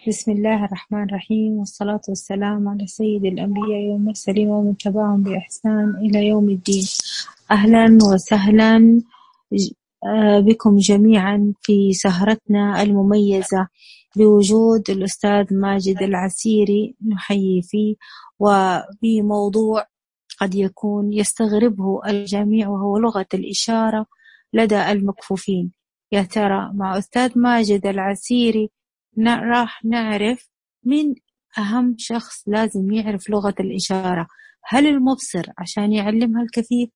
بسم الله الرحمن الرحيم، والصلاة والسلام على سيد الأنبياء والمرسلين ومن تبعهم بإحسان إلى يوم الدين. أهلا وسهلا بكم جميعا في سهرتنا المميزة بوجود الأستاذ ماجد العسيري، نحيي فيه وبموضوع قد يكون يستغربه الجميع، وهو لغة الإشارة لدى المكفوفين. يا ترى مع أستاذ ماجد العسيري راح نعرف من أهم شخص لازم يعرف لغة الإشارة. هل المبصر عشان يعلمها الكفيف،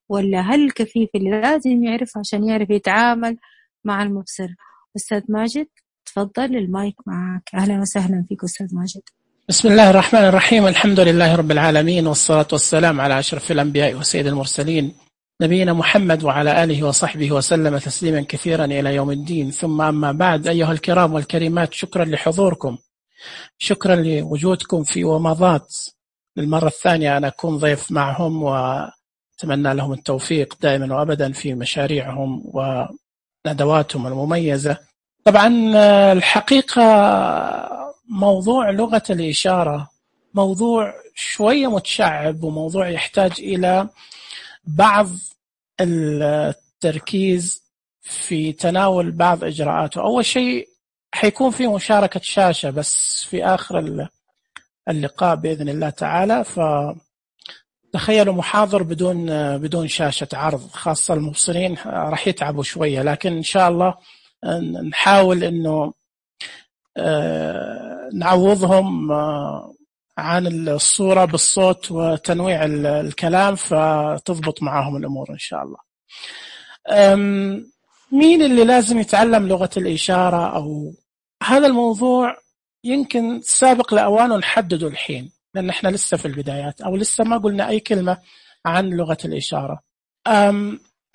ولا هل الكفيف اللي لازم يعرف عشان يعرف يتعامل مع المبصر؟ أستاذ ماجد تفضل، المايك معك. أهلا وسهلا فيك أستاذ ماجد. بسم الله الرحمن الرحيم، الحمد لله رب العالمين، والصلاة والسلام على أشرف الأنبياء وسيد المرسلين نبينا محمد وعلى آله وصحبه وسلم تسليما كثيرا إلى يوم الدين. ثم أما بعد، أيها الكرام والكريمات، شكرا لحضوركم، شكرا لوجودكم في ومضات. للمرة الثانية أنا أكون ضيف معهم، وأتمنى لهم التوفيق دائما وأبدا في مشاريعهم وندواتهم المميزة. طبعا الحقيقة موضوع لغة الإشارة موضوع شوية متشعب، وموضوع يحتاج إلى بعض التركيز في تناول بعض إجراءاته. أول شيء حيكون في مشاركة شاشة بس في آخر اللقاء بإذن الله تعالى، فتخيلوا محاضر بدون شاشة عرض، خاصة المبصرين راح يتعبوا شوية، لكن إن شاء الله نحاول إنه نعوضهم عن الصورة بالصوت وتنويع الكلام، فتضبط معهم الأمور إن شاء الله. مين اللي لازم يتعلم لغة الإشارة؟ أو هذا الموضوع يمكن سابق لأوانه نحدده الحين، لأن احنا لسه في البدايات، أو لسه ما قلنا أي كلمة عن لغة الإشارة.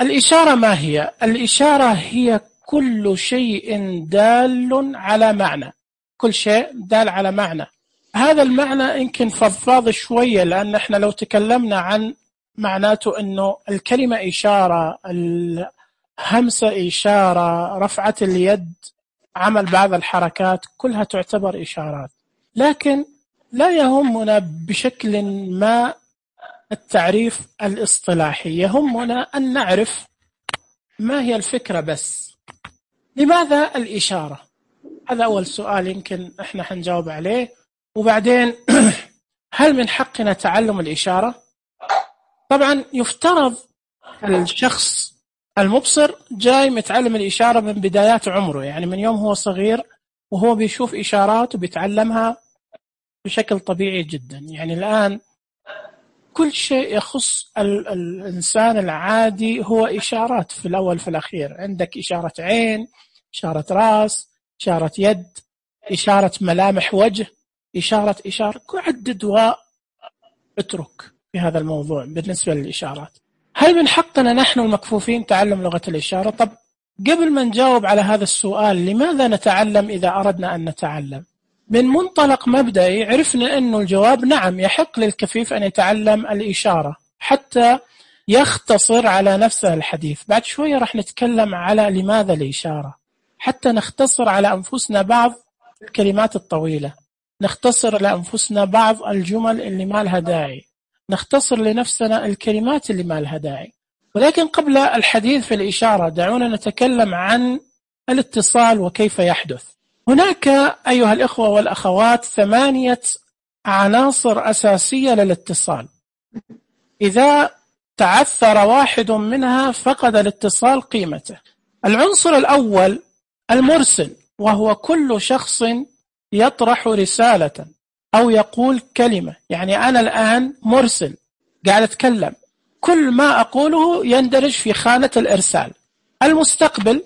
الإشارة ما هي؟ الإشارة هي كل شيء دال على معنى، كل شيء دال على معنى. هذا المعنى يمكن فضفاض شوية، لأن احنا لو تكلمنا عن معناته أنه الكلمة إشارة، الهمسة إشارة، رفعة اليد، عمل بعض الحركات، كلها تعتبر إشارات. لكن لا يهمنا بشكل ما التعريف الاصطلاحي، يهمنا أن نعرف ما هي الفكرة بس. لماذا الإشارة؟ هذا أول سؤال يمكن احنا حنجاوب عليه. وبعدين هل من حقنا تعلم الإشارة؟ طبعا يفترض الشخص المبصر جاي متعلم الإشارة من بدايات عمره، يعني من يوم هو صغير وهو بيشوف إشارات وبيتعلمها بشكل طبيعي جدا. يعني الآن كل شيء يخص الإنسان العادي هو إشارات في الأول في الأخير. عندك إشارة عين، إشارة رأس، إشارة يد، إشارة ملامح وجه، إشارة عدد واترك في هذا الموضوع بالنسبة للإشارات. هل من حقنا نحن المكفوفين تعلم لغة الإشارة؟ طب قبل ما نجاوب على هذا السؤال، لماذا نتعلم إذا أردنا أن نتعلم؟ من منطلق مبدئي عرفنا أنه الجواب نعم، يحق للكفيف أن يتعلم الإشارة حتى يختصر على نفسه الحديث. بعد شوية راح نتكلم على لماذا الإشارة، حتى نختصر على أنفسنا بعض الكلمات الطويلة، نختصر لأنفسنا بعض الجمل اللي ما لها داعي، نختصر لنفسنا الكلمات اللي ما لها داعي. ولكن قبل الحديث في الإشارة دعونا نتكلم عن الاتصال وكيف يحدث. هناك أيها الإخوة والأخوات 8 عناصر أساسية للاتصال، إذا تعثر واحد منها فقد الاتصال قيمته. العنصر الأول المرسل، وهو كل شخص يطرح رسالة أو يقول كلمة. يعني أنا الآن مرسل قاعد أتكلم، كل ما أقوله يندرج في خانة الإرسال. المستقبل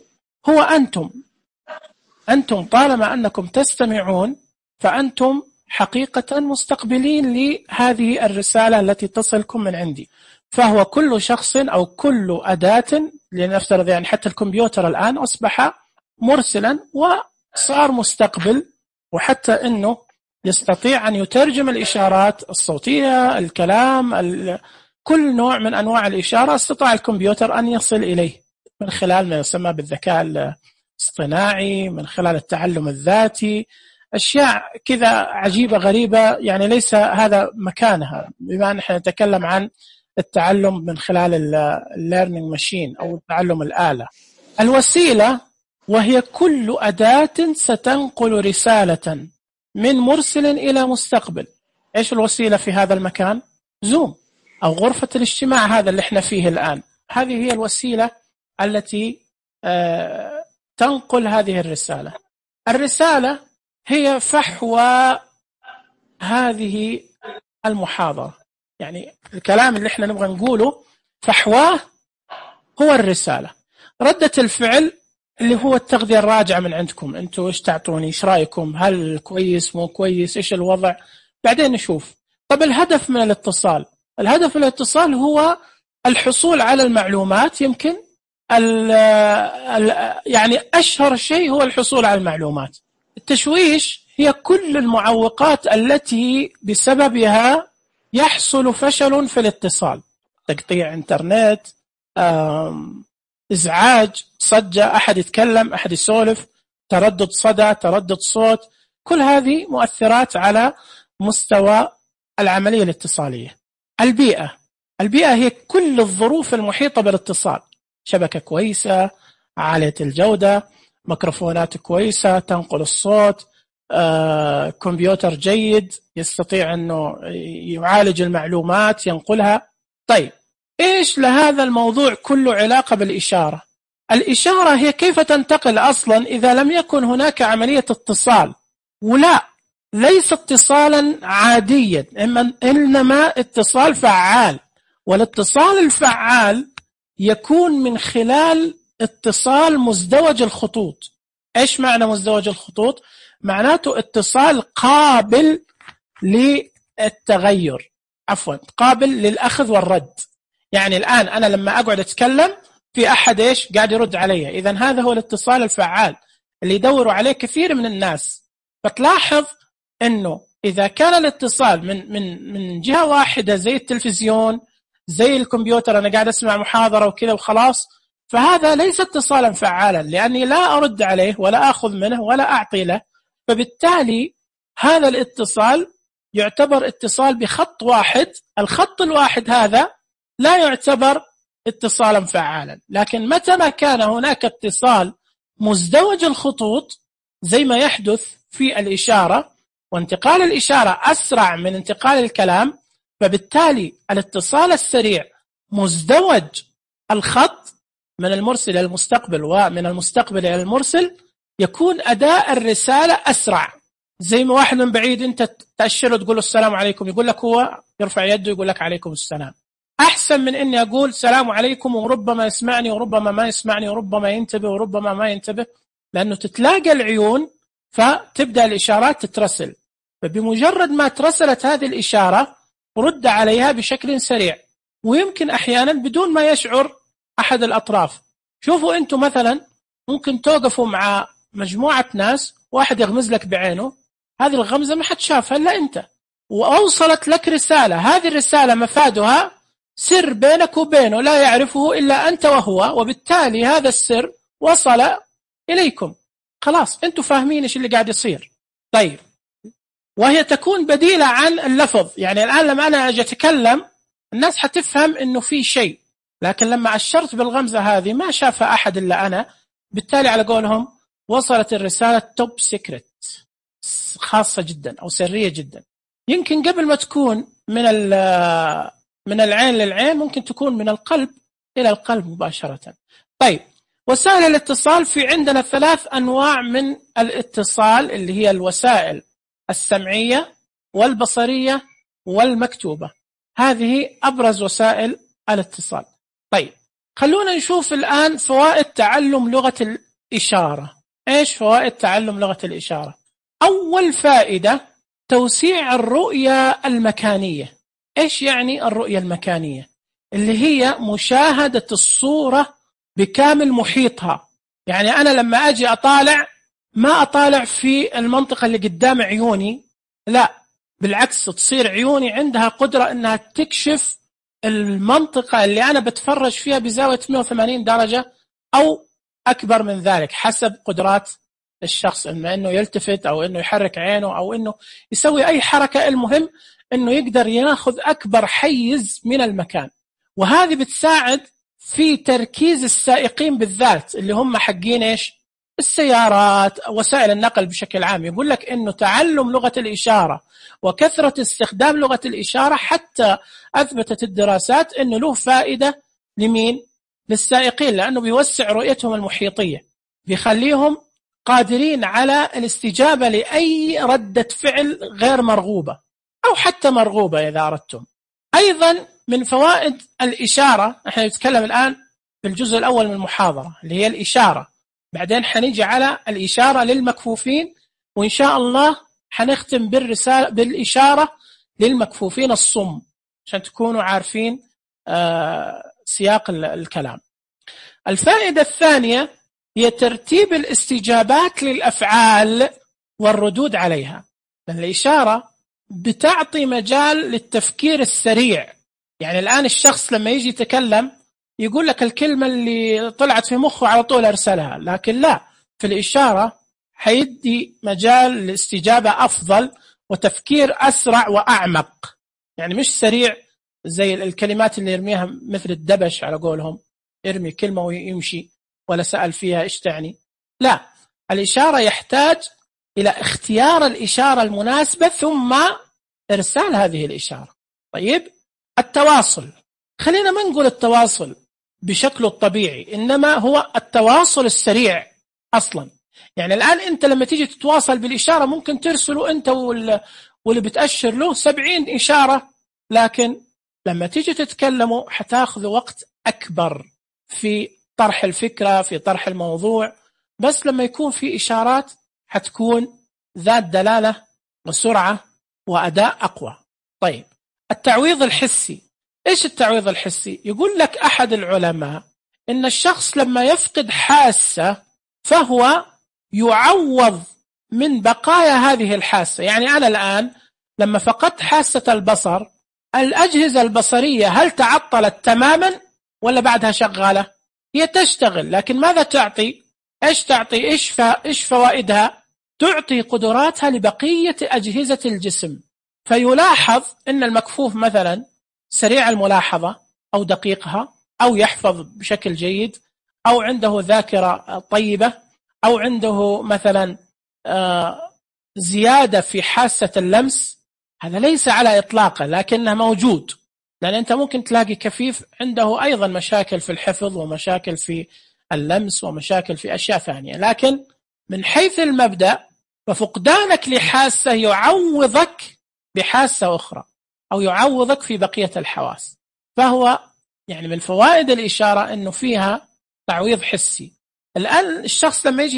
هو أنتم طالما أنكم تستمعون فأنتم حقيقة مستقبلين لهذه الرسالة التي تصلكم من عندي. فهو كل شخص أو كل أداة، لنفترض يعني حتى الكمبيوتر الآن أصبح مرسلا وصار مستقبل، وحتى أنه يستطيع أن يترجم الإشارات الصوتية، الكلام، كل نوع من أنواع الإشارة استطاع الكمبيوتر أن يصل إليه من خلال ما يسمى بالذكاء اصطناعي، من خلال التعلم الذاتي، أشياء كذا عجيبة غريبة، يعني ليس هذا مكانها بما أن احنا نتكلم عن التعلم من خلال الليرنينج ماشين أو التعلم الآلة. الوسيلة وهي كل أداة ستنقل رسالة من مرسل إلى مستقبل. إيش الوسيلة في هذا المكان؟ زوم أو غرفة الاجتماع هذا اللي احنا فيه الآن، هذه هي الوسيلة التي تنقل هذه الرسالة. الرسالة هي فحوى هذه المحاضرة، يعني الكلام اللي احنا نبغى نقوله فحواه هو الرسالة. ردة الفعل اللي هو التغذية الراجعة من عندكم، انتوا ايش تعطوني، ايش رأيكم، هل كويس مو كويس، ايش الوضع، بعدين نشوف. طب الهدف من الاتصال، الهدف من الاتصال هو الحصول على المعلومات. يمكن يعني أشهر شيء هو الحصول على المعلومات. التشويش هي كل المعوقات التي بسببها يحصل فشل في الاتصال، تقطيع انترنت، إزعاج، صجة، أحد يتكلم، أحد يسولف، تردد صدى، تردد صوت، كل هذه مؤثرات على مستوى العملية الاتصالية. البيئة هي كل الظروف المحيطة بالاتصال، شبكة كويسة، عالية الجودة، ميكروفونات كويسة تنقل الصوت، كمبيوتر جيد يستطيع أنه يعالج المعلومات ينقلها. طيب إيش لهذا الموضوع كله علاقة بالإشارة؟ الإشارة هي كيف تنتقل أصلا إذا لم يكن هناك عملية اتصال، ولا ليس اتصالا عاديا، إنما اتصال فعال. والاتصال الفعال يكون من خلال اتصال مزدوج الخطوط. إيش معنى مزدوج الخطوط؟ معناته اتصال قابل للتغير، قابل للأخذ والرد. يعني الآن أنا لما أقعد أتكلم في أحد إيش قاعد يرد علي، إذن هذا هو الاتصال الفعال اللي يدوروا عليه كثير من الناس. فتلاحظ أنه إذا كان الاتصال من جهة واحدة زي التلفزيون، زي الكمبيوتر، أنا قاعد أسمع محاضرة وكذا وخلاص، فهذا ليس اتصالا فعالا، لأني لا أرد عليه ولا أخذ منه ولا أعطي له. فبالتالي هذا الاتصال يعتبر اتصال بخط واحد، الخط الواحد هذا لا يعتبر اتصالا فعالا. لكن متى ما كان هناك اتصال مزدوج الخطوط زي ما يحدث في الإشارة، وانتقال الإشارة أسرع من انتقال الكلام، فبالتالي الاتصال السريع مزدوج الخط من المرسل إلى المستقبل ومن المستقبل إلى المرسل، يكون أداء الرسالة أسرع. زي ما واحد من بعيد أنت تأشره تقول له السلام عليكم، يقول لك هو يرفع يده يقول لك عليكم السلام، أحسن من إني أقول السلام عليكم وربما يسمعني وربما ما يسمعني وربما ينتبه وربما ما ينتبه، لأنه تتلاقى العيون فتبدأ الإشارات تترسل. فبمجرد ما ترسلت هذه الإشارة رد عليها بشكل سريع، ويمكن أحيانا بدون ما يشعر أحد الأطراف. شوفوا أنتم مثلا ممكن توقفوا مع مجموعة ناس، واحد يغمز لك بعينه، هذه الغمزة ما حد شافها إلا أنت، وأوصلت لك رسالة، هذه الرسالة مفادها سر بينك وبينه لا يعرفه إلا أنت وهو، وبالتالي هذا السر وصل إليكم، خلاص أنتم فاهمين إيش اللي قاعد يصير. طيب، وهي تكون بديلة عن اللفظ. يعني الآن لما أنا أجي أتكلم الناس حتفهم إنه في شيء، لكن لما أشرت بالغمزة هذه ما شافها أحد إلا أنا، بالتالي على قولهم وصلت الرسالة توب سيكريت، خاصة جدا أو سرية جدا. يمكن قبل ما تكون من العين للعين، ممكن تكون من القلب إلى القلب مباشرة. طيب، وسائل الاتصال في عندنا 3 أنواع من الاتصال، اللي هي الوسائل السمعية والبصرية والمكتوبة. هذه أبرز وسائل الاتصال. طيب، خلونا نشوف الآن فوائد تعلم لغة الإشارة. إيش فوائد تعلم لغة الإشارة؟ أول فائدة توسيع الرؤية المكانية. إيش يعني الرؤية المكانية؟ اللي هي مشاهدة الصورة بكامل محيطها. يعني أنا لما أجي أطالع ما أطالع في المنطقة اللي قدام عيوني، لا بالعكس، تصير عيوني عندها قدرة أنها تكشف المنطقة اللي أنا بتفرج فيها بزاوية 180 درجة أو أكبر من ذلك حسب قدرات الشخص، إما إنه يلتفت أو إنه يحرك عينه أو إنه يسوي أي حركة، المهم إنه يقدر ياخذ أكبر حيز من المكان. وهذه بتساعد في تركيز السائقين بالذات اللي هم حقين إيش؟ السيارات، وسائل النقل بشكل عام. يقول لك إنه تعلم لغة الإشارة وكثرة استخدام لغة الإشارة حتى أثبتت الدراسات إنه له فائدة لمين؟ للسائقين، لأنه بيوسع رؤيتهم المحيطية، بيخليهم قادرين على الاستجابة لأي ردة فعل غير مرغوبة أو حتى مرغوبة إذا أردتم. أيضا من فوائد الإشارة، احنا نتكلم الآن في الجزء الأول من المحاضرة اللي هي الإشارة، بعدين حنيجي على الإشارة للمكفوفين، وإن شاء الله حنختم بالإشارة للمكفوفين الصم عشان تكونوا عارفين سياق الكلام. الفائدة الثانية هي ترتيب الاستجابات للأفعال والردود عليها، لأن الإشارة بتعطي مجال للتفكير السريع. يعني الآن الشخص لما يجي يتكلم يقول لك الكلمة اللي طلعت في مخه على طول أرسلها، لكن لا، في الإشارة حيدي مجال للاستجابة أفضل وتفكير أسرع وأعمق. يعني مش سريع زي الكلمات اللي يرميها مثل الدبش على قولهم، يرمي كلمة ويمشي ولا سأل فيها إيش تعني. لا، الإشارة يحتاج إلى اختيار الإشارة المناسبة ثم إرسال هذه الإشارة. طيب، التواصل، خلينا ما نقول التواصل بشكله الطبيعي، إنما هو التواصل السريع أصلا. يعني الآن أنت لما تيجي تتواصل بالإشارة ممكن ترسله أنت واللي بتأشر له 70 إشارة، لكن لما تيجي تتكلموا حتاخذ وقت أكبر في طرح الفكرة، في طرح الموضوع. بس لما يكون في إشارات حتكون ذات دلالة وسرعة وأداء أقوى. طيب، التعويض الحسي. إيش التعويض الحسي؟ يقول لك أحد العلماء إن الشخص لما يفقد حاسة فهو يعوض من بقايا هذه الحاسة. يعني أنا الآن لما فقدت حاسة البصر، الأجهزة البصرية هل تعطلت تماما ولا بعدها شغالة؟ هي تشتغل، لكن ماذا تعطي؟ إيش تعطي؟ إيش فوائدها؟ تعطي قدراتها لبقية أجهزة الجسم. فيلاحظ أن المكفوف مثلا سريع الملاحظة أو دقيقها، أو يحفظ بشكل جيد، أو عنده ذاكرة طيبة، أو عنده مثلا زيادة في حاسة اللمس. هذا ليس على إطلاقه، لكنه موجود، لأن أنت ممكن تلاقي كفيف عنده أيضا مشاكل في الحفظ ومشاكل في اللمس ومشاكل في أشياء ثانية. لكن من حيث المبدأ ففقدانك لحاسة يعوضك بحاسة أخرى، أو يعوضك في بقية الحواس. فهو يعني من فوائد الإشارة أنه فيها تعويض حسي. الآن الشخص لما يجي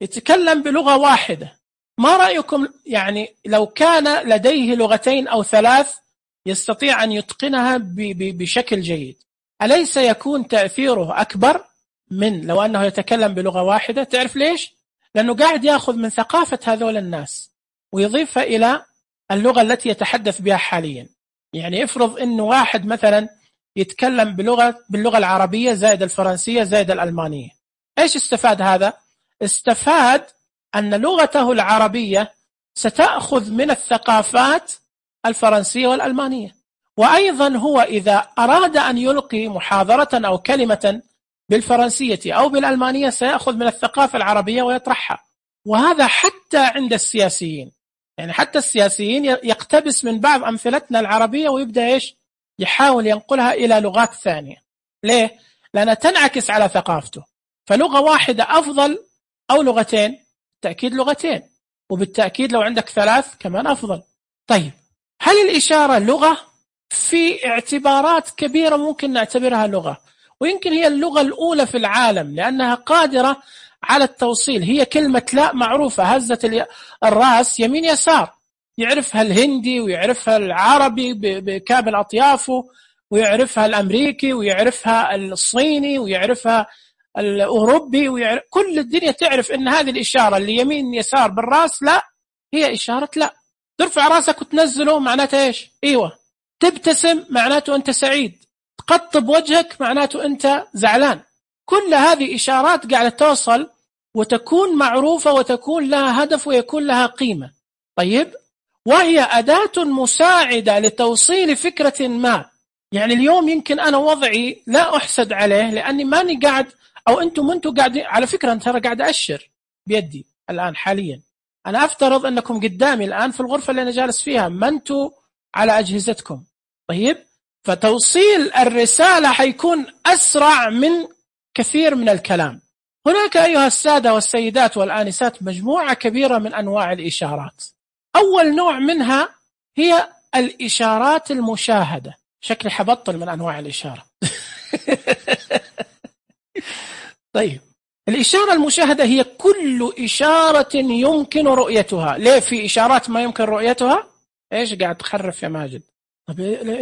يتكلم بلغة واحدة، ما رأيكم يعني لو كان لديه لغتين أو 3 يستطيع أن يتقنها بشكل جيد، أليس يكون تأثيره أكبر من لو أنه يتكلم بلغة واحدة؟ تعرف ليش؟ لأنه قاعد يأخذ من ثقافة هذول الناس ويضيفها إلى اللغة التي يتحدث بها حاليا. يعني افرض أنه واحد مثلا يتكلم باللغة العربية زائد الفرنسية زائد الألمانية، إيش استفاد هذا؟ استفاد أن لغته العربية ستأخذ من الثقافات الفرنسية والألمانية. وأيضا هو إذا أراد أن يلقي محاضرة أو كلمة بالفرنسية أو بالألمانية سيأخذ من الثقافة العربية ويطرحها. وهذا حتى عند السياسيين، يعني حتى السياسيين يقتبس من بعض أمثلتنا العربية ويبدأ يحاول ينقلها إلى لغات ثانية. ليه؟ لأنها تنعكس على ثقافته. فلغة واحدة أفضل أو لغتين؟ بالتأكيد لغتين، وبالتأكيد لو عندك 3 كمان أفضل. طيب، هل الإشارة لغة؟ في اعتبارات كبيرة ممكن نعتبرها لغة، ويمكن هي اللغة الأولى في العالم لأنها قادرة على التوصيل. هي كلمة لا معروفة، هزة الرأس يمين يسار، يعرفها الهندي ويعرفها العربي بكامل أطيافه، ويعرفها الأمريكي ويعرفها الصيني ويعرفها الأوروبي، كل الدنيا تعرف أن هذه الإشارة اللي يمين يسار بالرأس لا، هي إشارة لا. ترفع رأسك وتنزله معناته إيش؟ إيوه. تبتسم معناته أنت سعيد، تقطب وجهك معناته أنت زعلان. كل هذه إشارات قاعدة توصل وتكون معروفة وتكون لها هدف ويكون لها قيمة. طيب، وهي أداة مساعدة لتوصيل فكرة ما. يعني اليوم يمكن أنا وضعي لا أحسد عليه لأني ماني قاعد، أو أنتم قاعدين. على فكرة أنا ترى قاعد أشر بيدي الآن حاليا. أنا أفترض أنكم قدامي الآن في الغرفة اللي أنا جالس فيها، ما أنتم على أجهزتكم. طيب، فتوصيل الرسالة حيكون أسرع من كثير من الكلام. هناك أيها السادة والسيدات والآنسات مجموعة كبيرة من أنواع الإشارات. أول نوع منها هي الإشارات المشاهدة. شكلي حبطل من أنواع الإشارة. طيب، الإشارة المشاهدة هي كل إشارة يمكن رؤيتها. ليه في إشارات ما يمكن رؤيتها؟ إيش قاعد تخرف يا ماجد؟ طب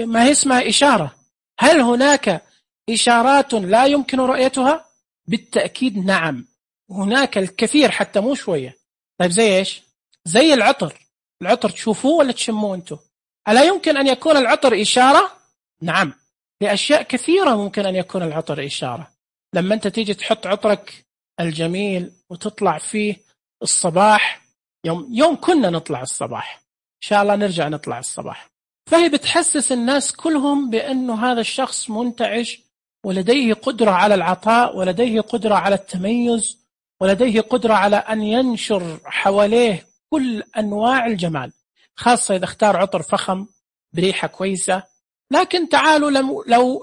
ما هي اسمها إشارة. هل هناك إشارات لا يمكن رؤيتها؟ بالتأكيد نعم، هناك الكثير حتى مو شوية. طيب زي إيش؟ زي العطر. العطر تشوفوه ولا تشموه أنتو؟ ألا يمكن أن يكون العطر إشارة؟ نعم، لأشياء كثيرة ممكن أن يكون العطر إشارة. لما أنت تيجي تحط عطرك الجميل وتطلع فيه الصباح، يوم كنا نطلع الصباح، إن شاء الله نرجع نطلع الصباح، فهي بتحسس الناس كلهم بأنه هذا الشخص منتعش ولديه قدرة على العطاء، ولديه قدرة على التميز، ولديه قدرة على أن ينشر حواليه كل أنواع الجمال، خاصة إذا اختار عطر فخم بريحة كويسة. لكن تعالوا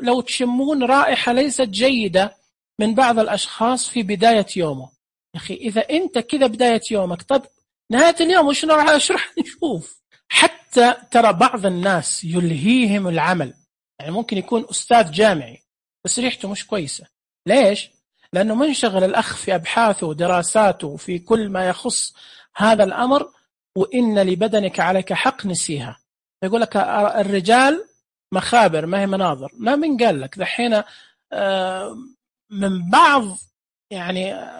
لو تشمون رائحة ليست جيدة من بعض الأشخاص في بداية يومه، يا أخي إذا أنت كذا بداية يومك، طب نهاية اليوم وش راح نشوف؟ حتى ترى بعض الناس يلهيهم العمل، يعني ممكن يكون أستاذ جامعي بس ريحته مش كويسة. ليش؟ لأنه منشغل الأخ في أبحاثه ودراساته في كل ما يخص هذا الأمر، وإن لبدنك عليك حق نسيها. يقول لك الرجال مخابر ما هي مناظر. ما من قال لك دحين من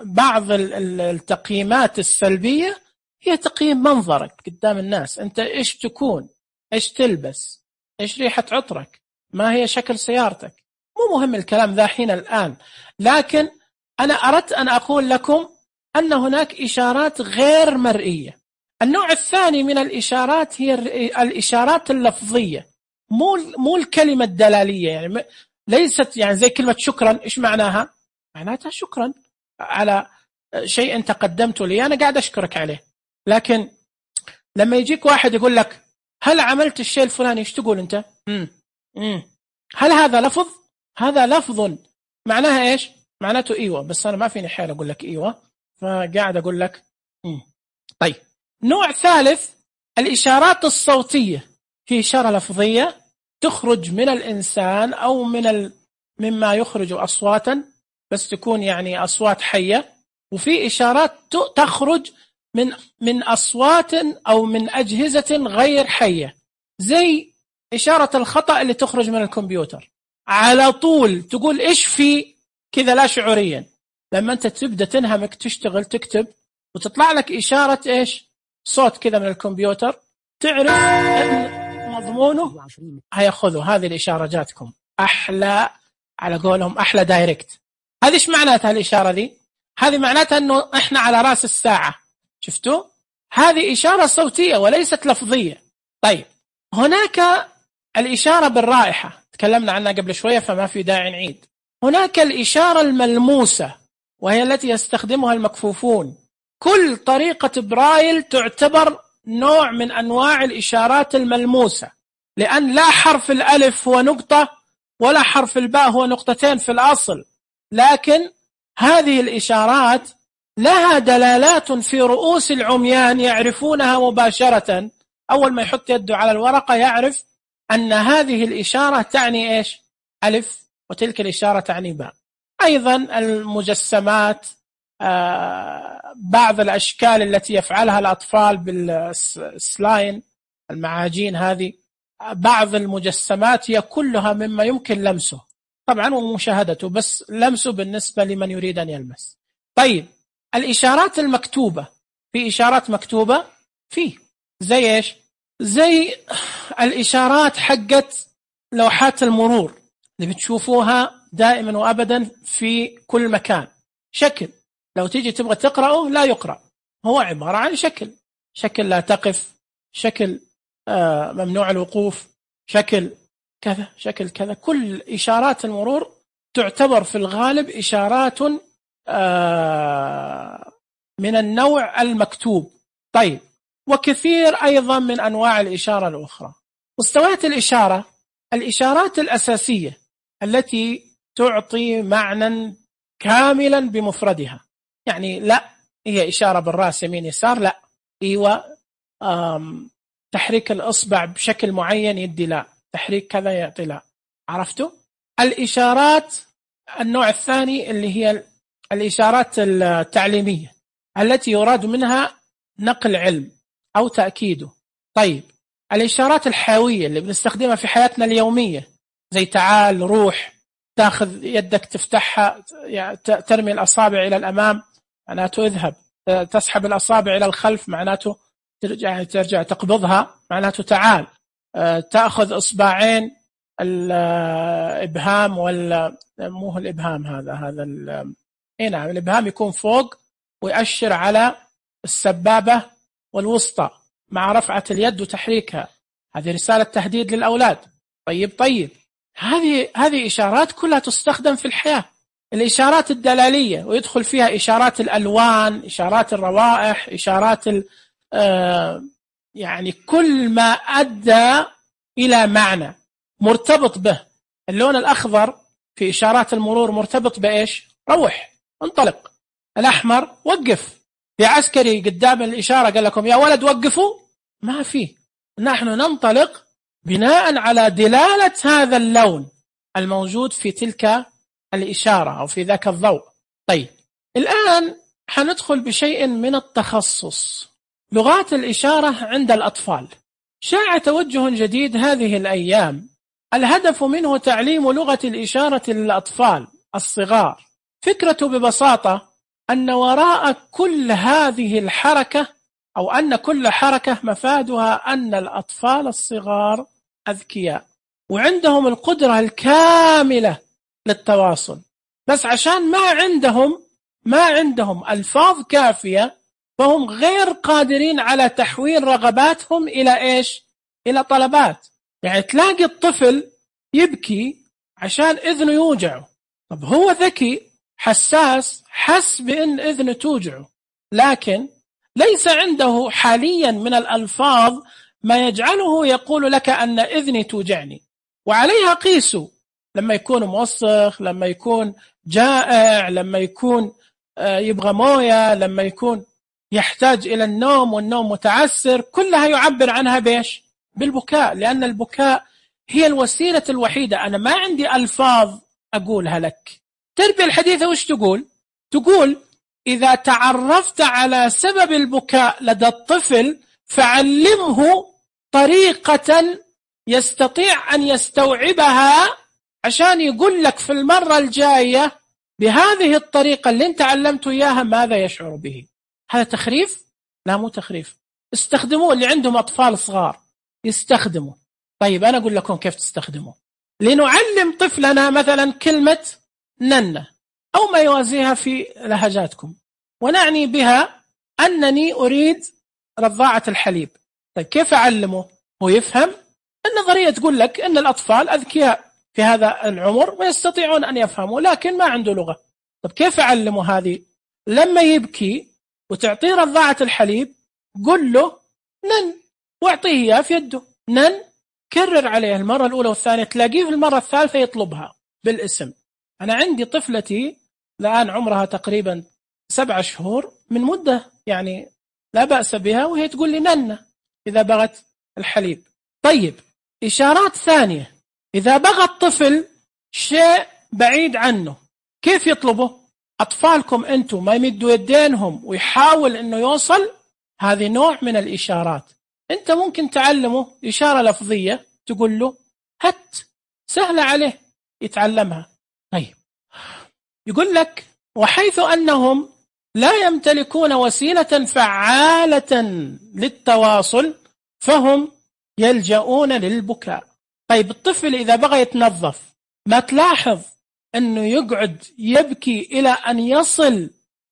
بعض التقييمات السلبية هي تقييم منظرك قدام الناس. أنت إيش تكون، إيش تلبس، إيش ريحة عطرك، ما هي شكل سيارتك. مو مهم الكلام ذا حين الآن، لكن أنا أردت أن أقول لكم أن هناك إشارات غير مرئية. النوع الثاني من الإشارات هي الإشارات اللفظية، مو الكلمة الدلالية. يعني ليست يعني زي كلمة شكرا. إيش معناها؟ معناتها شكرا على شيء أنت قدمته لي، أنا قاعد أشكرك عليه. لكن لما يجيك واحد يقول لك هل عملت الشيء الفلاني، إيش تقول أنت؟ هل هذا لفظ؟ هذا لفظ معناها إيش؟ معناته إيوة، بس أنا ما فيني حيل أقول لك إيوة، فقاعد أقول لك طيب. نوع ثالث الإشارات الصوتية. في إشارة لفظية تخرج من الإنسان أو مما يخرج أصواتا، بس تكون يعني أصوات حية. وفي إشارات تخرج من أصوات أو من أجهزة غير حية، زي إشارة الخطأ اللي تخرج من الكمبيوتر. على طول تقول إيش في كذا لا شعوريا. لما أنت تبدأ تنهمك تشتغل تكتب وتطلع لك إشارة إيش؟ صوت كذا من الكمبيوتر، تعرف أن مضمونه هيأخذوا هذه الإشارة جاتكم أحلى، على قولهم أحلى دايركت. هذه إيش معناتها الإشارة دي؟ هذه معناتها أنه إحنا على رأس الساعة. شفتوا؟ هذه إشارة صوتية وليست لفظية. طيب، هناك الإشارة بالرائحة تكلمنا عنها قبل شوية فما في داعي نعيد. هناك الإشارة الملموسة وهي التي يستخدمها المكفوفون. كل طريقة برايل تعتبر نوع من أنواع الإشارات الملموسة، لأن لا حرف الألف هو نقطة ولا حرف الباء هو نقطتين في الأصل، لكن هذه الإشارات لها دلالات في رؤوس العميان يعرفونها مباشرة. أول ما يحط يده على الورقة يعرف أن هذه الإشارة تعني إيش؟ ألف، وتلك الإشارة تعني باء. أيضا المجسمات، بعض الأشكال التي يفعلها الأطفال بالسلاين، المعاجين هذه، بعض المجسمات هي كلها مما يمكن لمسه طبعا ومشاهدته، بس لمسه بالنسبة لمن يريد أن يلمس. طيب، الإشارات المكتوبة. في إشارات مكتوبة فيه زي إيش؟ زي الإشارات حقت لوحات المرور اللي بتشوفوها دائما وأبدا في كل مكان. شكل لو تيجي تبغى تقرأه لا يقرأ، هو عبارة عن شكل لا تقف، شكل ممنوع الوقوف، شكل كذا، شكل كذا. كل إشارات المرور تعتبر في الغالب إشارات من النوع المكتوب. طيب، وكثير أيضا من أنواع الإشارة الأخرى. مستويات الإشارة: الإشارات الأساسية التي تعطي معنى كاملا بمفردها، يعني لا هي إشارة بالرأس يمين يسار، لا، إيوه، تحريك الإصبع بشكل معين يدي لا، تحريك كذا يعطي لا. عرفتوا؟ الإشارات النوع الثاني اللي هي الإشارات التعليمية التي يراد منها نقل علم أو تأكيده. طيب، الإشارات الحيوية اللي بنستخدمها في حياتنا اليومية زي تعال، روح، تأخذ يدك تفتحها، يعني ترمي الأصابع إلى الأمام معناته اذهب، تسحب الأصابع إلى الخلف معناته ترجع تقبضها معناته تعال، تأخذ إصبعين الإبهام ولا مو الإبهام، هذا نعم الإبهام يكون فوق ويأشر على السبابة والوسطى مع رفعة اليد وتحريكها، هذه رسالة تهديد للأولاد. طيب هذه إشارات كلها تستخدم في الحياة. الإشارات الدلالية ويدخل فيها إشارات الألوان، إشارات الروائح، إشارات يعني كل ما أدى إلى معنى مرتبط به. اللون الأخضر في إشارات المرور مرتبط بإيش؟ روح، انطلق. الأحمر وقف. في عسكري قدام الإشارة قال لكم يا ولد وقفوا؟ ما فيه. نحن ننطلق بناء على دلالة هذا اللون الموجود في تلك الإشارة أو في ذاك الضوء. طيب، الآن حندخل بشيء من التخصص. لغات الإشارة عند الأطفال شاع توجه جديد هذه الأيام، الهدف منه تعليم لغة الإشارة للأطفال الصغار. فكرته ببساطة أن وراء كل هذه الحركة أو أن كل حركة مفادها أن الأطفال الصغار أذكياء وعندهم القدرة الكاملة للتواصل، بس عشان ما عندهم ألفاظ كافية فهم غير قادرين على تحويل رغباتهم إلى إيش؟ إلى طلبات. يعني تلاقي الطفل يبكي عشان إذنه يوجعه، طب هو ذكي حساس، حس بأن إذنه توجعه، لكن ليس عنده حاليا من الألفاظ ما يجعله يقول لك أن إذني توجعني. وعليها قيسوا لما يكون موسخ، لما يكون جائع، لما يكون يبغى موية، لما يكون يحتاج إلى النوم والنوم متعسر، كلها يعبر عنها بيش؟ بالبكاء، لأن البكاء هي الوسيلة الوحيدة. أنا ما عندي ألفاظ أقولها لك. التربية الحديثة وش تقول؟ تقول إذا تعرفت على سبب البكاء لدى الطفل فعلمه طريقة يستطيع أن يستوعبها عشان يقول لك في المرة الجاية بهذه الطريقة اللي انت علمته إياها ماذا يشعر به. هذا تخريف؟ لا، مو تخريف. استخدموه، اللي عندهم أطفال صغار يستخدموا. طيب أنا أقول لكم كيف تستخدموا. لنعلم طفلنا مثلا كلمة ننة أو ما يوازيها في لهجاتكم، ونعني بها أنني أريد رضاعة الحليب. طيب كيف أعلمه؟ هو يفهم. النظرية تقول لك أن الأطفال أذكياء في هذا العمر ويستطيعون أن يفهموا، لكن ما عنده لغة. طيب كيف أعلمه هذه؟ لما يبكي وتعطيه رضاعة الحليب قل له نن، واعطيه إياه في يده نن، كرر عليه المرة الأولى والثانية، تلاقيه في المرة الثالثة يطلبها بالاسم. أنا عندي طفلتي الآن عمرها تقريبا 7 شهور، من مدة يعني لا بأس بها، وهي تقول لي نن إذا بغت الحليب. طيب إشارات ثانية، إذا بغى الطفل شيء بعيد عنه كيف يطلبه؟ أطفالكم أنتم ما يمدوا يدينهم ويحاول أنه يوصل، هذه نوع من الإشارات. أنت ممكن تعلمه إشارة لفظية، تقول له هات، سهلة عليه يتعلمها. طيب يقول لك وحيث أنهم لا يمتلكون وسيلة فعالة للتواصل فهم يلجؤون للبكاء. طيب الطفل إذا بغى يتنظف ما تلاحظ أنه يقعد يبكي إلى أن يصل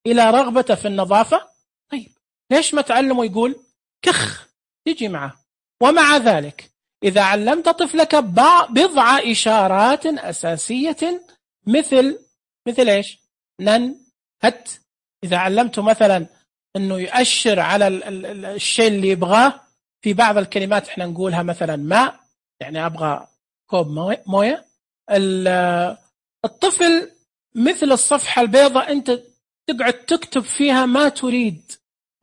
إلى رغبته في النظافة؟ طيب ليش ما تعلمه يقول كخ يجي معه؟ ومع ذلك إذا علمت طفلك بضع إشارات أساسية مثل إيش؟ نن، هت. إذا علمته مثلا أنه يؤشر على الشيء اللي يبغاه، في بعض الكلمات احنا نقولها مثلا ماء، يعني أبغى كوب موية. الطفل مثل الصفحة البيضاء أنت تقعد تكتب فيها ما تريد،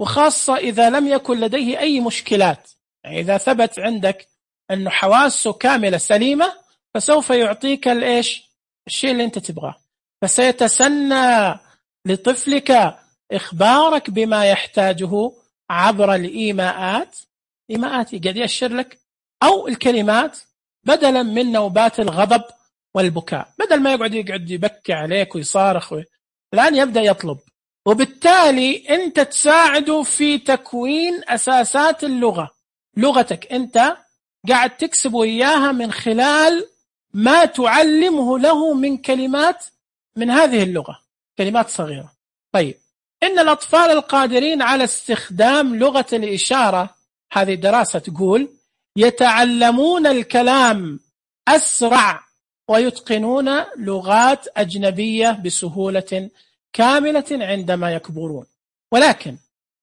وخاصة إذا لم يكن لديه أي مشكلات. يعني إذا ثبت عندك أنه حواسه كاملة سليمة فسوف يعطيك الشيء اللي أنت تبغاه، فسيتسنى لطفلك إخبارك بما يحتاجه عبر الإيماءات. قد يأشر لك، أو الكلمات، بدلا من نوبات الغضب والبكاء. بدل ما يقعد يبكي عليك ويصارخ الآن يبدأ يطلب، وبالتالي أنت تساعده في تكوين أساسات اللغة. لغتك أنت قاعد تكسب إياها من خلال ما تعلمه له من كلمات من هذه اللغة، كلمات صغيرة. طيب، إن الأطفال القادرين على استخدام لغة الإشارة، هذه الدراسة تقول، يتعلمون الكلام أسرع ويتقنون لغات أجنبية بسهولة كاملة عندما يكبرون. ولكن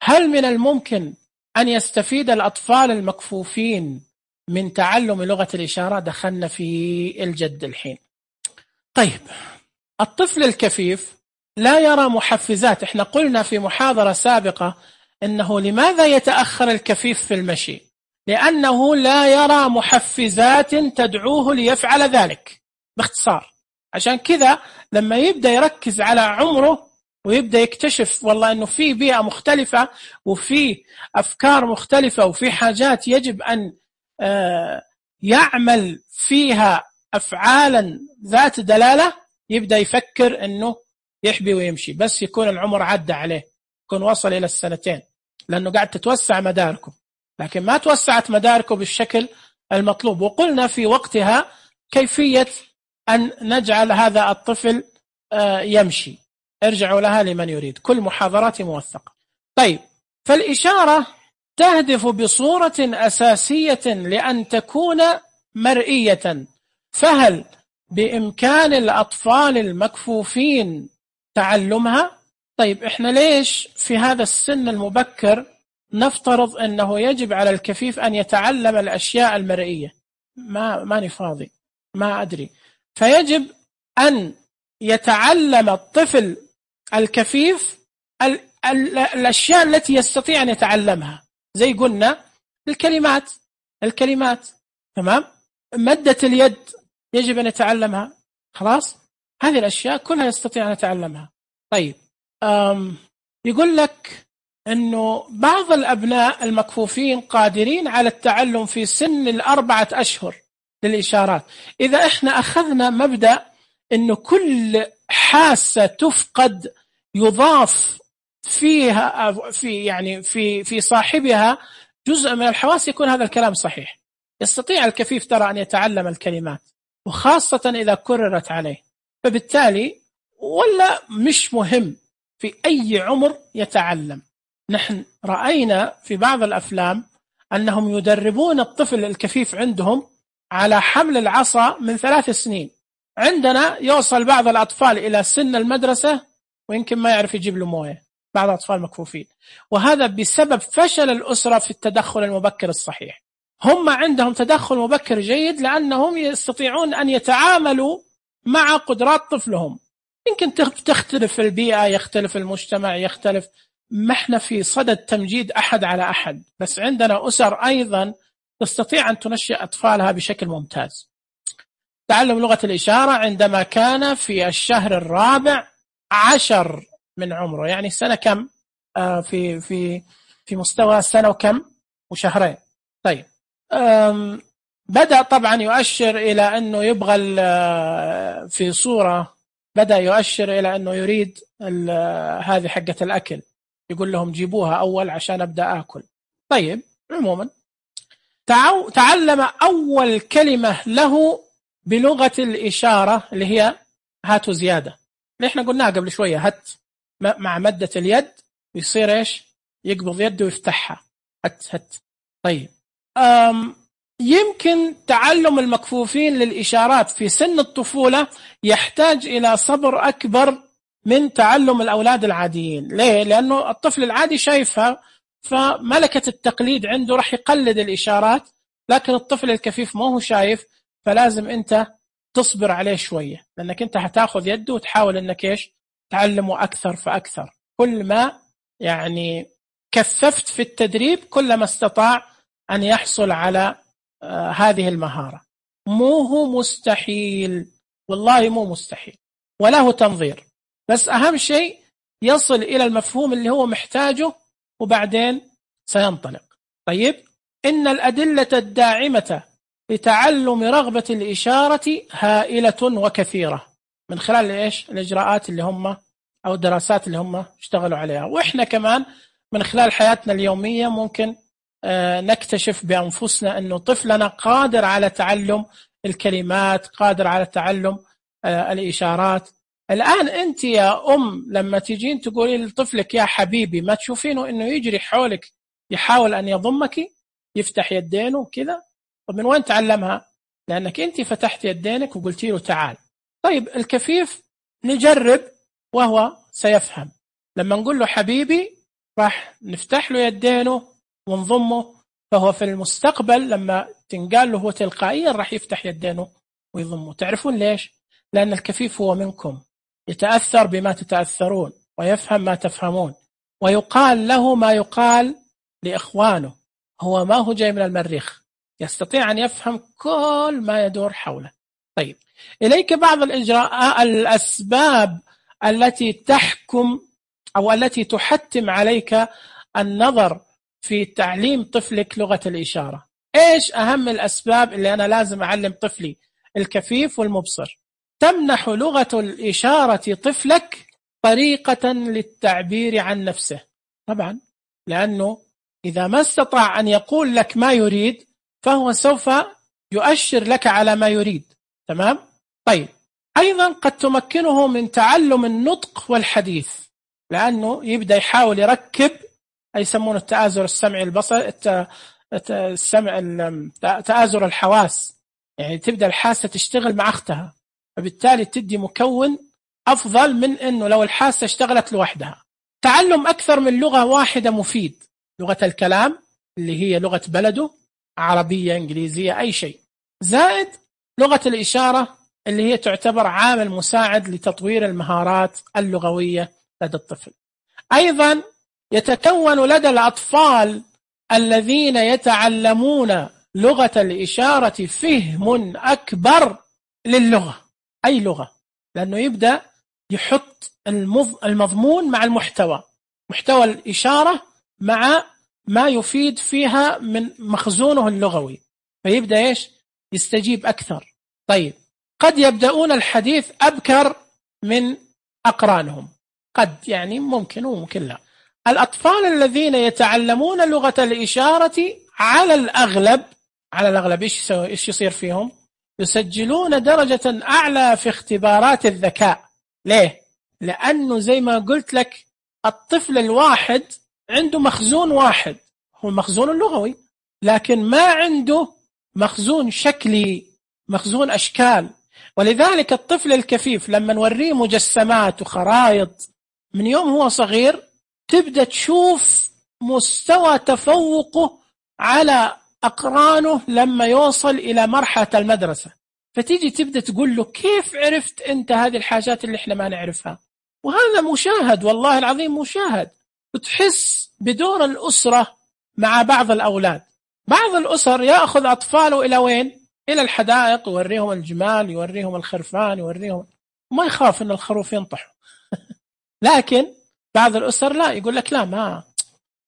هل من الممكن أن يستفيد الأطفال المكفوفين من تعلم لغة الإشارة؟ دخلنا في الجد الحين. طيب، الطفل الكفيف لا يرى محفزات. احنا قلنا في محاضرة سابقة إنه لماذا يتأخر الكفيف في المشي؟ لأنه لا يرى محفزات تدعوه ليفعل ذلك. باختصار، عشان كذا لما يبدأ يركز على عمره ويبدأ يكتشف والله أنه في بيئة مختلفة وفي أفكار مختلفة وفي حاجات يجب أن يعمل فيها أفعالا ذات دلالة، يبدأ يفكر أنه يحبي ويمشي، بس يكون العمر عدى عليه، يكون وصل إلى 2 سنين، لأنه قاعد تتوسع مداركه، لكن ما توسعت مداركه بالشكل المطلوب. وقلنا في وقتها كيفية أن نجعل هذا الطفل يمشي. ارجعوا لها لمن يريد، كل محاضرات موثقة. طيب، فالإشارة تهدف بصورة أساسية لأن تكون مرئية، فهل بإمكان الأطفال المكفوفين تعلمها؟ طيب، إحنا ليش في هذا السن المبكر نفترض أنه يجب على الكفيف أن يتعلم الأشياء المرئية؟ ماني فاضي، ما أدري. فيجب أن يتعلم الطفل الكفيف الأشياء التي يستطيع أن يتعلمها، زي قلنا الكلمات، تمام؟ مدة اليد يجب أن يتعلمها، خلاص؟ هذه الأشياء كلها يستطيع أن يتعلمها. طيب، يقول لك أنه بعض الأبناء المكفوفين قادرين على التعلم في سن 4 أشهر للإشارات. إذا إحنا أخذنا مبدأ أنه كل حاسة تفقد يضاف فيها في صاحبها جزء من الحواس، يكون هذا الكلام صحيح. يستطيع الكفيف ترى أن يتعلم الكلمات، وخاصة إذا كررت عليه. فبالتالي ولا مش مهم في أي عمر يتعلم. نحن رأينا في بعض الأفلام أنهم يدربون الطفل الكفيف عندهم على حمل العصا من 3 سنين. عندنا يوصل بعض الأطفال إلى سن المدرسة ويمكن ما يعرف يجيب له موية، بعض الأطفال مكفوفين، وهذا بسبب فشل الأسرة في التدخل المبكر الصحيح. هم عندهم تدخل مبكر جيد لأنهم يستطيعون أن يتعاملوا مع قدرات طفلهم. يمكن تختلف البيئة، يختلف المجتمع، يختلف، ما احنا في صدد تمجيد أحد على أحد، بس عندنا أسر أيضا تستطيع أن تنشئ أطفالها بشكل ممتاز. تعلم لغة الإشارة عندما كان في الشهر 14 من عمره، يعني سنة كم؟ في مستوى سنة وكم وشهرين. طيب، بدأ طبعا يؤشر إلى أنه يبغى في صورة، بدأ يؤشر إلى أنه يريد هذه حقة الأكل، يقول لهم جيبوها أول عشان أبدأ أكل. طيب، عموما تعلم أول كلمة له بلغة الإشارة اللي هي هاتوا زيادة اللي احنا قلناها قبل شوية، هات مع مدة اليد يصير ايش؟ يقبض يده ويفتحها، هات. طيب يمكن تعلم المكفوفين للإشارات في سن الطفولة يحتاج إلى صبر أكبر من تعلم الأولاد العاديين. ليه؟ لأنه الطفل العادي شايفها، فملكة التقليد عنده رح يقلد الإشارات، لكن الطفل الكفيف ما هو شايف، فلازم أنت تصبر عليه شوية، لأنك أنت هتاخذ يده وتحاول أنك إيش تعلمه أكثر فأكثر. كل ما يعني كثفت في التدريب كل ما استطاع أن يحصل على هذه المهارة. مو هو مستحيل، والله مو مستحيل، وله تنظير، بس أهم شيء يصل إلى المفهوم اللي هو محتاجه وبعدين سينطلق. طيب، إن الأدلة الداعمة لتعلم رغبة الإشارة هائلة وكثيرة من خلال إيش الإجراءات اللي هم أو الدراسات اللي هم اشتغلوا عليها، وإحنا كمان من خلال حياتنا اليومية ممكن نكتشف بأنفسنا أنه طفلنا قادر على تعلم الكلمات، قادر على تعلم الإشارات. الآن أنت يا أم لما تجين تقولي لطفلك يا حبيبي، ما تشوفينه أنه يجري حولك يحاول أن يضمك، يفتح يدينه كذا؟ طب من وين تعلمها؟ لأنك أنت فتحت يدينك وقلتي له تعال. طيب الكفيف نجرب وهو سيفهم. لما نقول له حبيبي راح نفتح له يدينه ونضمه، فهو في المستقبل لما تنقال له هو تلقائيا راح يفتح يدينه ويضمه. تعرفون ليش؟ لأن الكفيف هو منكم، يتأثر بما تتأثرون ويفهم ما تفهمون، ويقال له ما يقال لإخوانه. هو ما هو جاي من المريخ، يستطيع أن يفهم كل ما يدور حوله. طيب، إليك بعض الأسباب التي تحكم أو التي تحتم عليك النظر في تعليم طفلك لغة الإشارة. إيش أهم الأسباب اللي أنا لازم أعلم طفلي الكفيف والمبصر؟ تمنح لغة الإشارة طفلك طريقة للتعبير عن نفسه. طبعا لأنه إذا ما استطاع أن يقول لك ما يريد فهو سوف يؤشر لك على ما يريد. تمام؟ طيب، أيضا قد تمكنه من تعلم النطق والحديث، لأنه يبدأ يحاول يركب، يسمونه التآزر السمعي البصري، تآزر الحواس، يعني تبدأ الحاسة تشتغل مع أختها، فبالتالي تدي مكون أفضل من أنه لو الحاسة اشتغلت لوحدها. تعلم أكثر من لغة واحدة مفيد. لغة الكلام اللي هي لغة بلده، عربية إنجليزية أي شيء، زائد لغة الإشارة اللي هي تعتبر عامل مساعد لتطوير المهارات اللغوية لدى الطفل. أيضا يتكون لدى الأطفال الذين يتعلمون لغة الإشارة فهم أكبر للغة، أي لغة، لأنه يبدأ يحط المضمون مع المحتوى، محتوى الإشارة مع ما يفيد فيها من مخزونه اللغوي، فيبدأ إيش يستجيب أكثر. طيب، قد يبدأون الحديث أبكر من أقرانهم، قد يعني ممكن وممكن لا. الأطفال الذين يتعلمون لغة الإشارة على الأغلب إيش يصير فيهم؟ يسجلون درجة أعلى في اختبارات الذكاء. ليه؟ لأنه زي ما قلت لك الطفل الواحد عنده مخزون واحد، هو المخزون اللغوي، لكن ما عنده مخزون شكلي، مخزون أشكال. ولذلك الطفل الكفيف لما نوريه مجسمات وخرائط من يوم هو صغير تبدأ تشوف مستوى تفوقه على أقرانه لما يوصل إلى مرحلة المدرسة، فتيجي تبدأ تقول له كيف عرفت أنت هذه الحاجات اللي إحنا ما نعرفها؟ وهذا مشاهد، والله العظيم مشاهد. وتحس بدور الأسرة مع بعض الأولاد. بعض الأسر يأخذ أطفاله إلى وين؟ إلى الحدائق، يوريهم الجمال، يوريهم الخرفان، يوريهم، ما يخاف أن الخروف ينطح. لكن بعض الأسر لا، يقول لك لا، ما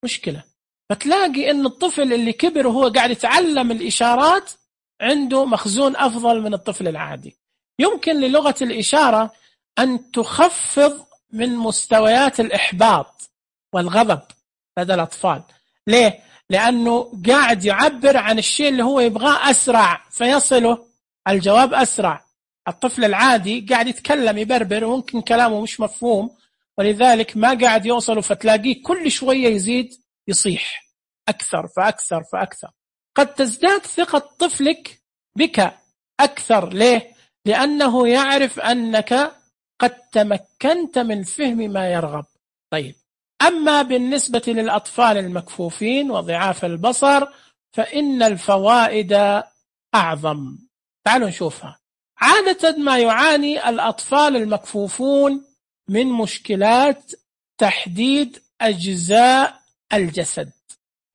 مشكلة. فتلاقي أن الطفل اللي كبر وهو قاعد يتعلم الإشارات عنده مخزون أفضل من الطفل العادي. يمكن للغة الإشارة أن تخفض من مستويات الإحباط والغضب لدى الأطفال. ليه؟ لأنه قاعد يعبر عن الشيء اللي هو يبغاه أسرع، فيصله الجواب أسرع، الطفل العادي قاعد يتكلم يبربر وممكن كلامه مش مفهوم، ولذلك ما قاعد يوصل، فتلاقيه كل شوية يزيد يصيح أكثر فأكثر فأكثر. قد تزداد ثقة طفلك بك أكثر. ليه؟ لأنه يعرف أنك قد تمكنت من فهم ما يرغب. طيب، أما بالنسبة للأطفال المكفوفين وضعاف البصر فإن الفوائد أعظم. تعالوا نشوفها. عادة ما يعاني الأطفال المكفوفون من مشكلات تحديد أجزاء الجسد،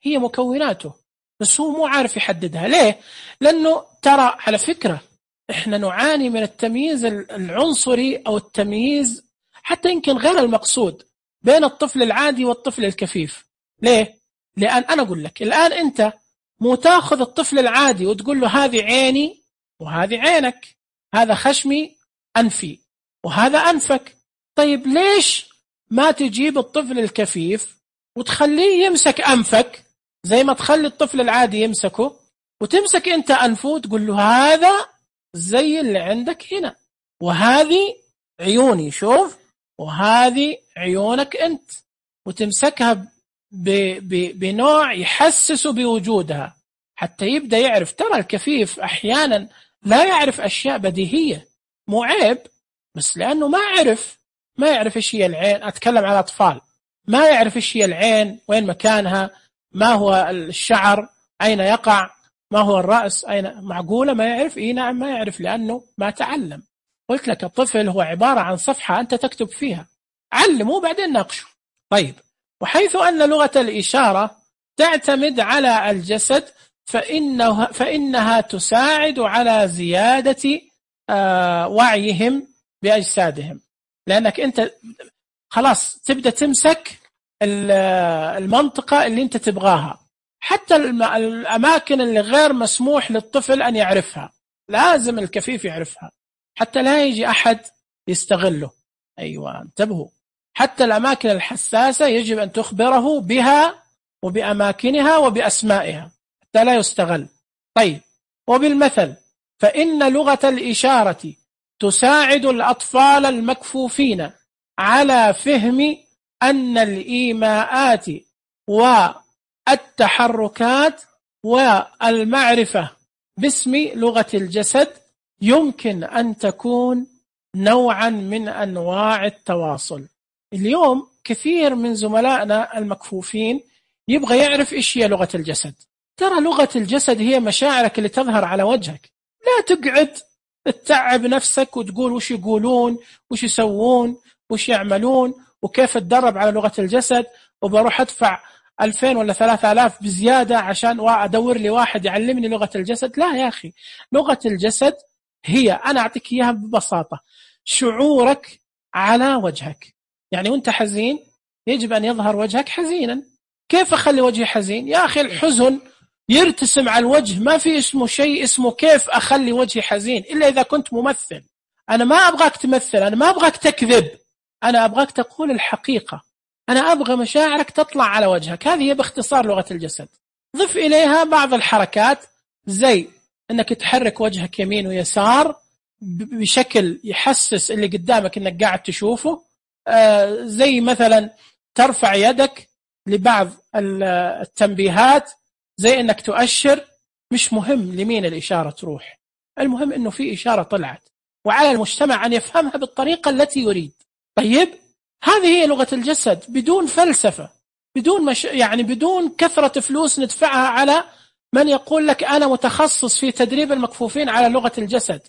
هي مكوناته بس هو مو عارف يحددها. ليه؟ لأنه ترى على فكرة إحنا نعاني من التمييز العنصري أو التمييز حتى يمكن غير المقصود بين الطفل العادي والطفل الكفيف. ليه؟ لأن أنا أقول لك الآن أنت مو تاخذ الطفل العادي وتقول له هذه عيني وهذه عينك، هذا خشمي أنفي وهذا أنفك. طيب ليش ما تجيب الطفل الكفيف وتخليه يمسك أنفك زي ما تخلي الطفل العادي يمسكه، وتمسك أنت أنفه وتقول له هذا زي اللي عندك هنا، وهذه عيوني شوف، وهذه عيونك أنت، وتمسكها بنوع يحسسه بوجودها حتى يبدأ يعرف. ترى الكفيف أحيانا لا يعرف أشياء بديهية، مو عيب، بس لأنه ما يعرف إيش هي العين. أتكلم على أطفال ما يعرف إيش هي العين، وين مكانها، ما هو الشعر أين يقع، ما هو الرأس أين. معقولة ما يعرف؟ إيه نعم ما يعرف، لأنه ما تعلم. قلت لك الطفل هو عبارة عن صفحة أنت تكتب فيها، علمه بعدين ناقشه. طيب، وحيث أن لغة الإشارة تعتمد على الجسد فإنها تساعد على زيادة وعيهم بأجسادهم، لأنك أنت خلاص تبدأ تمسك المنطقة اللي أنت تبغاها. حتى الأماكن اللي غير مسموح للطفل أن يعرفها لازم الكفيف يعرفها حتى لا يجي أحد يستغله. أيوة انتبهوا، حتى الأماكن الحساسة يجب أن تخبره بها وبأماكنها وبأسمائها حتى لا يستغل. طيب، وبالمثل فإن لغة الإشارة تساعد الأطفال المكفوفين على فهم أن الإيماءات والتحركات والمعرفة باسم لغة الجسد يمكن أن تكون نوعا من أنواع التواصل. اليوم كثير من زملائنا المكفوفين يبغى يعرف إيش هي لغة الجسد. ترى لغة الجسد هي مشاعرك اللي تظهر على وجهك. لا تقعد تتعب نفسك وتقول وش يقولون وش يسوون وش يعملون وكيف تدرب على لغة الجسد وبروح أدفع 2000 ولا 3000 بزيادة عشان أدور لي واحد يعلمني لغة الجسد. لا يا أخي، لغة الجسد هي، أنا أعطيك إياها ببساطة، شعورك على وجهك. يعني وانت حزين يجب أن يظهر وجهك حزينا. كيف أخلي وجهي حزين؟ يا أخي الحزن يرتسم على الوجه، ما في اسمه شيء اسمه كيف أخلي وجهي حزين إلا إذا كنت ممثل. أنا ما أبغاك تمثل، أنا ما أبغاك تكذب، أنا أبغاك تقول الحقيقة، أنا أبغى مشاعرك تطلع على وجهك. هذه هي باختصار لغة الجسد. ضف إليها بعض الحركات زي أنك تحرك وجهك يمين ويسار بشكل يحسس اللي قدامك أنك قاعد تشوفه، زي مثلا ترفع يدك لبعض التنبيهات، زي أنك تؤشر. مش مهم لمين الإشارة تروح، المهم أنه في إشارة طلعت وعلى المجتمع أن يفهمها بالطريقة التي يريد. طيب، هذه هي لغة الجسد بدون فلسفة، بدون يعني بدون كثرة فلوس ندفعها على من يقول لك أنا متخصص في تدريب المكفوفين على لغة الجسد.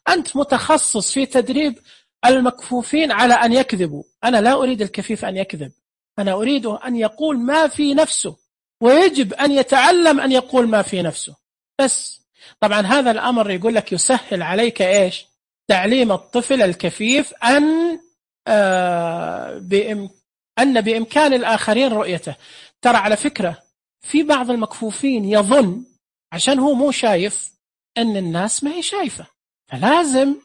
أنت متخصص في تدريب المكفوفين على أن يكذبوا. أنا لا أريد الكفيف أن يكذب، أنا أريده أن يقول ما في نفسه، ويجب أن يتعلم أن يقول ما في نفسه. بس طبعا هذا الأمر يقول لك يسهل عليك إيش؟ تعليم الطفل الكفيف أن بإمكان الآخرين رؤيته. ترى على فكرة في بعض المكفوفين يظن عشان هو مو شايف أن الناس ما هي شايفة، فلازم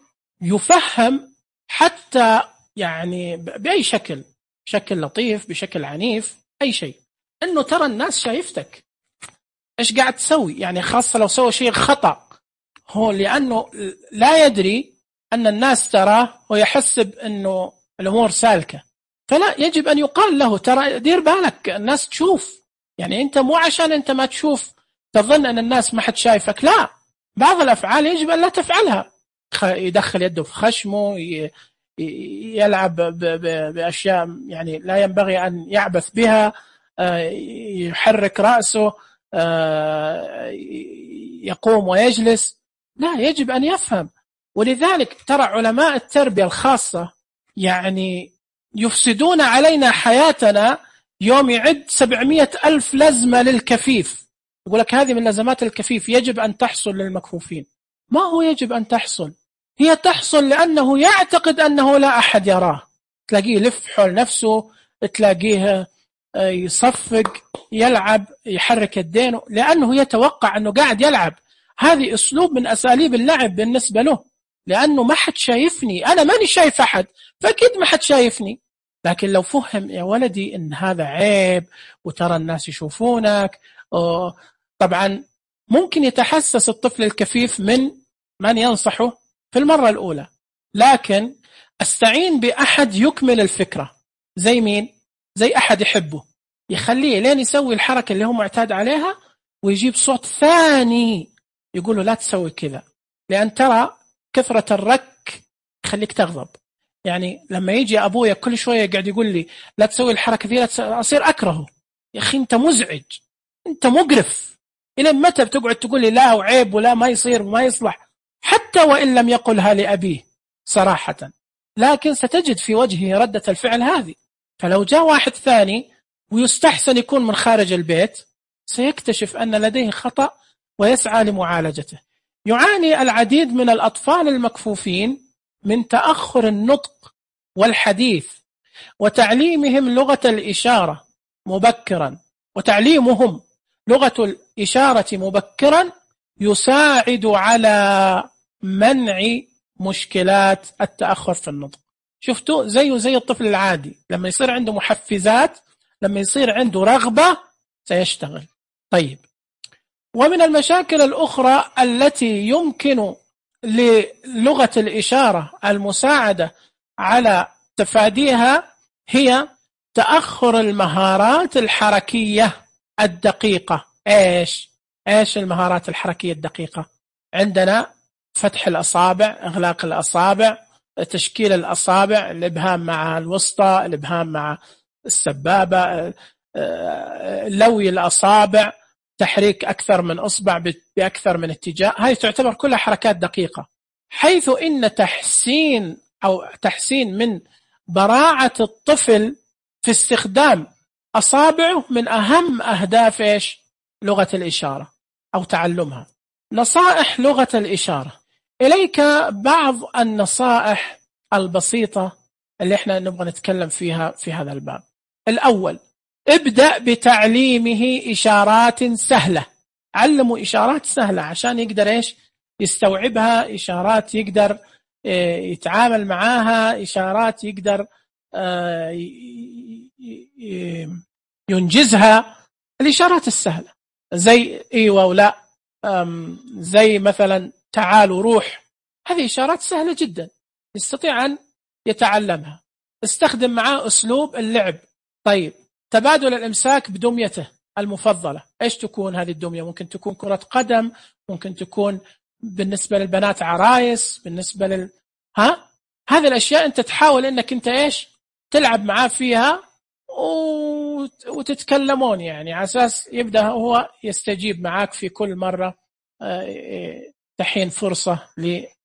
يفهم حتى يعني بأي شكل، بشكل لطيف بشكل عنيف أي شيء، أنه ترى الناس شايفتك إيش قاعد تسوي. يعني خاصة لو سوى شيء خطأ، هو لأنه لا يدري أن الناس تراه ويحسب أنه الأمور سالكة، فلا، يجب أن يقال له ترى دير بالك الناس تشوف، يعني أنت مو عشان أنت ما تشوف تظن أن الناس ما حد شايفك، لا، بعض الأفعال يجب أن لا تفعلها. يدخل يده في خشمه، يلعب بأشياء يعني لا ينبغي أن يعبث بها، يحرك رأسه، يقوم ويجلس، لا، يجب أن يفهم. ولذلك ترى علماء التربية الخاصة يعني يفسدون علينا حياتنا. يوم يعد 700,000 لزمة للكفيف، يقول لك هذه من لزمات الكفيف يجب أن تحصل للمكفوفين. ما هو يجب أن تحصل؟ هي تحصل لأنه يعتقد أنه لا أحد يراه، تلاقيه يلف حول نفسه، تلاقيه يصفق، يلعب، يحرك يدينه، لأنه يتوقع أنه قاعد يلعب. هذه أسلوب من أساليب اللعب بالنسبة له، لأنه ما حد شايفني، أنا ماني شايف أحد، فأكيد ما حد شايفني. لكن لو فهم يا ولدي إن هذا عيب وترى الناس يشوفونك، طبعا ممكن يتحسس الطفل الكفيف من ينصحه في المرة الأولى، لكن استعين بأحد يكمل الفكرة. زي مين؟ زي أحد يحبه، يخليه لين يسوي الحركة اللي هو معتاد عليها، ويجيب صوت ثاني يقول له لا تسوي كذا، لأن ترى كثرة الرك يخليك تغضب. يعني لما يجي أبويا كل شوية قاعد يقول لي لا تسوي الحركة ذي، أصير أكرهه. يا أخي أنت مزعج، أنت مقرف، إلى متى بتقعد تقول لي لا وعيب ولا ما يصير وما يصلح؟ حتى وإن لم يقلها لأبيه صراحة، لكن ستجد في وجهه ردة الفعل هذه. فلو جاء واحد ثاني ويستحسن يكون من خارج البيت، سيكتشف أن لديه خطأ ويسعى لمعالجته. يعاني العديد من الأطفال المكفوفين من تأخر النطق والحديث، وتعليمهم لغة الإشارة مبكرا، وتعليمهم لغة الإشارة مبكرا يساعد على منع مشكلات التأخر في النطق. شفتوا زي الطفل العادي، لما يصير عنده محفزات، لما يصير عنده رغبة سيشتغل. طيب، ومن المشاكل الأخرى التي يمكن للغة الإشارة المساعدة على تفاديها هي تأخر المهارات الحركية الدقيقة. إيش المهارات الحركية الدقيقة؟ عندنا فتح الأصابع، إغلاق الأصابع، تشكيل الأصابع، الإبهام مع الوسطى، الإبهام مع السبابة، لوي الأصابع، تحريك أكثر من أصبع بأكثر من اتجاه. هذه تعتبر كلها حركات دقيقة، حيث إن تحسين من براعة الطفل في استخدام أصابعه من أهم أهداف لغة الإشارة أو تعلمها. نصائح لغة الإشارة، إليك بعض النصائح البسيطة اللي احنا نبغى نتكلم فيها في هذا الباب. الأول، ابدأ بتعليمه إشارات سهلة. علمه إشارات سهلة عشان يقدر يستوعبها، إشارات يقدر يتعامل معاها، إشارات يقدر ينجزها. الإشارات السهلة زي إيوة ولا، زي مثلا تعال وروح، هذه إشارات سهلة جدا يستطيع أن يتعلمها. استخدم معاه أسلوب اللعب. طيب، تبادل الإمساك بدميته المفضلة. إيش تكون هذه الدمية؟ ممكن تكون كرة قدم، ممكن تكون بالنسبة للبنات عرايس، بالنسبة هذه الأشياء أنت تحاول أنك أنت تلعب معاه فيها وتتكلمون، يعني على أساس يبدأ هو يستجيب معاك في كل مرة تحين فرصة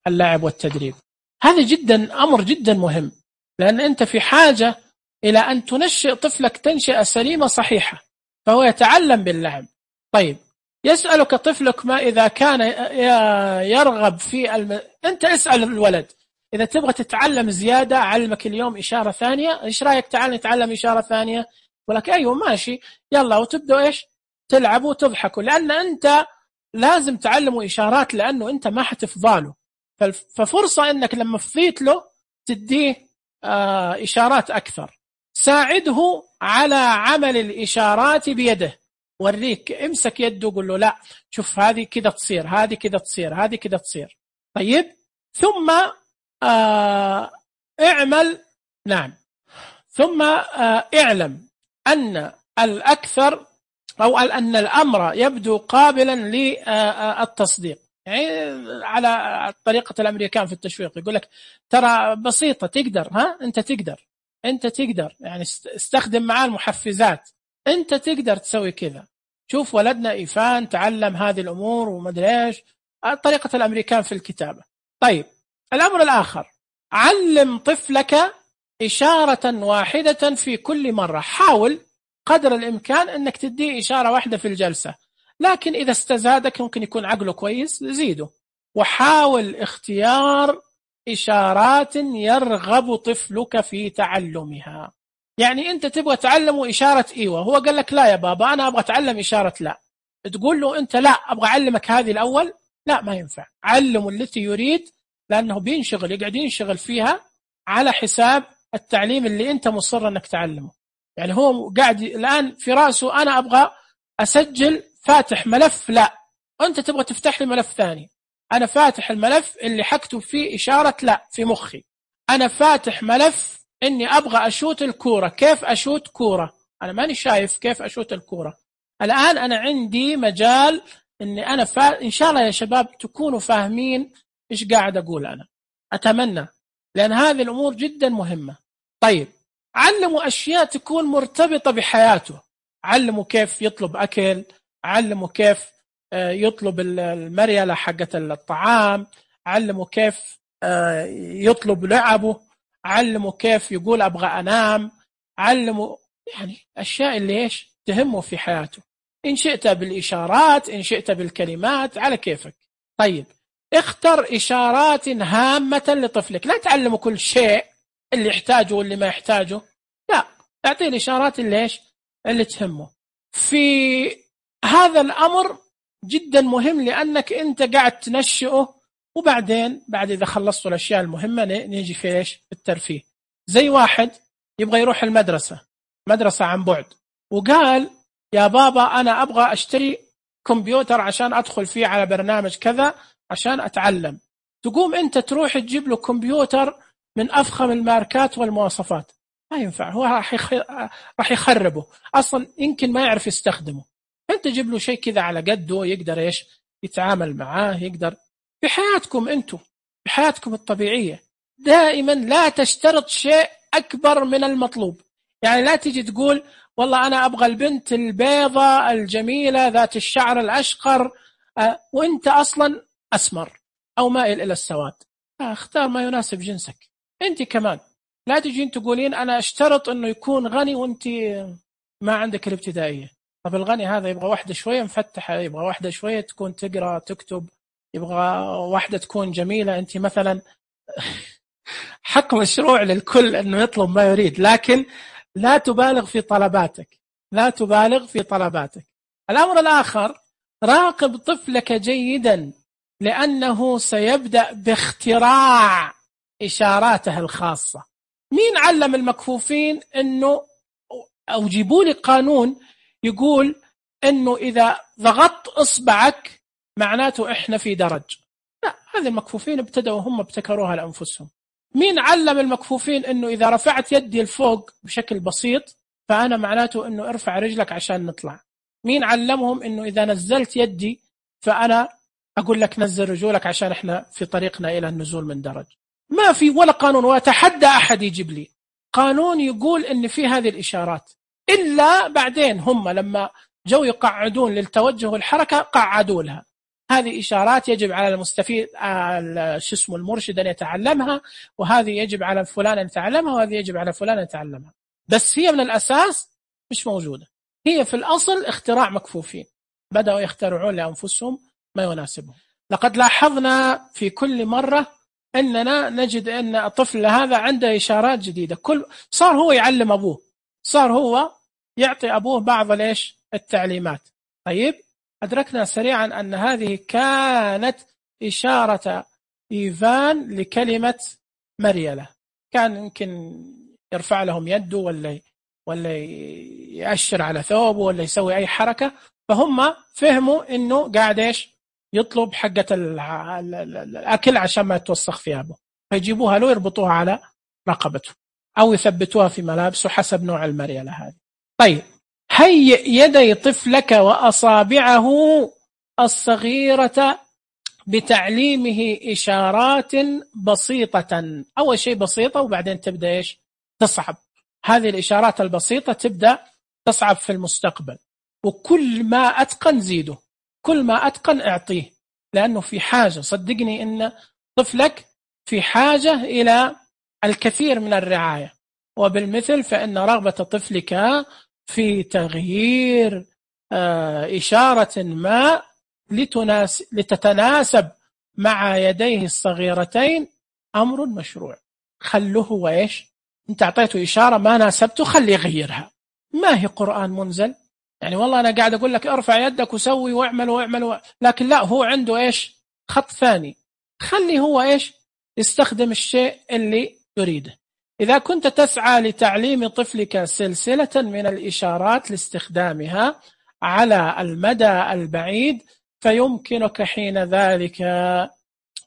للعب والتدريب. هذا أمر جدا مهم، لأن أنت في حاجة إلى أن تنشئ طفلك تنشئة سليمة صحيحة، فهو يتعلم باللعب. طيب، يسألك طفلك ما إذا كان يرغب في أنت اسأل الولد إذا تبغى تتعلم زيادة، علمك اليوم إشارة ثانية، إيش رأيك تعال نتعلم إشارة ثانية؟ ولك أيوة ماشي، يلا، وتبدأ تلعبوا وتضحكوا، لأن أنت لازم تعلموا إشارات، لأنه أنت ما حتفضاله. ففرصة أنك لما فضيت له تديه إشارات أكثر. ساعده على عمل الإشارات بيده، وريك، امسك يده وقول له لا شوف هذه كذا تصير، هذه كذا تصير، هذه كذا تصير. طيب، ثم اعمل. نعم. ثم اعلم أن الأكثر أو أن الأمر يبدو قابلا للتصديق. يعني على طريقة الأمريكان في التشويق يقول لك ترى بسيطة، تقدر، أنت تقدر، يعني استخدم معاه المحفزات، أنت تقدر تسوي كذا. شوف ولدنا إيفان تعلم هذه الأمور ومدري إيش، طريقة الأمريكان في الكتابة. طيب الأمر الآخر، علم طفلك إشارة واحدة في كل مرة. حاول قدر الإمكان أنك تديه إشارة واحدة في الجلسة، لكن إذا استزادك ممكن يكون عقله كويس زيده. وحاول اختيار إشارات يرغب طفلك في تعلمها. يعني أنت تبغى تعلمه إشارة إيوة، هو قال لك لا يا بابا أنا أبغى أتعلم إشارة لا، تقول له أنت لا أبغى أعلمك هذه الأول، لا ما ينفع، علمه التي يريد، لأنه بينشغل، يقعد ينشغل فيها على حساب التعليم اللي أنت مصر أنك تعلمه. يعني هو قاعد الآن في رأسه أنا أبغى أسجل فاتح ملف لا، أنت تبغى تفتح لي ملف ثاني. أنا فاتح الملف اللي حكتب فيه إشارة لا في مخي، أنا فاتح ملف إني أبغى أشوت الكورة، كيف أشوت كورة، أنا ماني شايف كيف أشوت الكورة. الآن أنا عندي مجال إني أنا إن شاء الله يا شباب تكونوا فاهمين إيش قاعد أقول أنا، أتمنى، لأن هذه الأمور جدا مهمة. طيب علموا أشياء تكون مرتبطة بحياته، علموا كيف يطلب أكل، علموا كيف يطلب المريلة حقة الطعام، علموا كيف يطلب لعبه، علموا كيف يقول أبغى أنام، علموا يعني أشياء اللي إيش تهمه في حياته. إن شئت بالإشارات، إن شئت بالكلمات، على كيفك. طيب اختر إشارات هامة لطفلك، لا تعلمه كل شيء اللي يحتاجه واللي ما يحتاجه، لا، اعطيه الإشارات اللي تهمه. في هذا الأمر جدا مهم، لأنك أنت قاعد تنشئه، وبعدين بعد إذا خلصت الأشياء المهمة نيجي في إيش الترفيه. زي واحد يبغى يروح المدرسة، مدرسة عن بعد، وقال يا بابا أنا أبغى أشتري كمبيوتر عشان أدخل فيه على برنامج كذا عشان أتعلم. تقوم أنت تروح تجيب له كمبيوتر من أفخم الماركات والمواصفات، ما ينفع، هو راح يخربه أصلا، يمكن ما يعرف يستخدمه. أنت جيب له شيء كذا على قده يقدر إيش يتعامل معاه، يقدر في حياتكم أنتم، في حياتكم الطبيعية. دائما لا تشترط شيء أكبر من المطلوب. يعني لا تيجي تقول والله أنا أبغى البنت البيضة الجميلة ذات الشعر الأشقر وإنت أصلا أسمر أو مائل إلى السواد، اختار ما يناسب جنسك. أنت كمان لا تجين تقولين أنا أشترط أنه يكون غني وأنت ما عندك الابتدائية. طب الغني هذا يبغى واحدة شوية مفتحة، يبغى واحدة شوية تكون تقرأ تكتب، يبغى واحدة تكون جميلة. أنت مثلا حق مشروع للكل أنه يطلب ما يريد، لكن لا تبالغ في طلباتك، لا تبالغ في طلباتك. الأمر الآخر، راقب طفلك جيدا، لأنه سيبدأ باختراع إشاراته الخاصة. مين علم المكفوفين أنه، أو جيبوا لي قانون يقول أنه إذا ضغطت إصبعك معناته إحنا في درج؟ لا، هذه المكفوفين ابتدأوا هم ابتكروها لأنفسهم. مين علم المكفوفين أنه إذا رفعت يدي الفوق بشكل بسيط فأنا معناته أنه ارفع رجلك عشان نطلع؟ مين علمهم أنه إذا نزلت يدي فأنا أقول لك نزل رجولك عشان إحنا في طريقنا إلى النزول من درج؟ ما في ولا قانون، وأتحدى أحد يجيب لي قانون يقول أن في هذه الإشارات، إلا بعدين هم لما جو يقعدون للتوجه والحركة قعدوا لها. هذه إشارات يجب على المستفيد المرشد أن يتعلمها، وهذه يجب على فلان أن يتعلمها، وهذه يجب على فلان أن يتعلمها. بس هي من الأساس مش موجودة، هي في الأصل اختراع مكفوفين بدأوا يخترعون لأنفسهم ما يناسبهم. لقد لاحظنا في كل مرة أننا نجد أن الطفل هذا عنده إشارات جديدة، صار هو يعلم أبوه، صار هو يعطي أبوه بعض التعليمات. طيب أدركنا سريعا أن هذه كانت إشارة إيفان لكلمة مريلة، كان يمكن يرفع لهم يده ولا يأشر على ثوبه ولا يسوي أي حركة، فهم فهموا إنه قاعد إيش يطلب حقة الأكل عشان ما يتوسخ ثيابه. فيجيبوها له يربطوها على رقبته أو يثبتوها في ملابسه حسب نوع المريلة هذه. طيب، هيئ يدي طفلك وأصابعه الصغيرة بتعليمه إشارات بسيطة. أول شيء بسيطة وبعدين تبدأ إيش؟ تصعب. هذه الإشارات البسيطة تبدأ تصعب في المستقبل، وكل ما أتقن زيده، كل ما أتقن أعطيه، لأنه في حاجة، صدقني إن طفلك في حاجة إلى الكثير من الرعاية. وبالمثل فإن رغبة طفلك في تغيير إشارة ما لتتناسب مع يديه الصغيرتين أمر مشروع. خلوه وإيش؟ أنت أعطيته إشارة ما ناسبته، خليه يغيرها. ما هي قرآن منزل يعني والله أنا قاعد أقول لك ارفع يدك وسوي واعمل لكن لا، هو عنده إيش؟ خط ثاني. خلي هو إيش؟ يستخدم الشيء اللي يريده. إذا كنت تسعى لتعليم طفلك سلسلة من الإشارات لاستخدامها على المدى البعيد، فيمكنك حين ذلك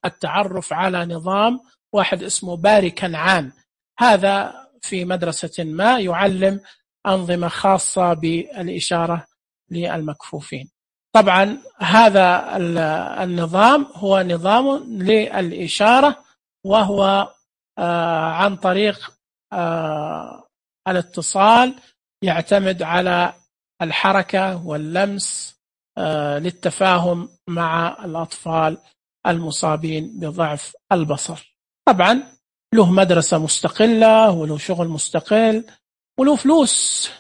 التعرف على نظام واحد اسمه باري كنعان. هذا في مدرسة ما يعلم أنظمة خاصة بالإشارة للمكفوفين. طبعا هذا النظام هو نظام للإشارة، وهو عن طريق الاتصال، يعتمد على الحركة واللمس للتفاهم مع الأطفال المصابين بضعف البصر. طبعا له مدرسة مستقلة وله شغل مستقل وله فلوس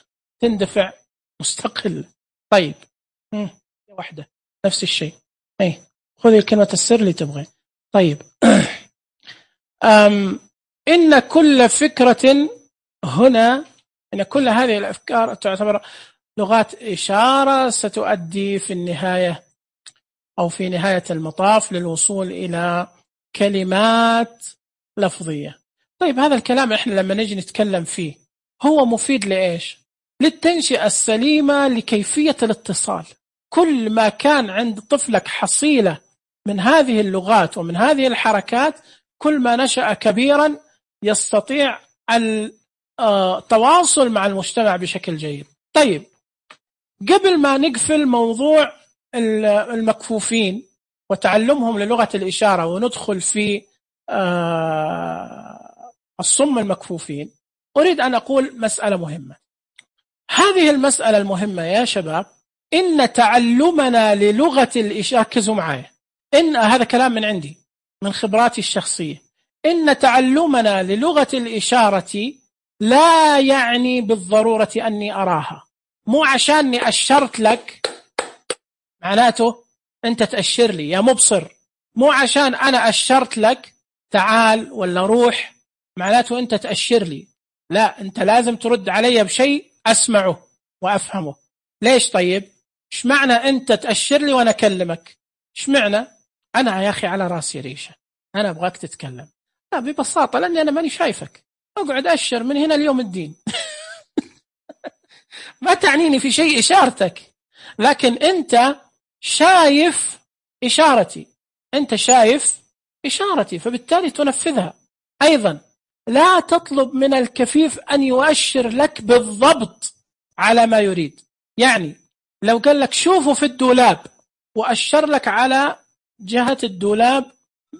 تندفع مستقل. طيب، واحدة نفس الشيء، خذي كلمة السر اللي تبغي. طيب إن كل فكرة هنا، إن كل هذه الأفكار تعتبر لغات إشارة ستؤدي في النهاية أو في نهاية المطاف للوصول إلى كلمات لفظية. طيب هذا الكلام إحنا لما نجي نتكلم فيه هو مفيد لإيش؟ للتنشئة السليمة لكيفية الاتصال. كل ما كان عند طفلك حصيلة من هذه اللغات ومن هذه الحركات، كل ما نشأ كبيرا يستطيع التواصل مع المجتمع بشكل جيد. طيب، قبل ما نقفل موضوع المكفوفين وتعلمهم للغة الإشارة وندخل في الصم المكفوفين، أريد أن أقول مسألة مهمة. هذه المسألة المهمة يا شباب، إن تعلمنا للغة الإشارة، ركزوا معايا، إن هذا كلام من عندي من خبراتي الشخصية، إن تعلمنا للغة الإشارة لا يعني بالضرورة أني أراها. مو عشاني أشرت لك معناته أنت تأشر لي يا مبصر. مو عشان أنا أشرت لك تعال ولا روح معناته أنت تأشر لي. لا، أنت لازم ترد علي بشيء أسمعه وأفهمه. ليش؟ طيب إيش معنى أنت تأشر لي وأنا أكلمك؟ إيش معنى؟ أنا يا أخي على راسي ريشة، أنا أبغاك تتكلم. لا، ببساطة لأني أنا ماني شايفك، أقعد أشر من هنا اليوم الدين. ما تعنيني في شيء إشارتك، لكن أنت شايف إشارتي، أنت شايف إشارتي، فبالتالي تنفذها. أيضا لا تطلب من الكفيف أن يؤشر لك بالضبط على ما يريد. يعني لو قال لك شوفوا في الدولاب وأشر لك على جهة الدولاب،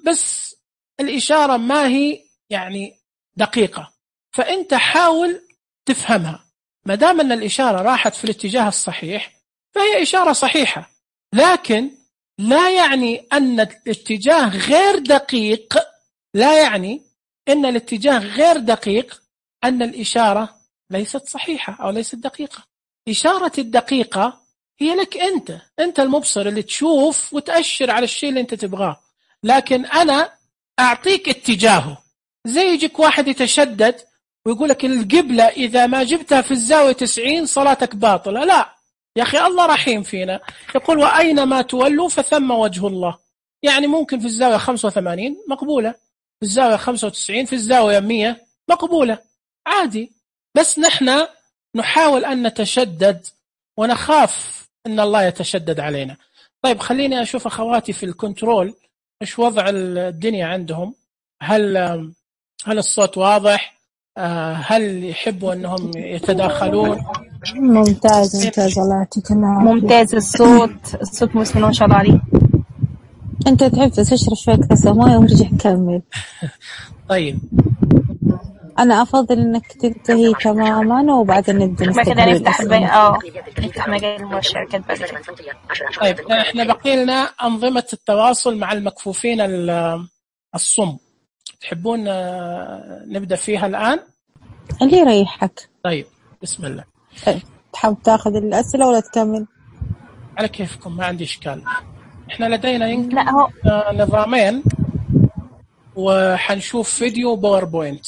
بس الإشارة ما هي يعني دقيقة، فأنت حاول تفهمها. ما دام أن الإشارة راحت في الاتجاه الصحيح فهي إشارة صحيحة، لكن لا يعني أن الاتجاه غير دقيق، لا يعني أن الاتجاه غير دقيق أن الإشارة ليست صحيحة أو ليست دقيقة. إشارة الدقيقة هي لك أنت المبصر اللي تشوف وتأشر على الشيء اللي أنت تبغاه، لكن أنا أعطيك اتجاهه. زي يجيك واحد يتشدد ويقول لك القبلة إذا ما جبتها في الزاوية 90 صلاتك باطلة. لا يا أخي، الله رحيم فينا، يقول وأينما تولوا فثم وجه الله. يعني ممكن في الزاوية 85 مقبولة، في الزاوية 95، في الزاوية 100 مقبولة، عادي. بس نحن نحاول أن نتشدد ونخاف أن الله يتشدد علينا. طيب خليني أشوف أخواتي في الكنترول إيش وضع الدنيا عندهم. هل الصوت واضح؟ هل يحبوا أنهم يتداخلون؟ ممتاز الله يعطيك العافية. ممتاز الصوت مسلم ما شاء الله عليه. أنت تحب تشرب شوية كاسة موية ورجع كمل. طيب أنا أفضل إنك تنتهي تماما وبعدين نبدأ نفتح نفتح مجال الشركات بعد كده. طيب إحنا بقي لنا أنظمة التواصل مع المكفوفين الصم، تحبون نبدأ فيها الآن؟ اللي يريحك. طيب بسم الله. تحب تاخذ الأسئلة ولا تكمل؟ على كيفكم، ما عندي إشكال. إحنا لدينا يمكن لا هو نظامين، وحنشوف فيديو باوربوينت.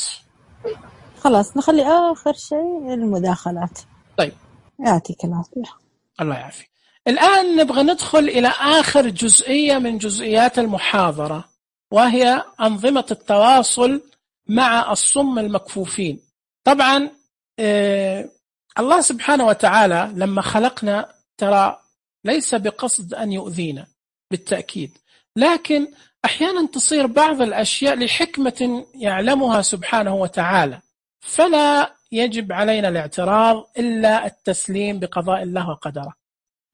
خلاص نخلي آخر شيء المداخلات. طيب يعطيك العافية. الله يعافي. الآن نبغى ندخل إلى آخر جزئية من جزئيات المحاضرة، وهي أنظمة التواصل مع الصم المكفوفين. طبعا الله سبحانه وتعالى لما خلقنا ترى ليس بقصد أن يؤذينا بالتأكيد، لكن أحيانا تصير بعض الأشياء لحكمة يعلمها سبحانه وتعالى، فلا يجب علينا الاعتراض إلا التسليم بقضاء الله وقدره.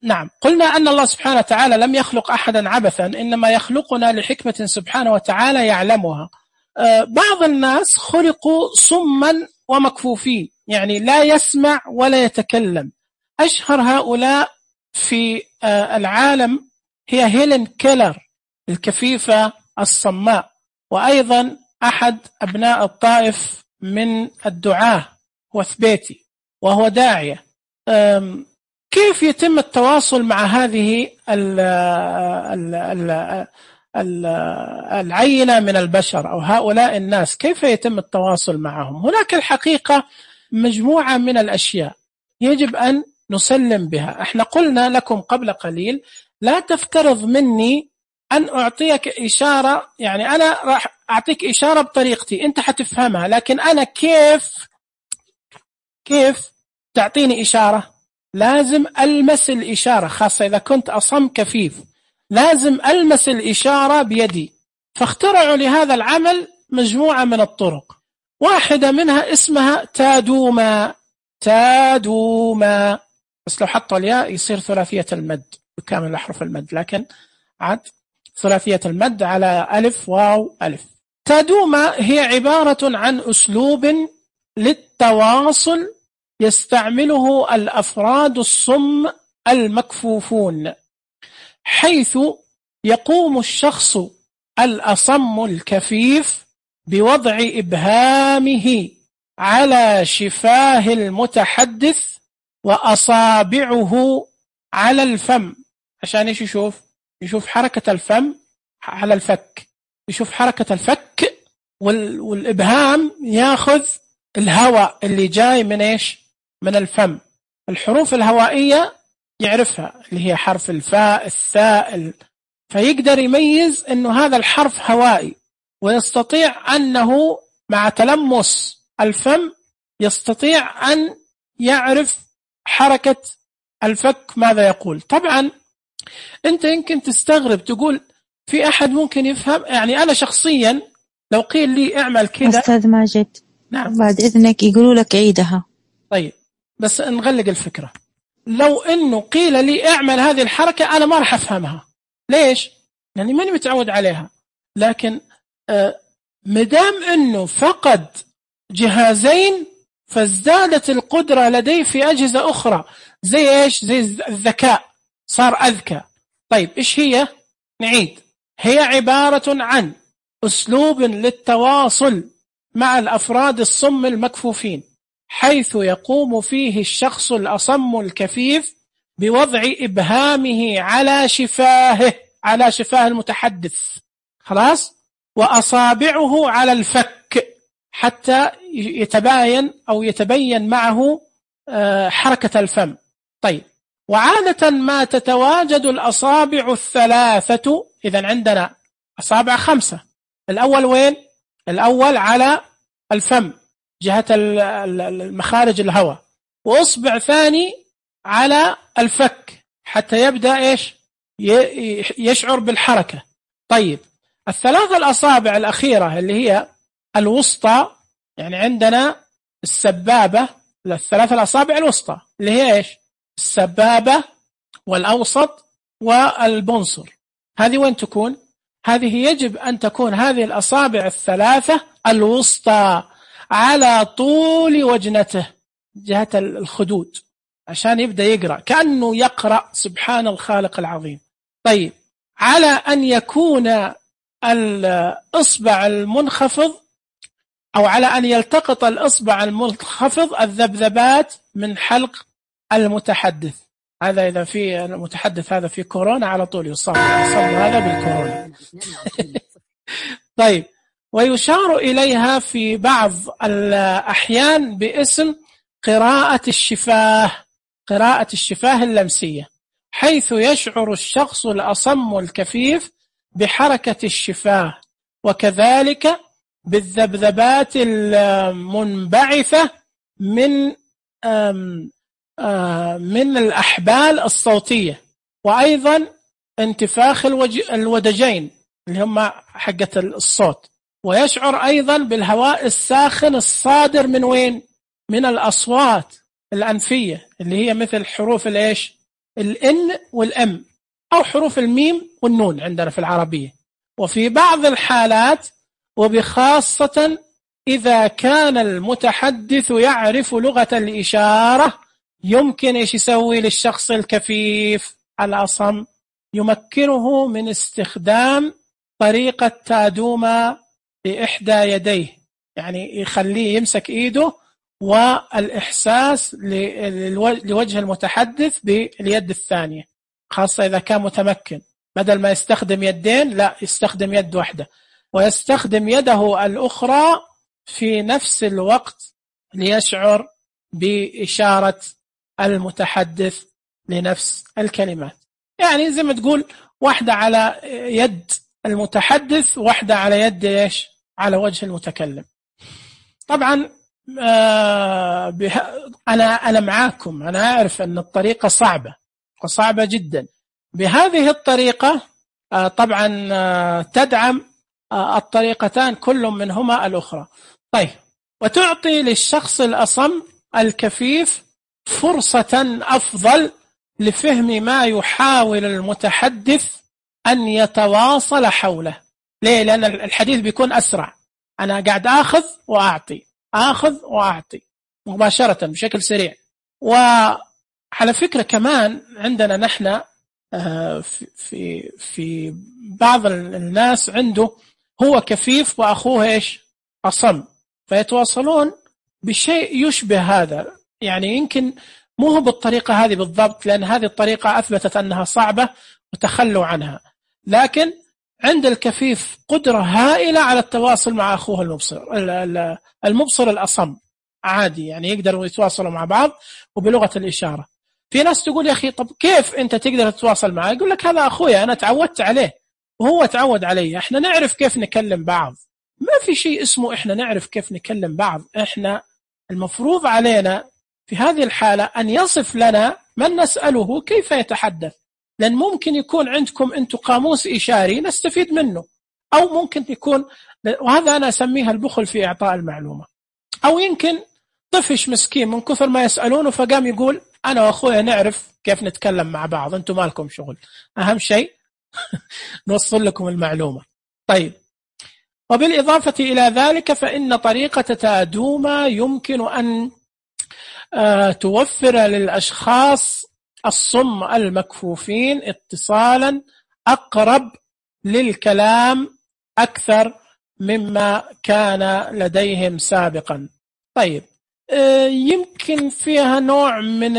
نعم، قلنا أن الله سبحانه وتعالى لم يخلق أحدا عبثا، إنما يخلقنا لحكمة سبحانه وتعالى يعلمها. بعض الناس خلقوا صما ومكفوفين، يعني لا يسمع ولا يتكلم. أشهر هؤلاء في العالم هي هيلين كيلر الكفيفة الصماء، وأيضا أحد أبناء الطائف من الدعاة وثبيتي، وهو داعية. كيف يتم التواصل مع هذه العينة من البشر أو هؤلاء الناس؟ كيف يتم التواصل معهم؟ هناك الحقيقة مجموعة من الأشياء يجب أن نسلم بها. احنا قلنا لكم قبل قليل لا تفترض مني أن أعطيك إشارة، يعني أنا راح أعطيك إشارة بطريقتي أنت حتفهمها، لكن أنا كيف تعطيني إشارة؟ لازم ألمس الإشارة، خاصة إذا كنت أصم كفيف لازم ألمس الإشارة بيدي. فاخترعوا لهذا العمل مجموعة من الطرق، واحدة منها اسمها تادوما، بس لو حطوا الياء يصير ثلاثية المد بكامل أحرف المد، لكن عاد ثلاثية المد على ألف واو ألف. تادوما هي عبارة عن أسلوب للتواصل يستعمله الأفراد الصم المكفوفون، حيث يقوم الشخص الأصم الكفيف بوضع إبهامه على شفاه المتحدث وأصابعه على الفم، عشان يشوف حركة الفم على الفك، يشوف حركة الفك والإبهام ياخذ الهواء اللي جاي من الفم. الحروف الهوائية يعرفها اللي هي حرف الفاء الثاء، فيقدر يميز أنه هذا الحرف هوائي، ويستطيع أنه مع تلمس الفم يستطيع أن يعرف حركة الفك ماذا يقول. طبعا أنت يمكن تستغرب تقول في أحد ممكن يفهم، يعني أنا شخصيا لو قيل لي اعمل كذا. أستاذ ماجد، نعم بعد إذنك يقولوا لك عيدها. طيب بس نغلق الفكرة. لو أنه قيل لي اعمل هذه الحركة أنا ما راح أفهمها. ليش؟ يعني ماني متعود عليها. لكن مدام أنه فقد جهازين فازدادت القدرة لديه في أجهزة أخرى، زي الذكاء، صار أذكى. طيب إيش هي؟ نعيد. هي عبارة عن أسلوب للتواصل مع الأفراد الصم المكفوفين، حيث يقوم فيه الشخص الأصم الكفيف بوضع إبهامه على شفاه المتحدث، خلاص، وأصابعه على الفك حتى يتبين معه حركة الفم. طيب، وعادة ما تتواجد الأصابع الثلاثة، إذن عندنا أصابع 5. الأول وين؟ الأول على الفم جهة المخارج الهواء، وأصبع ثاني على الفك حتى يبدأ يشعر بالحركة. طيب، الثلاث الأصابع الأخيرة اللي هي الوسطى، يعني عندنا السبابة، الثلاث الأصابع الوسطى اللي هي إيش؟ السبابة والأوسط والبنصر. هذه وين تكون؟ هذه يجب أن تكون هذه الأصابع الثلاثة الوسطى على طول وجنته جهة الخدود، عشان يبدأ يقرأ كأنه يقرأ سبحان الخالق العظيم. طيب، على أن يكون الإصبع المنخفض، أو على أن يلتقط الإصبع المنخفض الذبذبات من حلق المتحدث. هذا إذا في المتحدث هذا في كورونا على طول يصاب هذا بالكورونا. طيب، ويشار إليها في بعض الأحيان باسم قراءة الشفاه، قراءة الشفاه اللمسية، حيث يشعر الشخص الأصم الكفيف بحركة الشفاه، وكذلك بالذبذبات المنبعثة من الأحبال الصوتية، وأيضا انتفاخ الودجين اللي هم حقة الصوت، ويشعر أيضا بالهواء الساخن الصادر من وين؟ من الأصوات الأنفية اللي هي مثل حروف الإيش؟ الإن والأم، أو حروف الميم والنون عندنا في العربية. وفي بعض الحالات، وبخاصة إذا كان المتحدث يعرف لغة الإشارة، يمكن إيش يسوي للشخص الكفيف الأصم؟ يمكنه من استخدام طريقة تادوما بإحدى يديه، يعني يخليه يمسك إيده والإحساس لوجه المتحدث باليد الثانية، خاصة إذا كان متمكن، بدل ما يستخدم يدين لا يستخدم يد واحدة، ويستخدم يده الأخرى في نفس الوقت ليشعر بإشارة المتحدث لنفس الكلمات. يعني زي ما تقول واحدة على يد المتحدث، واحدة على يد إيش؟ على وجه المتكلم. طبعا أنا معاكم، أنا أعرف أن الطريقة صعبة وصعبة جدا. بهذه الطريقة طبعا تدعم الطريقتان كل منهما الأخرى. طيب، وتعطي للشخص الأصم الكفيف فرصة أفضل لفهم ما يحاول المتحدث أن يتواصل حوله. ليه؟ لأن الحديث بيكون أسرع، أنا قاعد آخذ وأعطي مباشرة بشكل سريع. وعلى فكرة كمان عندنا نحن في بعض الناس عنده هو كفيف وأخوه إيش؟ أصم، فيتواصلون بشيء يشبه هذا، يعني يمكن مو بالطريقة هذه بالضبط، لأن هذه الطريقة أثبتت أنها صعبة وتخلوا عنها، لكن عند الكفيف قدرة هائلة على التواصل مع أخوه المبصر الأصم عادي، يعني يقدروا يتواصلوا مع بعض وبلغة الإشارة. في ناس تقول يا أخي طب كيف أنت تقدر تتواصل معه؟ يقول لك هذا أخويا، أنا تعودت عليه وهو تعود علي، إحنا نعرف كيف نكلم بعض. ما في شيء اسمه إحنا نعرف كيف نكلم بعض، إحنا المفروض علينا في هذه الحالة أن يصف لنا من نسأله كيف يتحدث، لأن ممكن يكون عندكم أنتم قاموس إشاري نستفيد منه، أو ممكن يكون، وهذا أنا أسميها البخل في إعطاء المعلومة، أو يمكن طفش مسكين من كثر ما يسألونه فقام يقول أنا وأخويا نعرف كيف نتكلم مع بعض، أنتم ما لكم شغل، أهم شيء نوصل لكم المعلومة. طيب، وبالإضافة إلى ذلك فإن طريقة تادوما يمكن أن توفر للأشخاص الصم المكفوفين اتصالا أقرب للكلام أكثر مما كان لديهم سابقا. طيب، يمكن فيها نوع من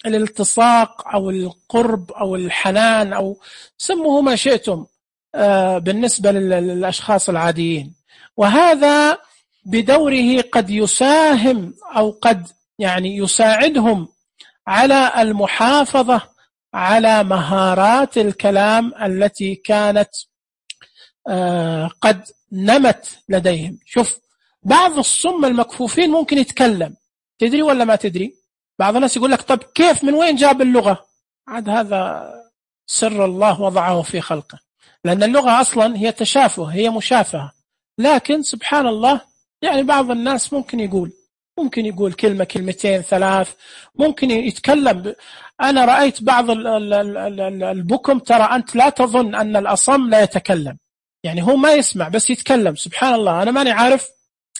الالتصاق أو القرب أو الحنان أو سموه ما شئتم بالنسبة للأشخاص العاديين، وهذا بدوره قد يساهم أو قد يعني يساعدهم على المحافظة على مهارات الكلام التي كانت قد نمت لديهم. شوف، بعض الصم المكفوفين ممكن يتكلم، تدري ولا ما تدري؟ بعض الناس يقول لك طب كيف، من وين جاب اللغة؟ عاد هذا سر الله وضعه في خلقه. لأن اللغة أصلا هي تشافه، هي مشافهة. لكن سبحان الله يعني بعض الناس ممكن يقول كلمة كلمتين ثلاث، ممكن يتكلم. أنا رأيت بعض البكم، ترى أنت لا تظن أن الأصم لا يتكلم، يعني هو ما يسمع بس يتكلم. سبحان الله، أنا ماني عارف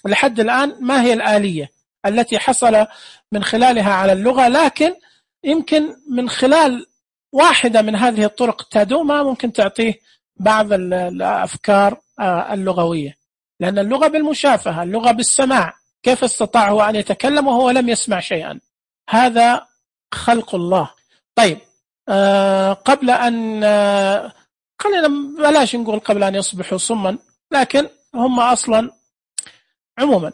لحد الآن ما هي الآلية التي حصل من خلالها على اللغة، لكن يمكن من خلال واحدة من هذه الطرق التادومة ممكن تعطيه بعض الأفكار اللغوية. لأن اللغة بالمشافهة، اللغة بالسماع، كيف استطاع هو أن يتكلم وهو لم يسمع شيئا؟ هذا خلق الله. طيب، قبل أن خلينا بلاش نقول قبل أن يصبحوا صما، لكن هم أصلا عموما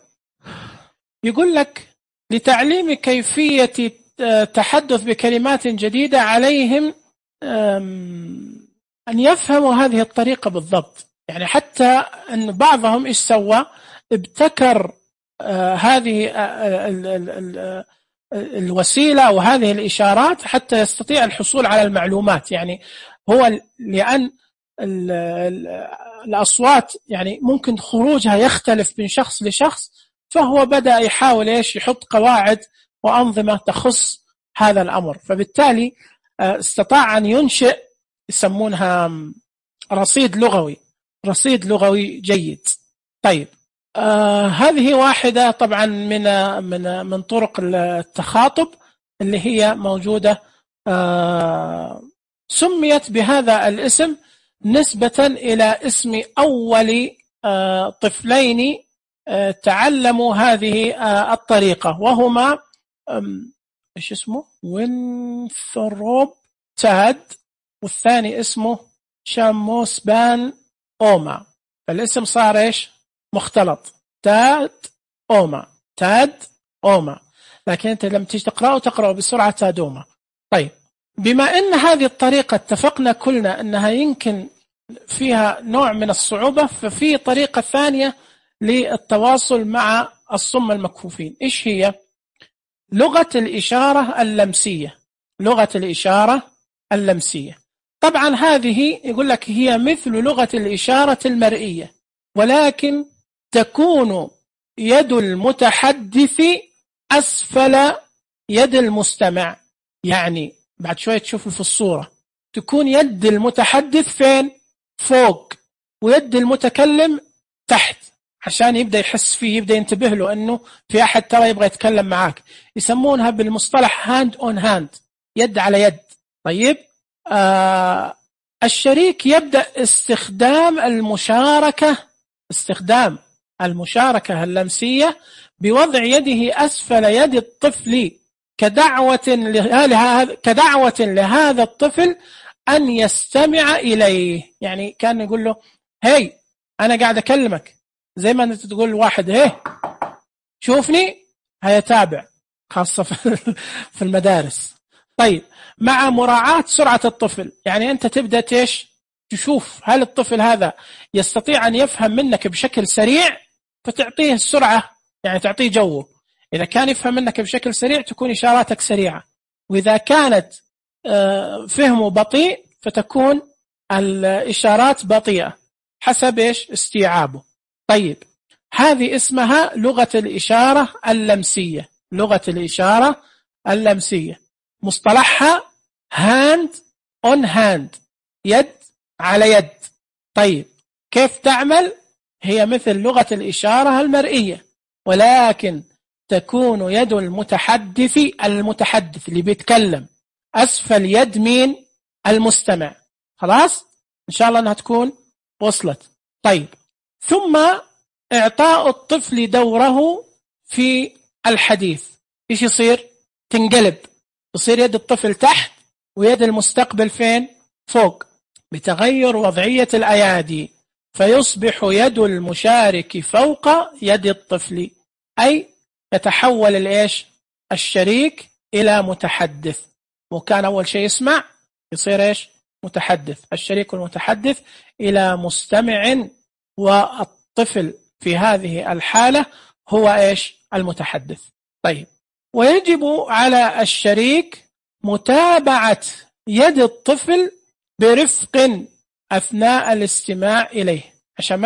يقول لك لتعليم كيفية تحدث بكلمات جديدة عليهم أن يفهموا هذه الطريقة بالضبط. يعني حتى أن بعضهم إيش سوى؟ ابتكر هذه الوسيلة وهذه الإشارات حتى يستطيع الحصول على المعلومات. يعني هو لأن الأصوات يعني ممكن خروجها يختلف من شخص لشخص، فهو بدأ يحاول يحط قواعد وأنظمة تخص هذا الأمر. فبالتالي استطاع أن ينشئ، يسمونها رصيد لغوي جيد. طيب، هذه واحدة طبعا من طرق التخاطب اللي هي موجودة، سميت بهذا الاسم نسبة إلى اسم أول طفلين تعلموا هذه الطريقة، وهما إيش اسمه؟ وينثروب تاد، والثاني اسمه شاموس بان أوما. فالاسم صار إيش؟ مختلط، تاد أوما، لكن أنت لما تيجي تقرأه بسرعة تادوما. طيب، بما أن هذه الطريقة اتفقنا كلنا أنها يمكن فيها نوع من الصعوبة، ففي طريقة ثانية للتواصل مع الصم المكفوفين. إيش هي؟ لغة الإشارة اللمسية. طبعا هذه يقول لك هي مثل لغة الإشارة المرئية، ولكن تكون يد المتحدث أسفل يد المستمع. يعني بعد شوية تشوفوا في الصورة تكون يد المتحدث فين؟ فوق، ويد المتكلم تحت، عشان يبدأ يحس فيه، يبدأ ينتبه له أنه في أحد ترى يبغى يتكلم معاك. يسمونها بالمصطلح hand on hand، يد على يد. طيب، الشريك يبدأ استخدام المشاركة اللمسية بوضع يده أسفل يد الطفل كدعوة لهذا الطفل أن يستمع إليه. يعني كان يقول له هاي أنا قاعد أكلمك، زي ما أنت تقول واحد هاي شوفني، هيتابع، خاصة في المدارس. طيب، مع مراعاة سرعة الطفل، يعني أنت تبدأ تشوف هل الطفل هذا يستطيع أن يفهم منك بشكل سريع، فتعطيه السرعة، يعني تعطيه جوه. إذا كان يفهم منك بشكل سريع تكون إشاراتك سريعة، وإذا كانت فهمه بطيء فتكون الإشارات بطيئة حسب استيعابه. طيب، هذه اسمها لغة الإشارة اللمسية. مصطلحها hand on hand، يد على يد. طيب، كيف تعمل؟ هي مثل لغة الإشارة المرئية، ولكن تكون يد المتحدث اللي بيتكلم أسفل يد مين؟ المستمع. خلاص؟ إن شاء الله أنها تكون وصلت. طيب، ثم إعطاء الطفل دوره في الحديث. إيش يصير؟ تنقلب، يصير يد الطفل تحت ويد المستقبل فين؟ فوق، بتغير وضعية الأيادي، فيصبح يد المشارك فوق يد الطفل، أي يتحول الشريك إلى متحدث. وكان أول شيء يسمع يصير متحدث، الشريك المتحدث إلى مستمع، والطفل في هذه الحالة هو المتحدث. طيب، ويجب على الشريك متابعة يد الطفل برفق أثناء الاستماع إليه عشان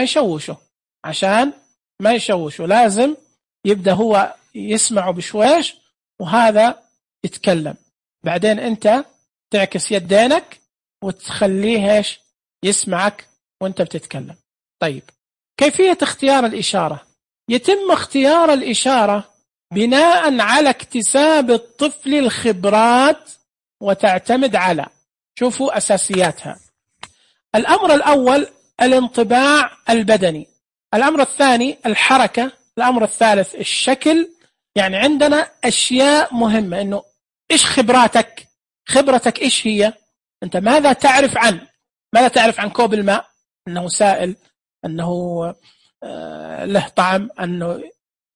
ما يشوشوا، لازم يبدأ هو يسمعه بشويش وهذا يتكلم، بعدين أنت تعكس يدينك وتخليه يسمعك وأنت بتتكلم. طيب، كيفية اختيار الإشارة؟ يتم اختيار الإشارة بناء على اكتساب الطفل الخبرات، وتعتمد على، شوفوا أساسياتها. الأمر الأول الانطباع البدني، الأمر الثاني الحركة، الأمر الثالث الشكل. يعني عندنا أشياء مهمة، إنه إيش خبرتك إيش هي؟ أنت ماذا تعرف عن كوب الماء؟ أنه سائل، أنه له طعم، أنه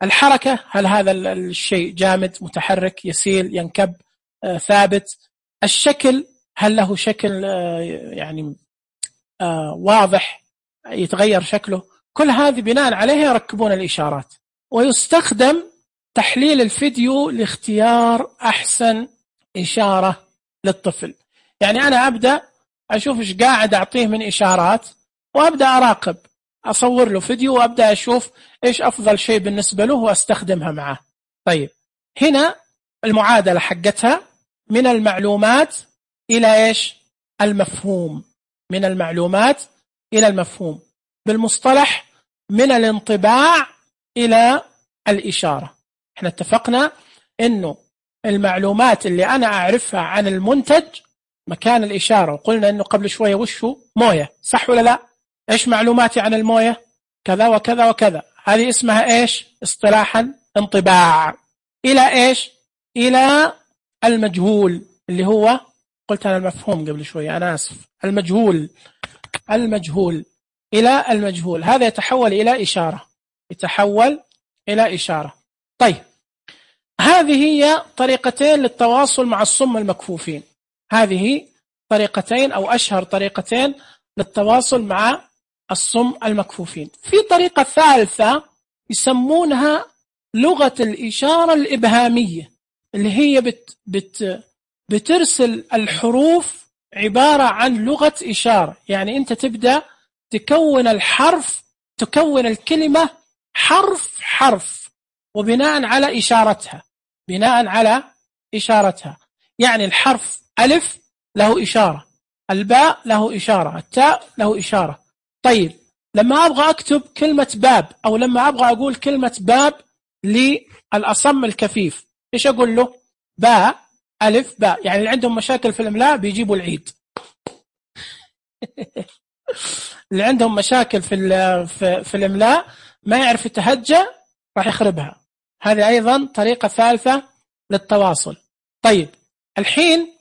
الحركة، هل هذا الشيء جامد متحرك يسيل ينكب ثابت؟ الشكل، هل له شكل يعني واضح يتغير شكله؟ كل هذه بناء عليه يركبون الإشارات. ويستخدم تحليل الفيديو لاختيار أحسن إشارة للطفل. يعني أنا أبدأ أشوف إيش قاعد أعطيه من إشارات، وأبدأ أراقب، أصور له فيديو وأبدأ أشوف إيش أفضل شيء بالنسبة له وأستخدمها معه. طيب، هنا المعادلة حقتها من المعلومات إلى إيش؟ المفهوم. من المعلومات إلى المفهوم، بالمصطلح من الانطباع إلى الإشارة. احنا اتفقنا إنه المعلومات اللي أنا أعرفها عن المنتج مكان الإشارة، وقلنا إنه قبل شوية وشه موية، صح ولا لا؟ إيش معلوماتي عن الموية؟ كذا وكذا وكذا، هذه اسمها إيش اصطلاحا؟ انطباع. إلى إيش؟ إلى المجهول، اللي هو قلت أنا المفهوم قبل شوية، أنا آسف، المجهول إلى المجهول، هذا يتحول إلى إشارة. طيب، هذه هي طريقتين للتواصل مع الصم المكفوفين، هذه طريقتين أو أشهر طريقتين للتواصل مع الصم المكفوفين. في طريقة ثالثة يسمونها لغة الإشارة الإبهامية، اللي هي بترسل الحروف عبارة عن لغة إشارة. يعني أنت تبدأ تكون الكلمة حرف وبناء على إشارتها. يعني الحرف ألف له إشارة، الباء له إشارة، التاء له إشارة. طيب، لما أبغى أكتب كلمة باب، أو لما أبغى أقول كلمة باب للأصم الكفيف، إيش أقول له؟ باء ألف باء. يعني اللي عندهم مشاكل في الإملاء بيجيبوا العيد. اللي عندهم مشاكل في الإملاء ما يعرف يتهجى راح يخربها. هذه أيضا طريقة ثالثة للتواصل. طيب، الحين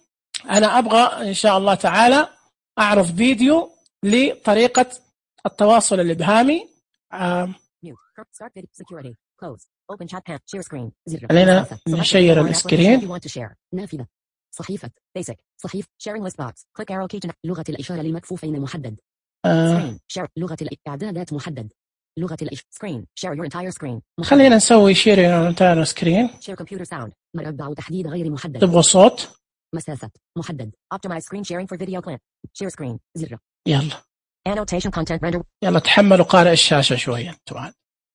أنا أبغى إن شاء الله تعالى أعرض فيديو لطريقة التواصل الإبهامي. خلينا نشير السكرين. نافذة صحيفة basic صحيف sharing list box click arrow key لغة الإشارة للمكفوفين محدد screen share لغة الإعدادات محدد لغة screen share your entire screen محدد. خلينا نسوي share your entire screen. share computer sound مربع تحديد غير محدد. تبغى صوت؟ مسافة محدد optimize screen sharing for video clip share screen زر. يلا annotation content render. يلا تحملوا قارئ الشاشة شوية طبعا.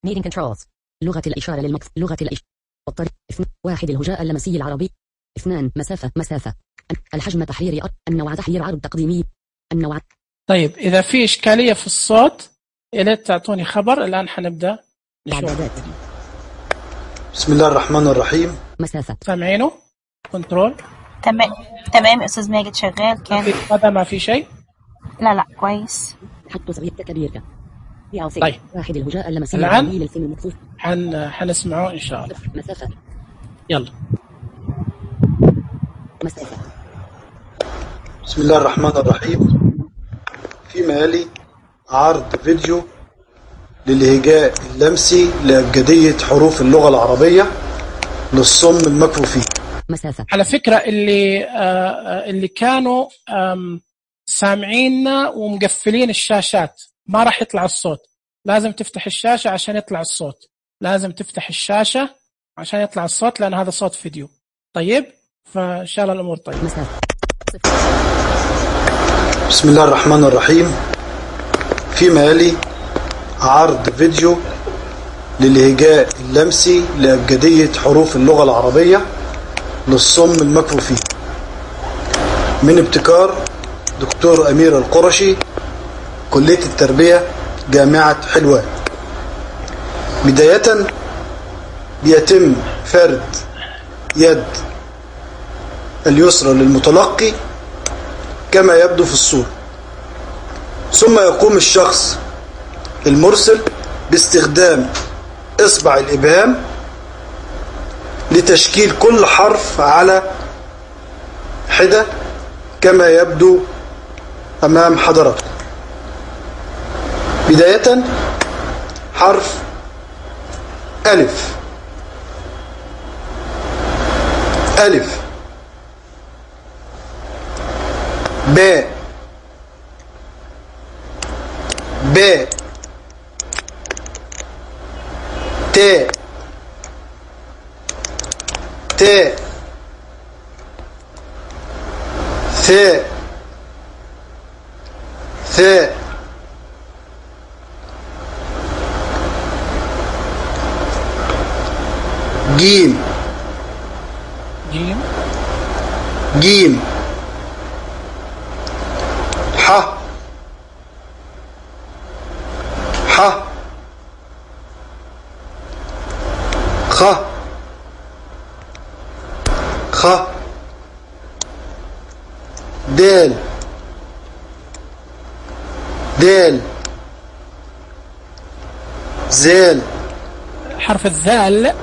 meeting controls لغة الإشارة لغة الإشارة الطريق 1 الهجاء اللمسي العربي 2 مسافة الحجم تحرير النوع تحرير عرض تقديمي النوع. طيب، إذا في إشكالية في الصوت يا ريت تعطوني خبر. الآن حنبدأ نشوف. بسم الله الرحمن الرحيم. مسافة سامعينه؟ كنترول تمام أستاذ ماجد شغال. كان هذا ما في شيء؟ لا كويس. حط صغير كبير. طيب، 1 الهجاء اللمسي الآن للفيلم المكفوف حنسمعه إن شاء الله. مسافة. يلا. مسافة. بسم الله الرحمن الرحيم. فيما يلي عرض فيديو للهجاء اللمسي لأبجدية حروف اللغة العربية للصم المكفوفين. مسافة. على فكرة اللي كانوا سامعيننا ومقفلين الشاشات ما راح يطلع الصوت. لازم تفتح الشاشة عشان يطلع الصوت. لأن هذا صوت فيديو. طيب، فإن شاء الله الأمور طيبة. مسافة. بسم الله الرحمن الرحيم. فيما يلي عرض فيديو للهجاء اللمسي لأبجدية حروف اللغة العربية للصم المكفوفين من ابتكار دكتور أمير القرشي، كلية التربية، جامعة حلوان. بداية بيتم فرد يد اليسرى للمتلقي كما يبدو في الصورة، ثم يقوم الشخص المرسل باستخدام إصبع الإبهام لتشكيل كل حرف على حدة كما يبدو أمام حضراتكم. بداية حرف ألف، ألف، باء، باء، تاء، تاء، ثاء، ثاء، جيم، جيم، جيم، ح، ح، خ، خ، دال، دال، زال، حرف الذال،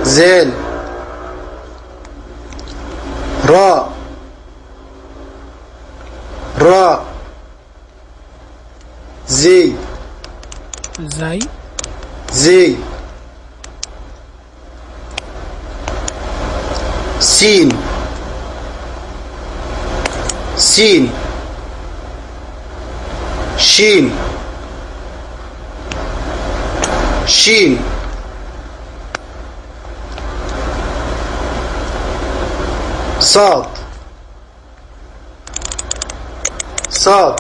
زال، راء، راء، زي، زي، زي، سين، سين، شين، شين، صاد، صاد،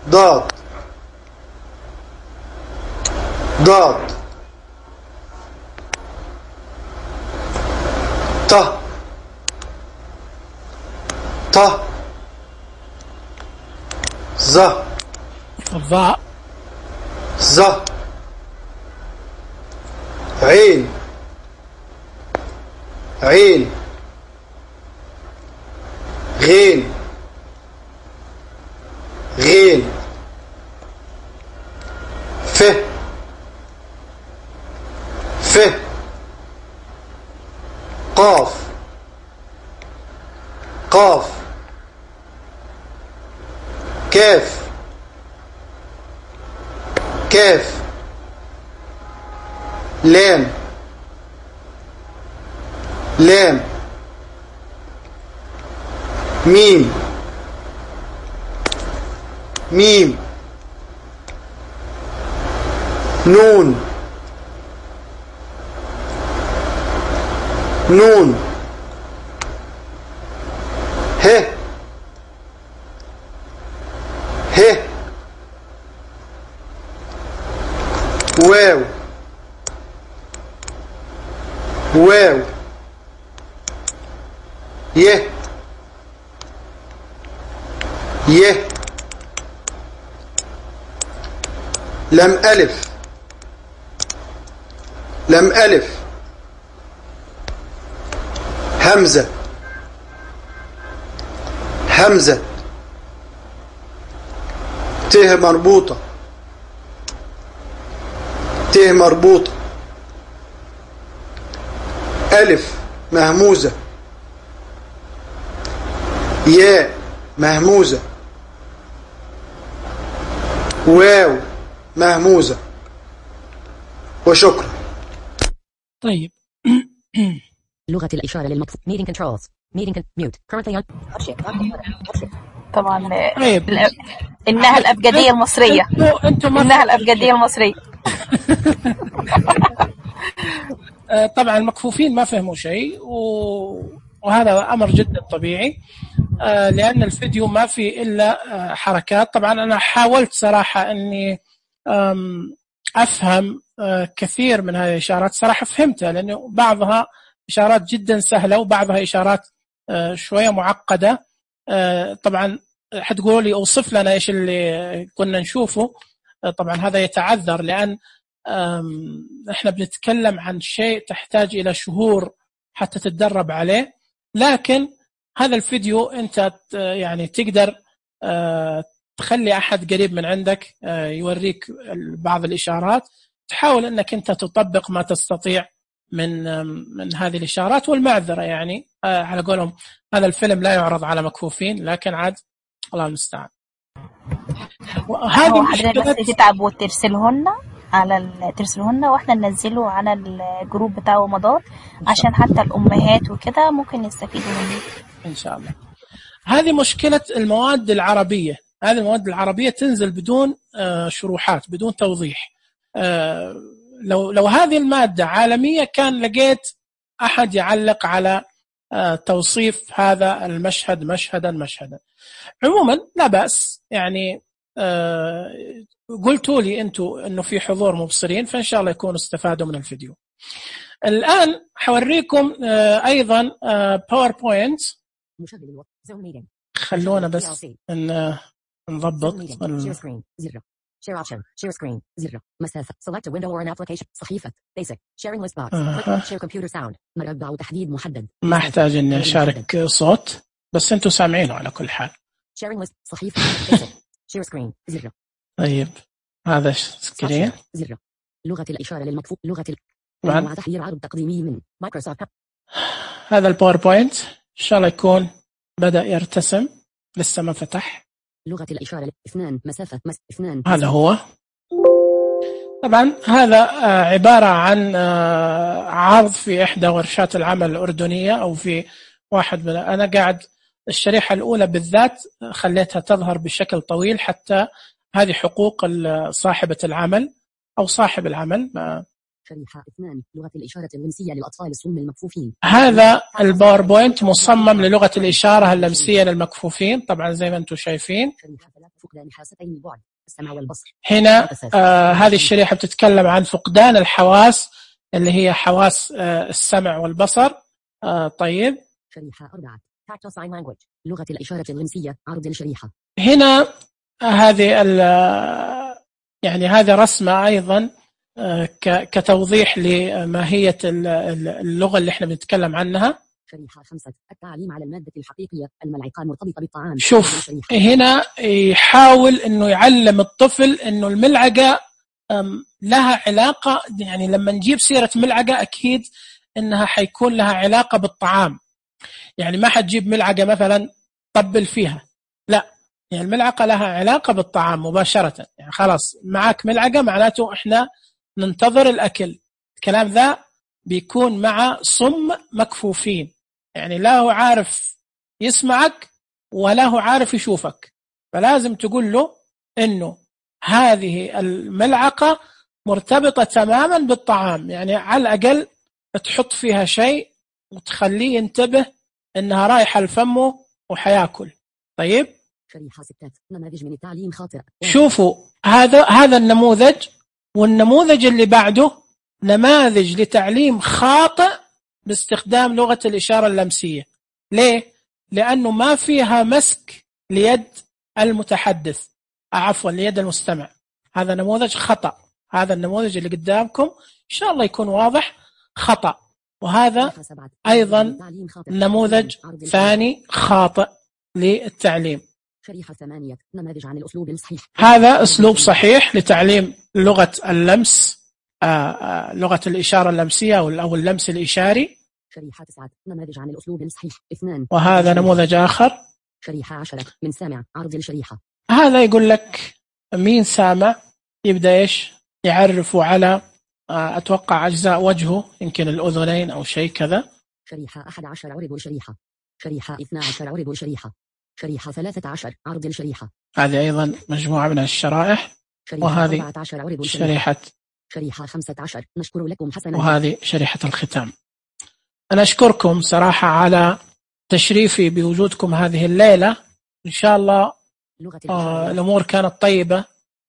ضاد، ضاد، ط، ط، ظ، الظاء، ظ، عين، عين، غين، غين، ف، ف، قاف، قاف، كاف، كاف، لام، لام، ميم، ميم، نون، نون، ه، ه، واو، واو، يه، يه، لم ألف، لم ألف، همزة، همزة، ت مربوطة، ت مربوطة، ألف مهموزة، ياء مهموزة، واو مهموزة. وشكرا. طيب. لغة الإشارة للمكفوف. Meeting controls. Meeting mute. Currently on. طبعا طيب. إنها الأبجدية المصرية. إنها الأبجدية المصرية. طبعا المكفوفين ما فهموا شيء وهذا أمر جدا طبيعي. لأن الفيديو ما فيه إلا حركات. طبعا أنا حاولت صراحة أني أفهم كثير من هذه الإشارات، صراحة فهمتها، لأنه بعضها إشارات جدا سهلة وبعضها إشارات شوية معقدة. طبعا حتقولوا لي أوصف لنا إيش اللي كنا نشوفه. طبعا هذا يتعذر، لأن إحنا بنتكلم عن شيء تحتاج إلى شهور حتى تتدرب عليه. لكن هذا الفيديو أنت يعني تقدر تخلي أحد قريب من عندك يوريك بعض الإشارات، تحاول أنك أنت تطبق ما تستطيع من هذه الإشارات. والمعذرة يعني على قولهم هذا الفيلم لا يعرض على مكفوفين، لكن عاد الله المستعان. هذه مشكلة. بس تتعب وترسلهن ترسلهن واحنا ننزله على الجروب بتاع رمضان عشان حتى الأمهات وكده ممكن يستفيدوا منه إن شاء الله. هذه مشكلة المواد العربية. هذه المواد العربية تنزل بدون شروحات، بدون توضيح. لو هذه المادة عالمية كان لقيت أحد يعلق على توصيف هذا المشهد مشهدا. عموما لا بأس، يعني قلتوا لي أنتوا أنه في حضور مبصرين، فإن شاء الله يكونوا استفادوا من الفيديو. الآن حوريكم أيضا باوربوينت. خلونا بس نضبط Share option. Share screen. زر. مسافة. Select a window or an application. صحيفة. Basic. Sharing list box. Share computer sound. مربع وتحديد محدد. ما احتاج اني اشارك صوت، بس انتوا سامعينه على كل حال. Sharing list. صحيفة. Basic. Share screen. زر. طيب هذا سكرين. زر. لغة الإشارة للمكفوف. لغة مع تحرير عرض تقديمي من مايكروسوفت. هذا الباوربوينت إن شاء الله يكون بدأ يرتسم، لسه ما فتح. لغة الإشارة 2 مسافة 2. هذا هو. طبعا هذا عبارة عن عرض في إحدى ورشات العمل الأردنية أو في واحد من أنا قاعد الشريحة الأولى بالذات خليتها تظهر بشكل طويل، حتى هذه حقوق صاحبة العمل أو صاحب العمل. شريحة 2 لغة الإشارة اللمسية للأطفال الصم المكفوفين. هذا الباوربوينت مصمم للغة الإشارة اللمسية للمكفوفين، طبعا زي ما أنتم شايفين. هنا هذه الشريحة بتتكلم عن فقدان الحواس اللي هي حواس السمع والبصر. طيب شريحة 4 Tactile Sign Language لغة الإشارة اللمسية. عرض الشريحة. هنا هذه يعني هذه رسمة أيضا كتوضيح لماهية اللغة اللي احنا بنتكلم عنها. شريحة 5 التعليم على المادة الحقيقية الملعقة مرتبطة بالطعام. شوف هنا يحاول انه يعلم الطفل انه الملعقة لها علاقة، يعني لما نجيب سيرة ملعقة اكيد انها حيكون لها علاقة بالطعام. يعني ما حتجيب ملعقة مثلا طبل فيها، لا، يعني الملعقة لها علاقة بالطعام مباشرة. يعني خلاص معك ملعقة معناته احنا ننتظر الأكل. الكلام ذا بيكون مع صم مكفوفين، يعني لا هو عارف يسمعك ولا هو عارف يشوفك، فلازم تقول له إنه هذه الملعقة مرتبطة تماما بالطعام، يعني على الأقل تحط فيها شيء وتخليه ينتبه إنها رايحة لفمه وحياكل. طيب شريحة 6 نماذج من التعليم خاطئ. شوفوا هذا النموذج، والنموذج اللي بعده نماذج لتعليم خاطئ باستخدام لغة الإشارة اللمسية. ليه؟ لأنه ما فيها مسك ليد المتحدث، عفوا ليد المستمع. هذا نموذج خطأ. هذا النموذج اللي قدامكم إن شاء الله يكون واضح خطأ. وهذا أيضا نموذج ثاني خاطئ للتعليم. شريحة 8 نماذج عن الأسلوب الصحيح. هذا أسلوب صحيح لتعليم لغة اللمس، لغة الإشارة اللمسية أو اللمس الإشاري. شريحة 9 نماذج عن الأسلوب الصحيح 2. وهذا نموذج آخر. شريحة 10 من سامع. عرض الشريحة. هذا يقول لك مين سامع، يبدأ إيش يعرفوا على أتوقع أجزاء وجهه، يمكن الأذنين أو شيء كذا. شريحة 11 عرض الشريحة. شريحة 12 عرض الشريحة. شريحة 13 عرض الشريحة. هذه أيضا مجموعة من الشرائح. وهذه شريحة 15 نشكر لكم حسنا. وهذه شريحة الختام. أنا أشكركم صراحة على تشريفي بوجودكم هذه الليلة. إن شاء الله الأمور كانت طيبة،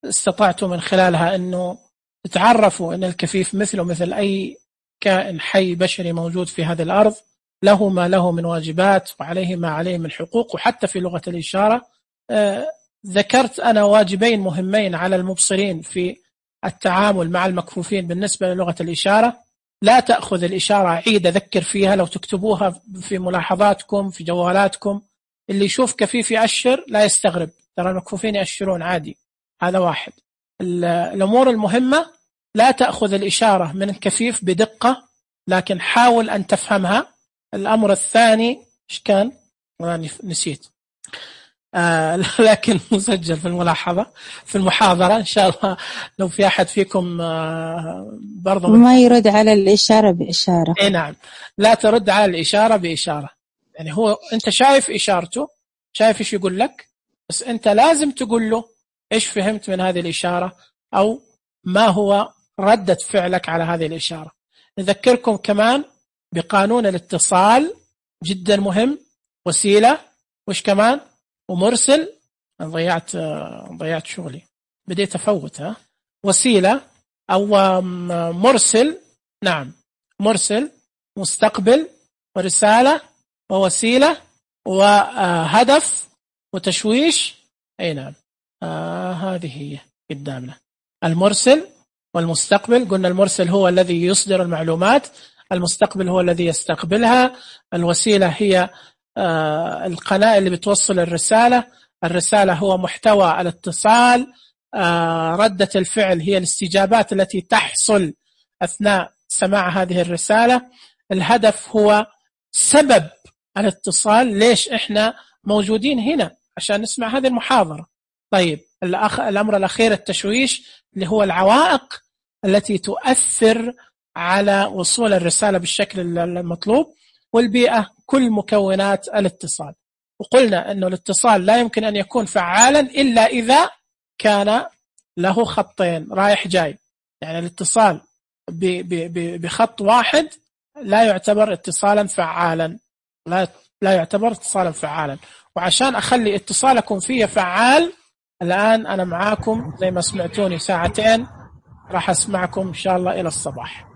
استطعتوا من خلالها أنه تتعرفوا أن الكفيف مثله مثل أي كائن حي بشري موجود في هذه الأرض، له ما له من واجبات وعليه ما عليه من حقوق. وحتى في لغة الإشارة ذكرت أنا واجبين مهمين على المبصرين في التعامل مع المكفوفين بالنسبة للغة الإشارة. لا تأخذ الإشارة عيدة ذكر فيها، لو تكتبوها في ملاحظاتكم في جوالاتكم، اللي يشوف كفيف يأشر لا يستغرب، ترى المكفوفين يأشرون عادي. هذا واحد. الأمور المهمة، لا تأخذ الإشارة من الكفيف بدقة، لكن حاول أن تفهمها. الأمر الثاني إيش كان؟ نسيت. لكن مسجل في الملاحظة في المحاضرة إن شاء الله. لو في أحد فيكم برضو ما يرد على الإشارة بإشارة. إيه نعم، لا ترد على الإشارة بإشارة. يعني هو أنت شايف إشارته، شايف إيش يقول لك، بس أنت لازم تقول له إيش فهمت من هذه الإشارة، أو ما هو ردة فعلك على هذه الإشارة. نذكركم كمان بقانون الاتصال، جدا مهم. وسيلة، وإيش كمان، ومرسل. ضيعت شغلي، بديت أفوتها. وسيلة أو مرسل، نعم، مرسل، مستقبل، ورسالة، ووسيلة، وهدف، وتشويش. أي نعم، هذه هي قدامنا. المرسل والمستقبل. قلنا المرسل هو الذي يصدر المعلومات، المستقبل هو الذي يستقبلها، الوسيلة هي القناة اللي بتوصل الرسالة، الرسالة هو محتوى الاتصال، ردة الفعل هي الاستجابات التي تحصل أثناء سماع هذه الرسالة، الهدف هو سبب الاتصال، ليش إحنا موجودين هنا عشان نسمع هذه المحاضرة. طيب الأمر الأخير التشويش، اللي هو العوائق التي تؤثر على وصول الرسالة بالشكل المطلوب، والبيئة، كل مكونات الاتصال. وقلنا أنه الاتصال لا يمكن أن يكون فعالا إلا إذا كان له خطين رايح جاي. يعني الاتصال بخط واحد لا يعتبر اتصالا فعالا، لا يعتبر اتصالا فعالا. وعشان أخلي اتصالكم فيه فعال، الآن أنا معاكم زي ما سمعتوني ساعتين، راح أسمعكم إن شاء الله إلى الصباح.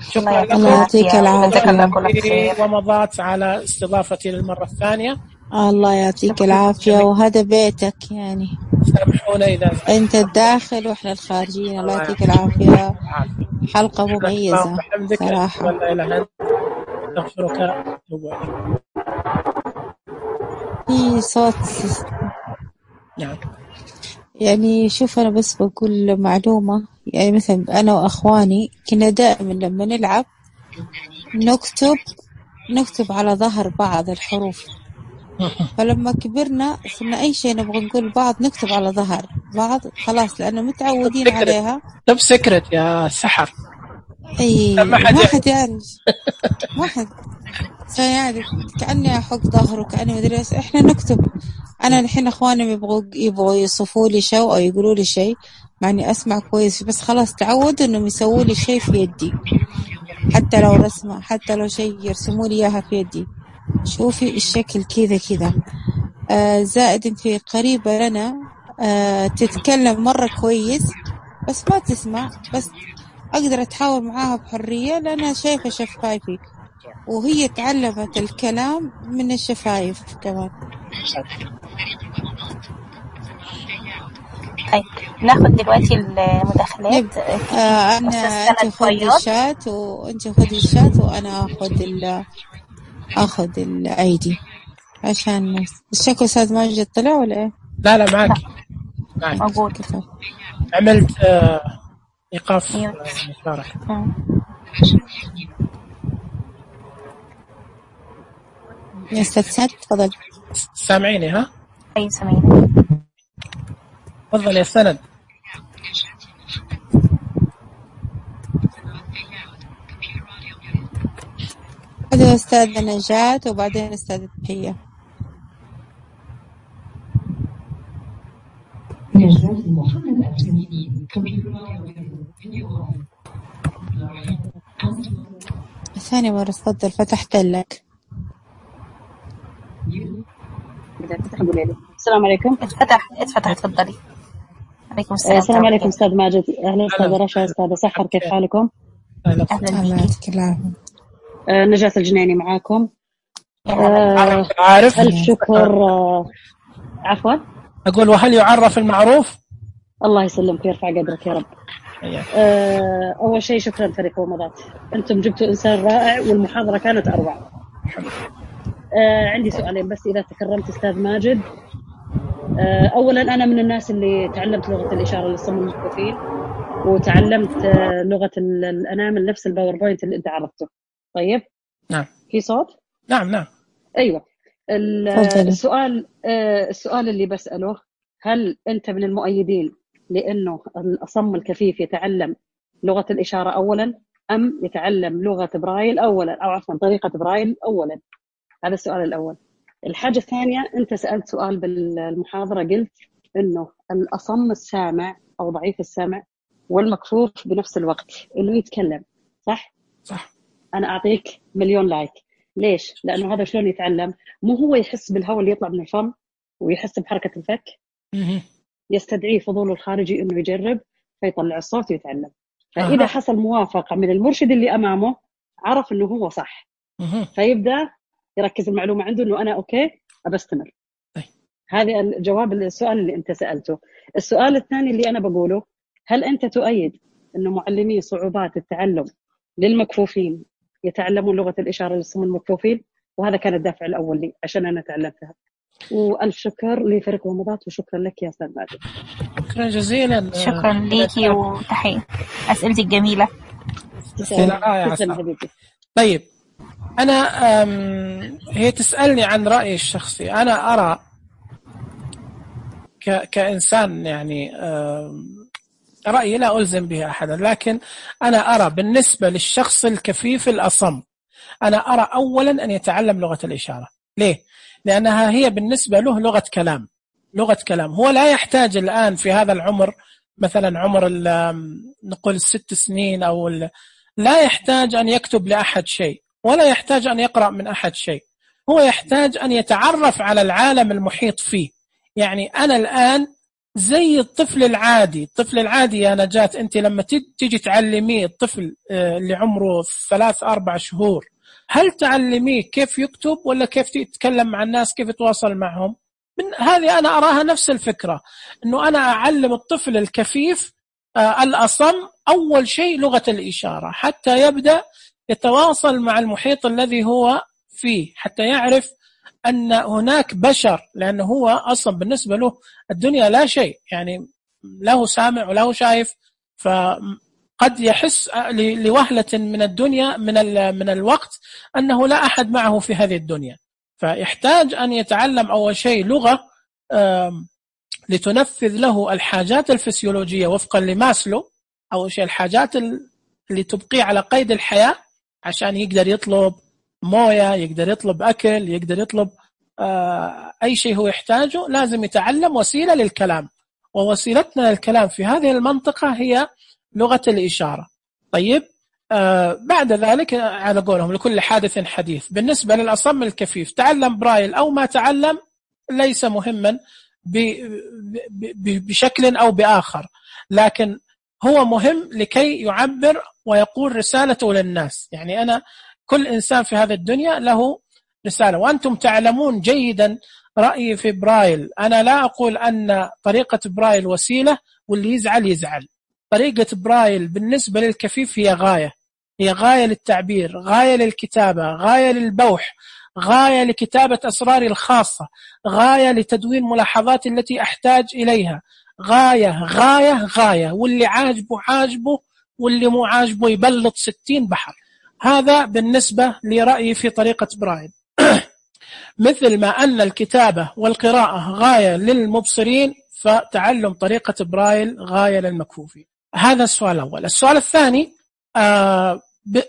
شكرا الله يعطيك العافية ومضات على استضافتي للمرة الثانية. الله يعطيك العافية، وهذا بيتك يعني، سامحونا إذا أنت الداخل وإحنا الخارجين. الله يعطيك العافية، حلقة مميزة صراحة. ولا أستغفرك. في صوت نعم. يعني شوف، أنا بس بقول معلومة. يعني مثلا أنا وأخواني كنا دائما لما نلعب نكتب على ظهر بعض الحروف، فلما كبرنا صرنا أي شيء نبغى نقول بعض نكتب على ظهر بعض، خلاص لأنه متعودين عليها. طب سكرت يا سحر. أي ما حد يعرف، ما حد سيعرف. كأني أحط ظهره، كأني مدري. إحنا نكتب. أنا الحين أخواني يبغوا يصفوا لي شيء أو يقولوا لي شيء، معني أسمع كويس، بس خلاص تعودوا إنهم يسووا لي شيء في يدي، حتى لو رسمة، حتى لو شيء يرسموا لي إياها في يدي. شوفي الشكل كذا. زائد إن في قريبة لنا تتكلم مرة كويس بس ما تسمع، بس أقدر أتحاور معاها بحرية لأنها شايفة شفايفي، وهي تعلمت الكلام من الشفايف كمان. طيب ناخد دلوقتي المداخلات. أنا أنت خذي الشات وأنت خذي الشات وأنا أخذ الأيدي عشان الشكل. أستاذ ماجد طلع ولا إيه؟ لا معك موجود. عملت إيقاف مشاركة. يا أستاذ سعد تفضل. سامعيني؟ ها أي سامعيني. تفضل يا سند. هذا أستاذ نجاة وبعدين أستاذ تحية. ثاني مرة تفضل، فتحت لك. إذا فتح قولي لي. السلام عليكم. اتفتح تفضلي. عليكم السلام. السلام عليكم أستاذ ماجد. أهلا أستاذ رشا، أستاذ سحر، كيف حالكم؟ أهلا بك. نجاة الجنيني معاكم. عارف. ألف شكر. عفوا أقول وهل يعرف المعروف؟ الله يسلمك ويرفع قدرك يا رب. أول شيء شكرا فريق ومضات، أنتم جبتوا إنسان رائع والمحاضرة كانت أروع. عندي سؤالين بس إذا تكرمت أستاذ ماجد. أولا أنا من الناس اللي تعلمت لغة الإشارة للصم المكفوفين، وتعلمت لغة الأنامل نفس الباوربوينت اللي أنت عرفته. طيب نعم. في صوت؟ نعم. أيوة. السؤال اللي بسأله، هل أنت من المؤيدين لأنه الأصم الكفيف يتعلم لغة الإشارة أولا، أم يتعلم لغة برايل أولا، أو عفوا طريقة برايل أولا؟ هذا السؤال الأول. الحاجة الثانية، أنت سألت سؤال بالمحاضرة، قلت إنه الأصم السامع أو ضعيف السمع والمكفوف بنفس الوقت إنه يتكلم، صح؟ أنا أعطيك 1,000,000 لايك. ليش؟ لأنه هذا شلون يتعلم؟ مو هو يحس بالهواء اللي يطلع من الفم ويحس بحركة الفك، يستدعي فضوله الخارجي إنه يجرب فيطلع الصوت ويتعلم. فإذا حصل موافقة من المرشد اللي أمامه، عرف إنه هو صح، فيبدأ يركز المعلومة عنده إنه أنا أوكي أبستمر. هذا الجواب للسؤال اللي أنت سألته. السؤال الثاني اللي أنا بقوله، هل أنت تؤيد إنه معلمي صعوبات التعلم للمكفوفين يتعلمون لغة الإشارة للصم المكفوفين؟ وهذا كان الدافع الأول لي عشان أنا تعلمتها. وألف شكر لفريق ومضات، وشكرا لك يا أستاذ ماجد. شكرا جزيلا. شكرا ليكي وتحية أسئلتك جميلة. طيب أنا هي تسألني عن رأيي الشخصي. أنا أرى كإنسان يعني رأيي لا ألزم به أحدا، لكن أنا أرى بالنسبة للشخص الكفيف الأصم، أنا أرى أولا أن يتعلم لغة الإشارة. ليه؟ لأنها هي بالنسبة له لغة كلام. هو لا يحتاج الآن في هذا العمر، مثلا عمر نقول 6 سنين أو لا يحتاج أن يكتب لأحد شيء، ولا يحتاج أن يقرأ من أحد شيء. هو يحتاج أن يتعرف على العالم المحيط فيه. يعني أنا الآن زي الطفل العادي يا نجاة. أنت لما تيجي تعلميه الطفل اللي عمره 3-4 شهور، هل تعلميه كيف يكتب ولا كيف يتكلم مع الناس، كيف يتواصل معهم؟ هذه أنا أراها نفس الفكرة، أنه أنا أعلم الطفل الكفيف الأصم أول شيء لغة الإشارة حتى يبدأ يتواصل مع المحيط الذي هو فيه، حتى يعرف أن هناك بشر، لأنه هو أصلا بالنسبة له الدنيا لا شيء، يعني له سامع وله شايف، فقد يحس لوهلة من الدنيا من الوقت أنه لا أحد معه في هذه الدنيا. فيحتاج أن يتعلم أول شيء لغة لتنفذ له الحاجات الفسيولوجية وفقا لماسلو. أول شيء الحاجات اللي تبقيه على قيد الحياة، عشان يقدر يطلب موية، يقدر يطلب أكل، يقدر يطلب أي شيء هو يحتاجه. لازم يتعلم وسيلة للكلام، ووسيلتنا للكلام في هذه المنطقة هي لغة الإشارة. طيب بعد ذلك على قولهم لكل حادث حديث. بالنسبة للأصم الكفيف، تعلم برايل أو ما تعلم ليس مهما بشكل أو بآخر، لكن هو مهم لكي يعبر ويقول رسالته للناس. يعني أنا كل إنسان في هذه الدنيا له رسالة، وأنتم تعلمون جيدا رأيي في برايل. أنا لا أقول أن طريقة برايل وسيلة واللي يزعل. طريقة برايل بالنسبة للكفيف هي غاية للتعبير، غاية للكتابة، غاية للبوح، غاية لكتابة أسراري الخاصة، غاية لتدوين ملاحظاتي التي أحتاج إليها، غاية. واللي عاجبه واللي مو عاجبه يبلط 60 بحر. هذا بالنسبة لرأيي في طريقة برايل. مثل ما أن الكتابة والقراءة غاية للمبصرين، فتعلم طريقة برايل غاية للمكفوفين. هذا السؤال الأول. السؤال الثاني،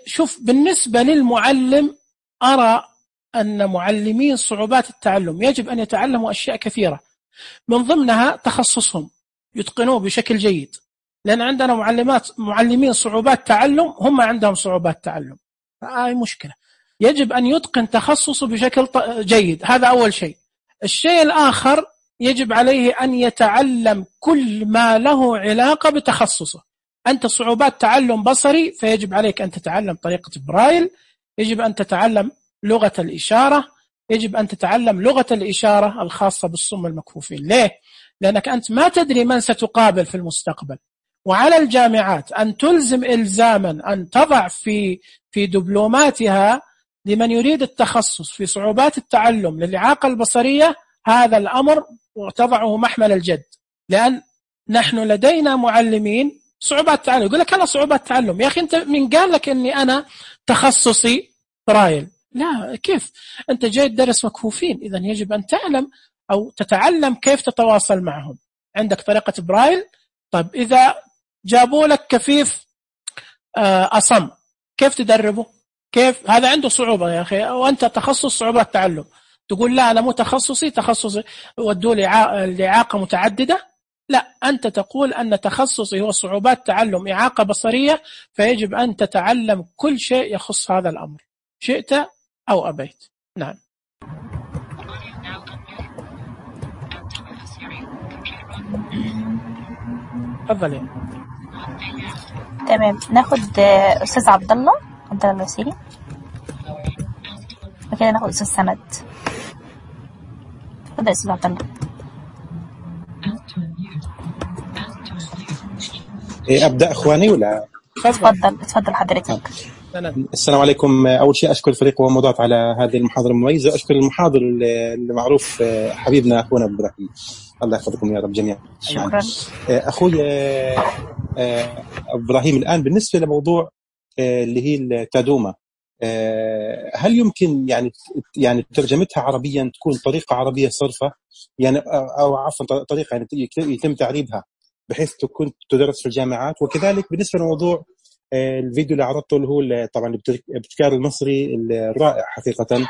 شوف بالنسبة للمعلم، أرى أن معلمين صعوبات التعلم يجب أن يتعلموا أشياء كثيرة، من ضمنها تخصصهم يتقنوه بشكل جيد، لأن عندنا معلمين صعوبات تعلم هم عندهم صعوبات تعلم، هاي مشكلة. يجب أن يتقن تخصصه بشكل جيد، هذا أول شيء. الشيء الآخر يجب عليه أن يتعلم كل ما له علاقة بتخصصه. أنت صعوبات تعلم بصري، فيجب عليك أن تتعلم طريقة برايل، يجب أن تتعلم لغة الإشارة، يجب أن تتعلم لغة الإشارة الخاصة بالصم المكفوفين. ليه؟ لأنك أنت ما تدري من ستقابل في المستقبل، وعلى الجامعات أن تلزم إلزاما أن تضع في دبلوماتها لمن يريد التخصص في صعوبات التعلم للإعاقة البصرية هذا الأمر وتضعه محمل الجد. لأن نحن لدينا معلمين صعوبات تعلم، يقول لك أنا صعوبات تعلم، يا أخي أنت من قال لك أني أنا تخصصي برايل؟ لا، كيف أنت جاي تدرس مكفوفين؟ إذن يجب أن تعلم أو تتعلم كيف تتواصل معهم. عندك طريقة برايل، طيب إذا جابوا لك كفيف أصم كيف تدربه؟ كيف؟ هذا عنده صعوبة يا أخي، وأنت تخصص صعوبات تعلم تقول لا أنا مو تخصصي ودوا لإعاقة متعددة؟ لا، أنت تقول أن تخصصي هو صعوبات تعلم إعاقة بصرية، فيجب أن تتعلم كل شيء يخص هذا الأمر شئت أو أبيت. نعم. تفضلي. تمام، ناخد أستاذ عبد الله الوسيري، وكده ناخد أستاذ سند. تفضل أستاذ عبد الله. أبدأ أخواني ولا؟ تفضل حضرتك. السلام عليكم. أول شيء أشكر الفريق ومضات على هذه المحاضرة المميزة، أشكر المحاضر المعروف حبيبنا أخونا إبراهيم، الله يحفظكم يا رب جميعا. شكرا. أخوي إبراهيم، الآن بالنسبة لموضوع اللي هي التادوما، هل يمكن يعني ترجمتها عربيا تكون طريقة عربية صرفة، يعني أو عفوا طريقة يعني يتم تعريبها بحيث تكون تدرس في الجامعات؟ وكذلك بالنسبة لموضوع الفيديو اللي عرضته اللي هو طبعا الابتكار المصري الرائع حقيقة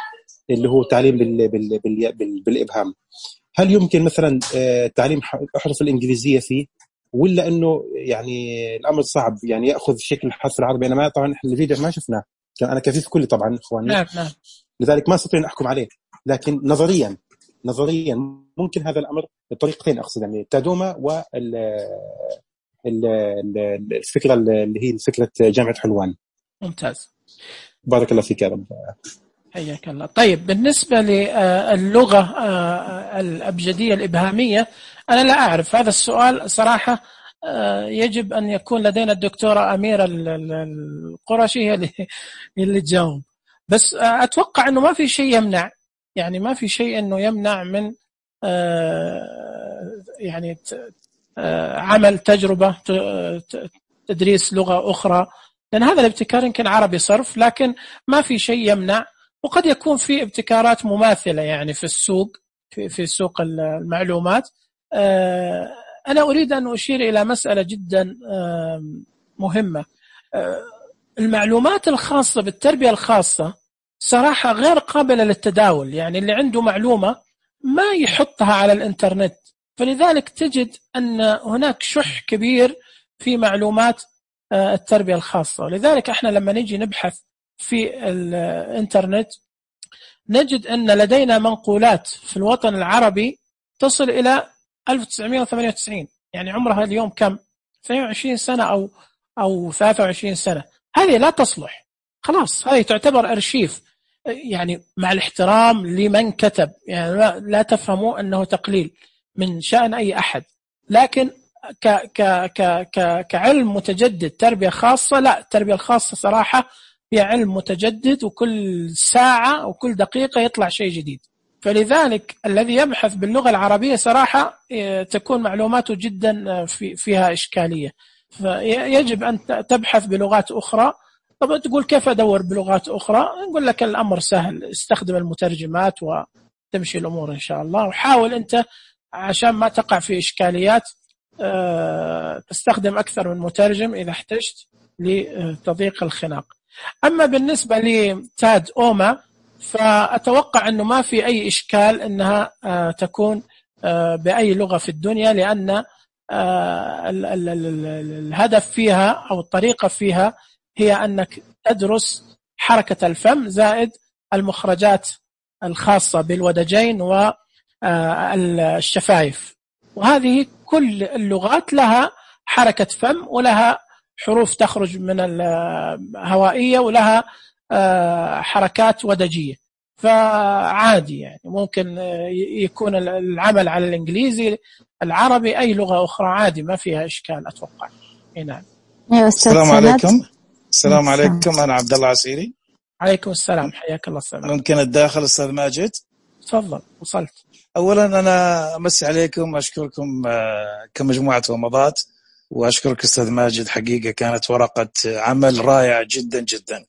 اللي هو التعليم بالإبهام، هل يمكن مثلا تعليم أحرف الإنجليزية فيه، ولا إنه يعني الأمر صعب يعني يأخذ شكل الحرف العربي؟ أنا ما طبعا إحنا الفيديو ما شفناه، أنا كفيف كلي طبعا إخواني. نعم. لذلك ما استطيع أن أحكم عليه، لكن نظريا ممكن هذا الأمر بطريقتين، أقصد يعني التادوما والفكرة اللي هي فكرة جامعة حلوان. ممتاز، بارك الله فيك يا رب. حياك الله. طيب بالنسبة للغة الأبجدية الإبهامية أنا لا أعرف هذا السؤال صراحة، يجب أن يكون لدينا الدكتورة أميرة القرشي هي اللي تجاوب، بس أتوقع أنه ما في شيء يمنع، يعني ما في شيء أنه يمنع من يعني عمل تجربة تدريس لغة أخرى، لأن هذا الابتكار يمكن عربي صرف، لكن ما في شيء يمنع، وقد يكون في ابتكارات مماثلة يعني في السوق، في سوق المعلومات. أنا أريد أن أشير إلى مسألة جدا مهمة. المعلومات الخاصة بالتربية الخاصة صراحة غير قابلة للتداول، يعني اللي عنده معلومة ما يحطها على الإنترنت، فلذلك تجد أن هناك شح كبير في معلومات التربية الخاصة. ولذلك احنا لما نجي نبحث في الإنترنت نجد أن لدينا منقولات في الوطن العربي تصل إلى 1998، يعني عمرها اليوم كم؟ 22 سنة أو 23 سنة. هذه لا تصلح، خلاص هذه تعتبر أرشيف، يعني مع الاحترام لمن كتب، يعني لا تفهموا أنه تقليل من شأن أي أحد، لكن كعلم متجدد تربية خاصة، لا، التربية الخاصة صراحة هي علم متجدد، وكل ساعة وكل دقيقة يطلع شيء جديد. فلذلك الذي يبحث باللغة العربية صراحة تكون معلوماته جدا فيها إشكالية، فيجب أن تبحث بلغات أخرى. طب تقول كيف أدور بلغات أخرى؟ نقول لك الأمر سهل، استخدم المترجمات وتمشي الأمور إن شاء الله، وحاول أنت عشان ما تقع في إشكاليات تستخدم أكثر من مترجم إذا احتجت لتضييق الخناق. أما بالنسبة لتاد أوما فأتوقع أنه ما في أي إشكال أنها تكون بأي لغة في الدنيا، لأن الهدف فيها أو الطريقة فيها هي أنك تدرس حركة الفم زائد المخرجات الخاصة بالودجين الشفايف. وهذه كل اللغات لها حركة فم ولها حروف تخرج من الهوائية ولها حركات ودجية. فعادي يعني ممكن يكون العمل على الإنجليزي، العربي، أي لغة أخرى عادي ما فيها إشكال أتوقع. نعم. السلام عليكم. السلام عليكم. أنا عبد الله عسيري. عليكم السلام، حياك الله. السلام. ممكن الداخل أستاذ ماجد؟ تفضل. وصلت. أولا أنا أمسي عليكم وأشكركم كمجموعة ومضات، وأشكرك أستاذ ماجد، حقيقة كانت ورقة عمل رائعة جدا جدا.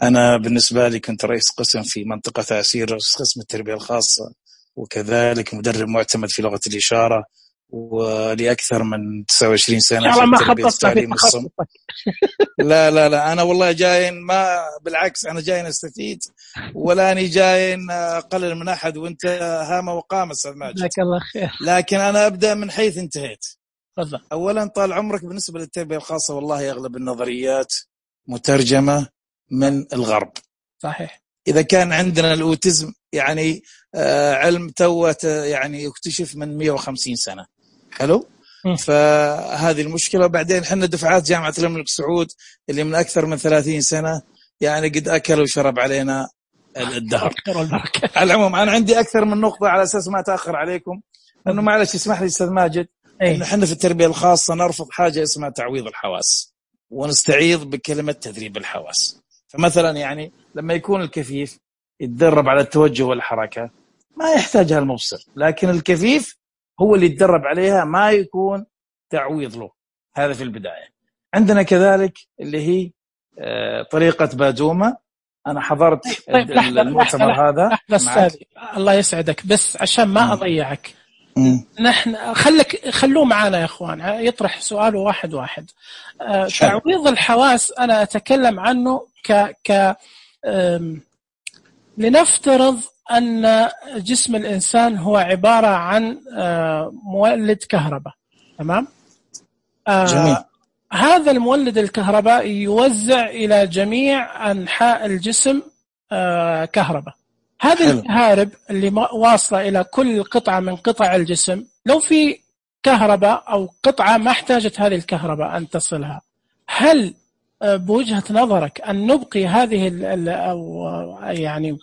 أنا بالنسبة لي كنت رئيس قسم في منطقة عسير، قسم التربية الخاصة، وكذلك مدرب معتمد في لغة الإشارة، ولأكثر من 29 سنة في تربية التعليم الصم. لا لا لا، أنا والله جاين ما بالعكس، أنا جاين أستفيد ولا أني جاين أقلل من أحد، وأنت هامة وقامة أستاذ ماجد. جزاك الله خير. لكن أنا أبدأ من حيث انتهيت. تفضل. أولا طال عمرك، بالنسبة للتربية الخاصة والله أغلب النظريات مترجمة من الغرب. صحيح. إذا كان عندنا الأوتيزم يعني علم توت يعني يكتشف من 150 سنة. حلو. فهذه المشكلة. وبعدين حنا دفعات جامعة الملك سعود اللي من أكثر من 30 سنة يعني قد أكل وشرب علينا الدهر. على العموم أنا عندي أكثر من نقطة على أساس ما تأخر عليكم، أنه معلش اسمح لي أستاذ ماجد، إنه حنا في التربية الخاصة نرفض حاجة اسمها تعويض الحواس، ونستعيض بكلمة تدريب الحواس. فمثلا يعني لما يكون الكفيف يتدرب على التوجه والحركة ما يحتاجها المبصر، لكن الكفيف هو اللي يتدرب عليها، ما يكون تعويض له. هذا في البداية. عندنا كذلك اللي هي طريقة بادومة. أنا حضرت المؤتمر هذا. الله يسعدك، بس عشان ما أضيعك، نحن خلوه معنا يا أخوان، يطرح سؤاله واحد واحد. تعويض الحواس أنا أتكلم عنه لنفترض أن جسم الإنسان هو عبارة عن مولد كهرباء. تمام؟ جميل. هذا المولد الكهرباء يوزع إلى جميع أنحاء الجسم كهرباء. هذه الكهارب اللي واصلة إلى كل قطعة من قطع الجسم، لو في كهرباء أو قطعة ما احتاجت هذه الكهرباء أن تصلها، هل بوجهة نظرك أن نبقي هذه أو يعني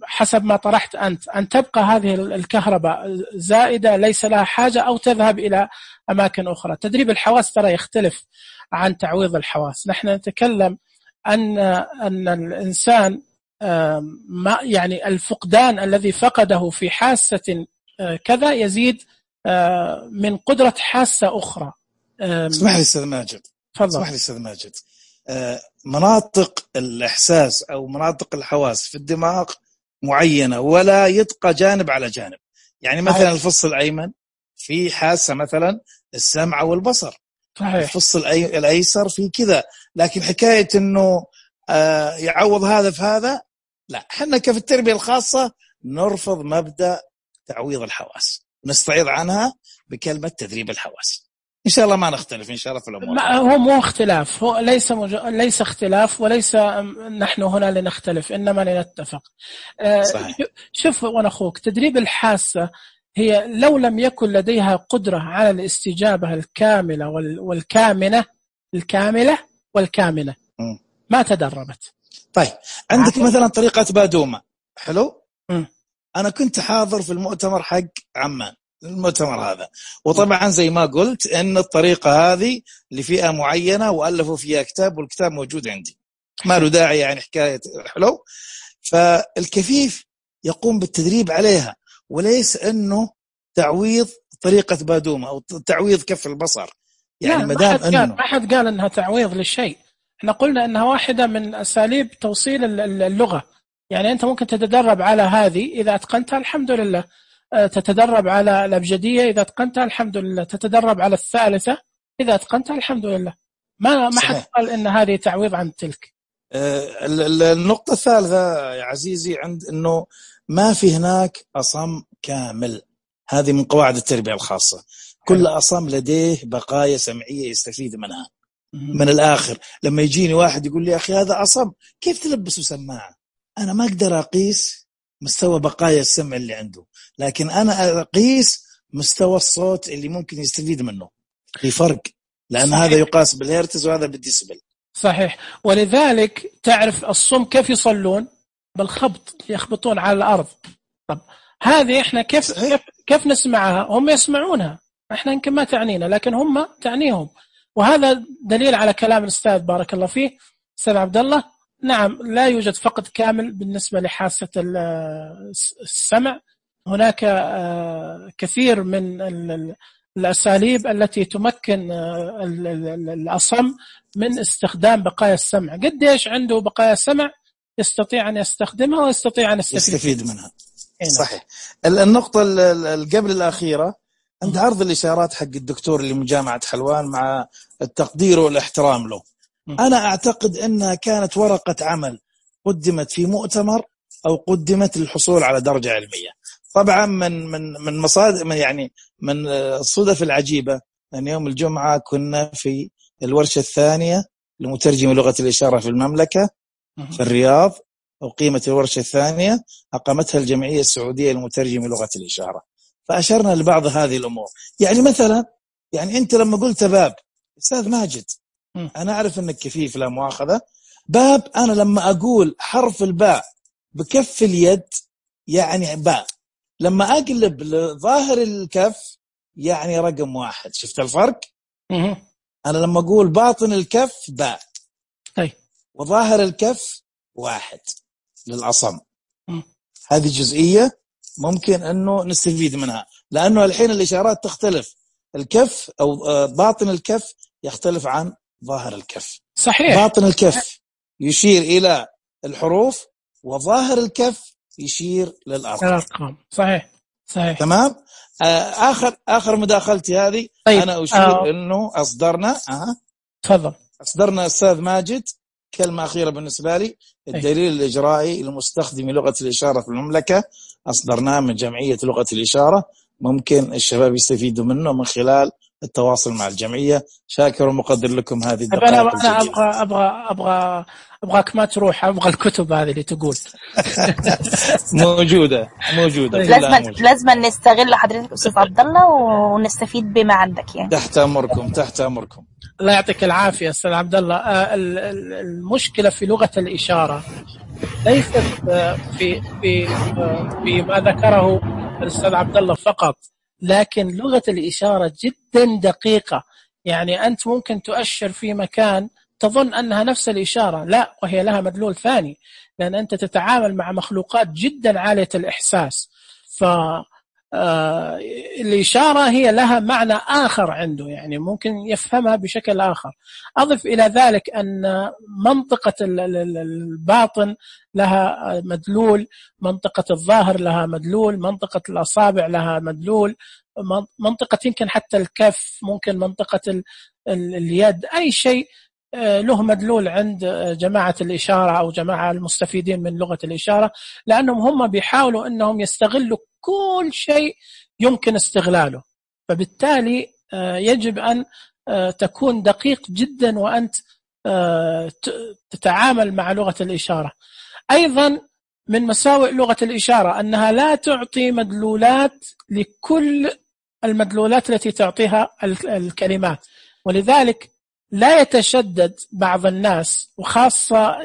حسب ما طرحت أنت أن تبقى هذه الكهرباء زائدة ليس لها حاجة، أو تذهب إلى أماكن أخرى؟ تدريب الحواس ترى يختلف عن تعويض الحواس. نحن نتكلم أن الإنسان ما يعني الفقدان الذي فقده في حاسة كذا يزيد من قدرة حاسة أخرى. اسمح لي أستاذ ماجد. اسمح لي أستاذ ماجد. مناطق الإحساس أو مناطق الحواس في الدماغ معينة ولا يتقى جانب على جانب. يعني مثلا الفص الأيمن في حاسة مثلا السمع والبصر. الفص الأيسر في كذا. لكن حكاية أنه يعوض هذا في هذا لا. حنا كفي التربية الخاصة نرفض مبدأ تعويض الحواس، نستعيض عنها بكلمة تدريب الحواس. إن شاء الله ما نختلف إن شاء الله في الأمور. هو مو اختلاف، هو ليس اختلاف، وليس نحن هنا لنختلف إنما لنتفق. صحيح. شوف وأنا أخوك، تدريب الحاسة هي لو لم يكن لديها قدرة على الاستجابة الكاملة والكاملة ما تدربت. طيب عندك مثلا طريقة بادومة. حلو. أنا كنت حاضر في المؤتمر حق عمان، المؤتمر هذا، وطبعا زي ما قلت أن الطريقة هذه لفئة معينة وألفوا فيها كتاب، والكتاب موجود عندي، ما له داعي يعني حكاية. حلو. فالكفيف يقوم بالتدريب عليها، وليس أنه تعويض طريقة بادومة أو تعويض كف البصر. يعني ما حد قال أنها تعويض للشيء. احنا قلنا أنها واحدة من أساليب توصيل اللغة. يعني أنت ممكن تتدرب على هذه إذا أتقنتها الحمد لله، تتدرب على الأبجدية إذا أتقنتها الحمد لله، تتدرب على الثالثة إذا أتقنتها الحمد لله. ما حد قال إن هذه تعويض عن تلك. النقطة الثالثة يا عزيزي عند أنه ما في هناك أصم كامل. هذه من قواعد التربية الخاصة. كل أصم لديه بقايا سمعية يستفيد منها. من الآخر لما يجيني واحد يقول لي أخي هذا أصم، كيف تلبسه سماعة؟ أنا ما أقدر أقيس مستوى بقايا السمع اللي عنده، لكن أنا أقيس مستوى الصوت اللي ممكن يستفيد منه. في فرق، لأن صحيح. هذا يقاس بالهرتز وهذا بالديسبل. صحيح. ولذلك تعرف الصم كيف يصلون؟ بالخبط، يخبطون على الأرض. طب هذه إحنا كيف نسمعها؟ هم يسمعونها، إحنا يمكن ما تعنينا لكن هم تعنيهم. وهذا دليل على كلام الأستاذ بارك الله فيه أستاذ عبد الله. نعم، لا يوجد فقد كامل بالنسبة لحاسة السمع. هناك كثير من الأساليب التي تمكن الأصم من استخدام بقايا السمع. قديش عنده بقايا سمع يستطيع أن يستخدمها ويستطيع أن يستفيد منها. صحيح. النقطة قبل الأخيرة عند عرض الإشارات حق الدكتور اللي من جامعة حلوان، مع التقدير والاحترام له، أنا أعتقد أنها كانت ورقة عمل قدمت في مؤتمر أو قدمت للحصول على درجة علمية. طبعا من مصادر، يعني من الصدف العجيبة أن يوم الجمعة كنا في الورشة الثانية لمترجم لغة الإشارة في المملكة في الرياض، أقيمت الورشة الثانية أقامتها الجمعية السعودية لمترجم لغة الإشارة، فأشرنا لبعض هذه الأمور. يعني مثلا، يعني أنت لما قلت باب أستاذ ماجد، أنا أعرف أنك كفيف لا مؤاخذة، باب أنا لما أقول حرف الباء بكف اليد يعني باء، لما أقلب لظاهر الكف يعني رقم 1. شفت الفرق؟ أنا لما أقول باطن الكف باء وظاهر الكف 1 للأصم. هذه جزئية ممكن أنه نستفيد منها، لأنه الحين الإشارات تختلف، الكف أو باطن الكف يختلف عن ظاهر الكف. صحيح. باطن الكف يشير إلى الحروف وظاهر الكف يشير للأرقام. صحيح. تمام. آخر مداخلتي هذه. طيب. أنا أشير أنه تفضل. أصدرنا أستاذ ماجد كلمة أخيرة بالنسبة لي، الدليل الإجرائي لمستخدمي لغة الإشارة في المملكة أصدرناه من جمعية لغة الإشارة، ممكن الشباب يستفيدوا منه من خلال التواصل مع الجمعية. شاكر ومقدر لكم هذه الدقائق. أنا أبغاك ما تروح، أبغى الكتب هذه اللي تقول. موجودة. لازم نستغل حضرتك أستاذ عبد الله ونستفيد بما عندك. يعني تحت أمركم. الله يعطيك العافية أستاذ عبد الله. المشكلة في لغة الإشارة ليست في ما ذكره الأستاذ عبد الله فقط، لكن لغة الإشارة جدا دقيقة. يعني أنت ممكن تؤشر في مكان تظن أنها نفس الإشارة، لا، وهي لها مدلول ثاني، لأن أنت تتعامل مع مخلوقات جدا عالية الإحساس. الإشارة هي لها معنى آخر عنده، يعني ممكن يفهمها بشكل آخر. أضف إلى ذلك أن منطقة الباطن لها مدلول، منطقة الظاهر لها مدلول، منطقة الأصابع لها مدلول، منطقة يمكن حتى الكف، ممكن منطقة اليد، أي شيء له مدلول عند جماعة الإشارة أو جماعة المستفيدين من لغة الإشارة، لأنهم هم بيحاولوا أنهم يستغلوا كل شيء يمكن استغلاله. فبالتالي يجب أن تكون دقيق جدا وأنت تتعامل مع لغة الإشارة. أيضا من مساوئ لغة الإشارة أنها لا تعطي مدلولات لكل المدلولات التي تعطيها الكلمات، ولذلك لا يتشدد بعض الناس، وخاصة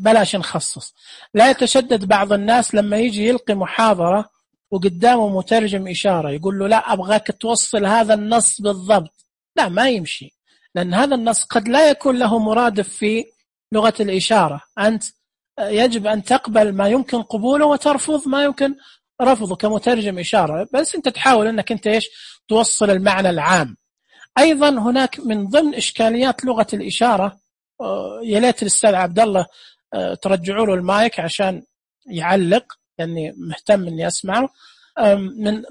بلاش نخصص، لا يتشدد بعض الناس لما يجي يلقي محاضرة وقدامه مترجم إشارة يقول له لا أبغاك توصل هذا النص بالضبط. لا، ما يمشي، لأن هذا النص قد لا يكون له مرادف في لغة الإشارة. أنت يجب أن تقبل ما يمكن قبوله وترفض ما يمكن رفضه كمترجم إشارة، بس أنت تحاول أنك أنت توصل المعنى العام. أيضا هناك من ضمن إشكاليات لغة الإشارة، يا ليت الأستاذ عبد الله ترجعوا له المايك عشان يعلق، لأني مهتم إني أسمعه.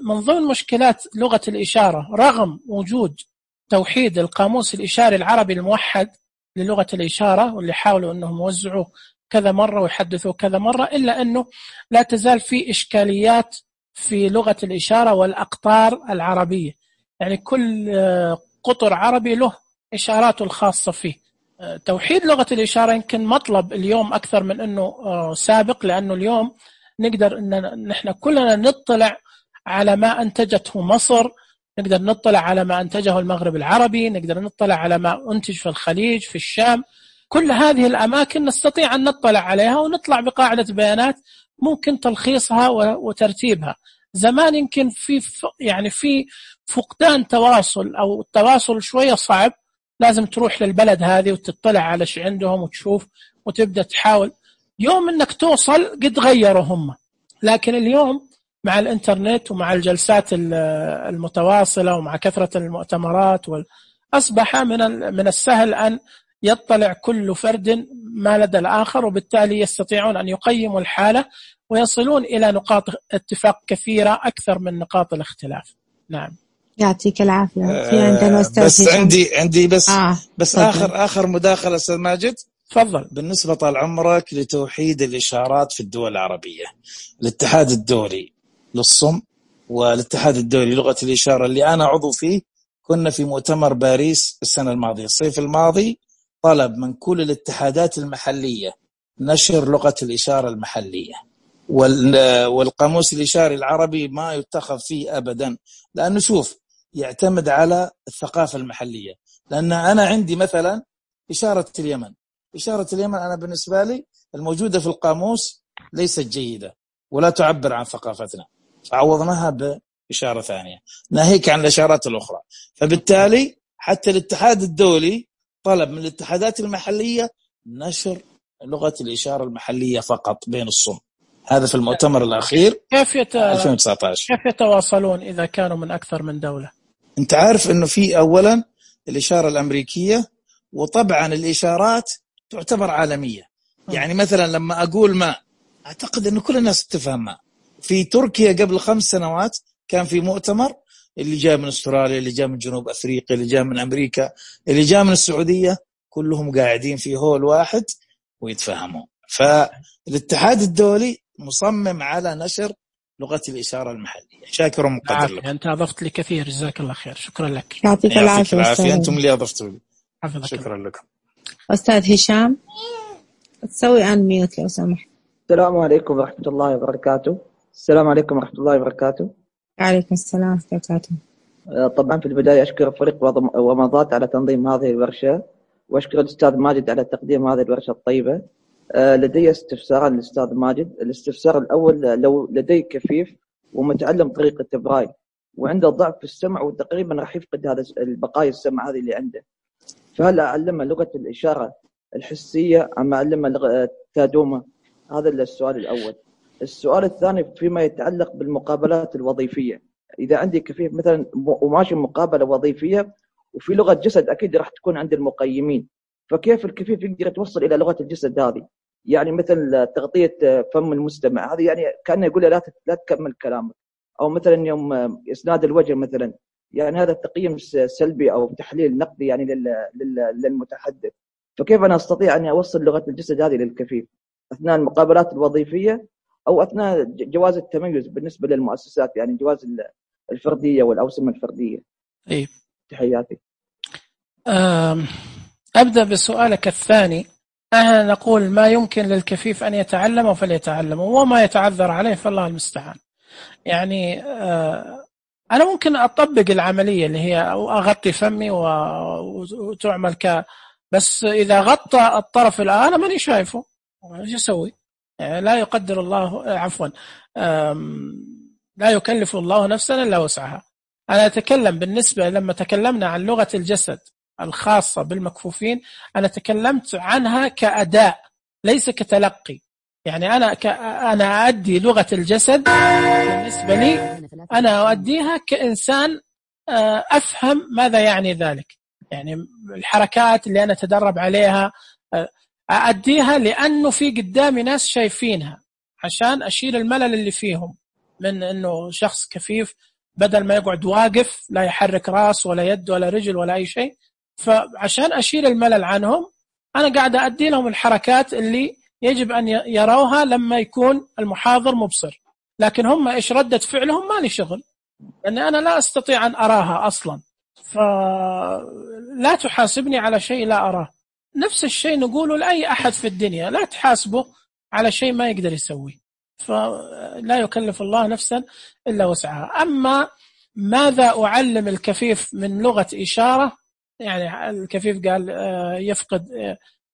من ضمن مشكلات لغة الإشارة، رغم وجود توحيد القاموس الإشاري العربي الموحد للغة الإشارة، واللي حاولوا أنهم يوزعوه كذا مرة ويحدثوه كذا مرة، إلا أنه لا تزال في إشكاليات في لغة الإشارة والأقطار العربية. يعني كل قطر عربي له إشاراته الخاصة فيه. توحيد لغة الإشارة يمكن مطلب اليوم أكثر من أنه سابق، لأنه اليوم نقدر إن نحن كلنا نطلع على ما أنتجته مصر، نقدر نطلع على ما أنتجه المغرب العربي، نقدر نطلع على ما أنتج في الخليج في الشام. كل هذه الأماكن نستطيع أن نطلع عليها ونطلع بقاعدة بيانات ممكن تلخيصها وترتيبها. زمان يمكن في فقدان تواصل، أو التواصل شوية صعب، لازم تروح للبلد هذه وتطلع على شيء عندهم وتشوف وتبدأ تحاول. يوم أنك توصل قد غيروا هم، لكن اليوم مع الإنترنت ومع الجلسات المتواصلة ومع كثرة المؤتمرات أصبح من السهل أن يطلع كل فرد ما لدى الآخر، وبالتالي يستطيعون أن يقيموا الحالة ويصلون إلى نقاط اتفاق كثيرة أكثر من نقاط الاختلاف. نعم، يعطيك العافية. في عندنا أستاذ بس هشام. عندي بس طبعا. آخر مداخلة أستاذ ماجد. تفضل. بالنسبة طال عمرك لتوحيد الإشارات في الدول العربية، الاتحاد الدولي للصم والاتحاد الدولي لغة الإشارة اللي أنا عضو فيه، كنا في مؤتمر باريس السنة الماضية الصيف الماضي، طلب من كل الاتحادات المحلية نشر لغة الإشارة المحلية، والقاموس الإشاري العربي ما يتخذ فيه أبدا، لأنه شوف يعتمد على الثقافة المحلية. لأن أنا عندي مثلا إشارة اليمن أنا بالنسبة لي الموجودة في القاموس ليست جيدة ولا تعبر عن ثقافتنا، فعوضناها بإشارة ثانية ناهيك عن الإشارات الأخرى. فبالتالي حتى الاتحاد الدولي طلب من الاتحادات المحلية نشر لغة الإشارة المحلية فقط بين الصم. هذا في المؤتمر الأخير 2019. كيف يتواصلون إذا كانوا من أكثر من دولة؟ أنت عارف أنه في أولا الإشارة الأمريكية، وطبعا الإشارات تعتبر عالمية. يعني مثلا لما أقول ما، أعتقد أنه كل الناس تفهم ما. في تركيا قبل 5 سنوات كان في مؤتمر، اللي جاء من أستراليا، اللي جاء من جنوب أفريقيا، اللي جاء من أمريكا، اللي جاء من السعودية، كلهم قاعدين في هول واحد ويتفهموا. فالاتحاد الدولي مصمم على نشر لغة الإشارة المحلية. شاكر ومقدر لك. أنت أضفت لي كثير، جزاك الله خير. شكرا لك. يعطيك العافية. أنتم اللي أضفتوا لي. شكرا لكم. أستاذ هشام، تسوي آن ميوت لو سمحت. السلام عليكم ورحمة الله وبركاته. السلام عليكم ورحمة الله وبركاته. عليكم السلام ورحمة الله وبركاته. طبعا في البداية أشكر فريق ومضات على تنظيم هذه الورشة، وأشكر الأستاذ ماجد على تقديم هذه الورشة الطيبة. لدي استفساران للأستاذ ماجد. الاستفسار الأول، لو لدي كفيف ومتعلم طريقة برايل وعنده ضعف في السمع وتقريبا راح يفقد هذا البقايا السمع هذه اللي عنده، فهل أعلمه لغة الإشارة الحسية أم أعلمه لغة تادومة؟ هذا السؤال الأول. السؤال الثاني فيما يتعلق بالمقابلات الوظيفية. إذا عندي كفيف مثلا وماشي مقابلة وظيفية وفي لغة جسد أكيد راح تكون عند المقيمين، فكيف الكفيف يقدر يتوصل إلى لغة الجسد هذه؟ يعني مثل تغطية فم المستمع، هذه يعني كأنه يقول له لا تكمل كلامك، أو مثلا يوم إسناد الوجه مثلا، يعني هذا تقييم سلبي أو تحليل نقدي يعني للمتحدث. فكيف أنا أستطيع أن أوصل لغة الجسد هذه للكفيف أثناء المقابلات الوظيفية أو أثناء جواز التميز بالنسبة للمؤسسات، يعني جواز الفردية والأوسمة الفردية؟ طيب، تحياتي. أبدأ بسؤالك الثاني. أنا نقول ما يمكن للكفيف أن يتعلم فليتعلم، وما يتعذر عليه فالله المستعان. يعني أنا ممكن أطبق العملية اللي هي أغطي فمي وتعمل بس إذا غطى الطرف الآن أنا ماني شايفه، إيش أسوي؟ يعني لا يقدر الله، عفوا، لا يكلف الله نفسا إلا وسعها. أنا أتكلم بالنسبة لما تكلمنا عن لغة الجسد الخاصة بالمكفوفين، أنا تكلمت عنها كأداء ليس كتلقي. يعني أنا أؤدي لغة الجسد بالنسبة لي، أنا أؤديها كإنسان أفهم ماذا يعني ذلك. يعني الحركات اللي أنا أتدرب عليها أؤديها لأنه في قدامي ناس شايفينها، عشان أشيل الملل اللي فيهم من أنه شخص كفيف بدل ما يقعد واقف لا يحرك راس ولا يد ولا رجل ولا أي شيء. فعشان أشيل الملل عنهم أنا قاعد أؤدي لهم الحركات اللي يجب أن يروها لما يكون المحاضر مبصر، لكن هم إيش ردة فعلهم ما لي شغل، لأن أنا لا أستطيع أن أراها أصلا، فلا تحاسبني على شيء لا أراه. نفس الشيء نقوله لأي أحد في الدنيا، لا تحاسبه على شيء ما يقدر يسويه. فلا يكلف الله نفسا إلا وسعها. أما ماذا أعلم الكفيف من لغة إشارة، يعني الكفيف قال يفقد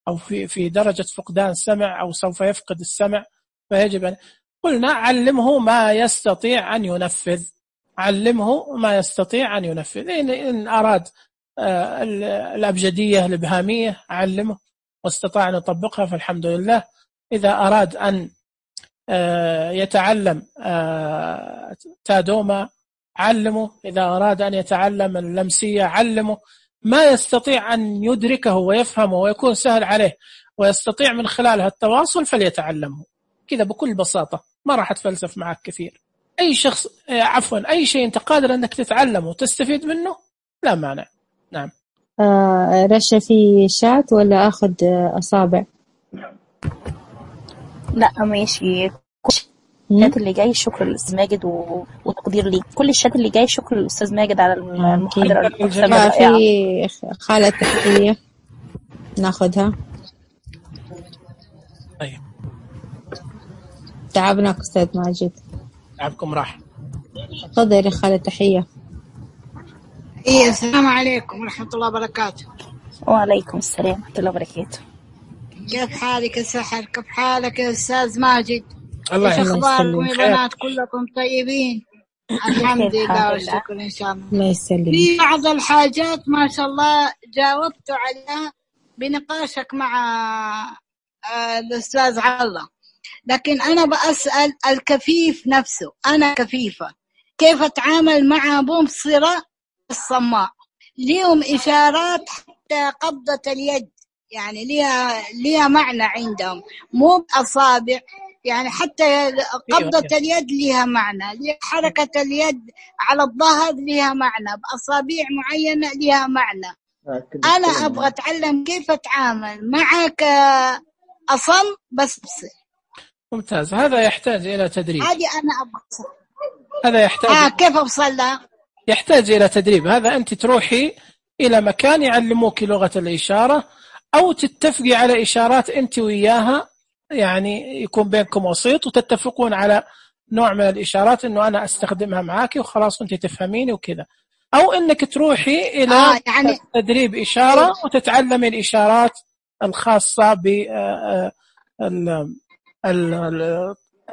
أو في درجة فقدان سمع أو سوف يفقد السمع، فيجب أن قلنا علمه ما يستطيع أن ينفذ، علمه ما يستطيع أن ينفذ. إن أراد الأبجدية الإبهامية علمه واستطاع أن يطبقها فالحمد لله. إذا أراد أن يتعلم تادوما علمه، إذا أراد أن يتعلم اللمسية علمه، ما يستطيع أن يدركه ويفهمه ويكون سهل عليه ويستطيع من خلالها التواصل فليتعلمه كذا بكل بساطة، ما راح أتفلسف معك كثير. أي شخص أي شيء أنت قادر أنك تتعلمه وتستفيد منه لا مانع. نعم. رشا في شات ولا أخذ أصابع؟ لا ماشي. الشات اللي جاي شكر للأستاذ ماجد وتقدير لي. كل الشات اللي جاي شكر للأستاذ ماجد على المحاضرة الرائعة. في خالة تحية ناخذها. طيب تعبناك أستاذ ماجد. تعبكم راح. تفضل يا خالة تحية. السلام عليكم ورحمة الله وبركاته. وعليكم السلام ورحمة الله وبركاته. كيف حالك يا سحر؟ كيف حالك يا أستاذ ماجد؟ الله إيش أخباركم يا بنات؟ كلكم طيبين؟ الحمد لله والشكر إن شاء الله. الله يسلمك. في بعض الحاجات ما شاء الله جاوبت عليها بنقاشك مع الأستاذ الله، لكن أنا بأسأل الكفيف نفسه. أنا كفيفة كيف أتعامل مع مبصرة الصماء؟ ليهم إشارات حتى قبضة اليد، يعني ليها معنى عندهم، مو بأصابع، يعني حتى قبضة اليد ليها معنى، حركة اليد على الظهر ليها معنى، بأصابع معينة ليها معنى. أنا أبغى أتعلم كيف أتعامل معك أصم بس بصر. ممتاز. هذا يحتاج إلى تدريب. هذه أنا أبغى. هذا يحتاج كيف أوصل لها؟ يحتاج إلى تدريب. هذا أنت تروحي إلى مكان يعلموك لغة الإشارة أو تتفقي على إشارات أنت وياها، يعني يكون بينكم وسيط وتتفقون على نوع من الإشارات إنه أنا أستخدمها معاكي وخلاص أنت تفهميني وكذا، أو إنك تروحي إلى يعني تدريب إشارة وتتعلمي الإشارات الخاصة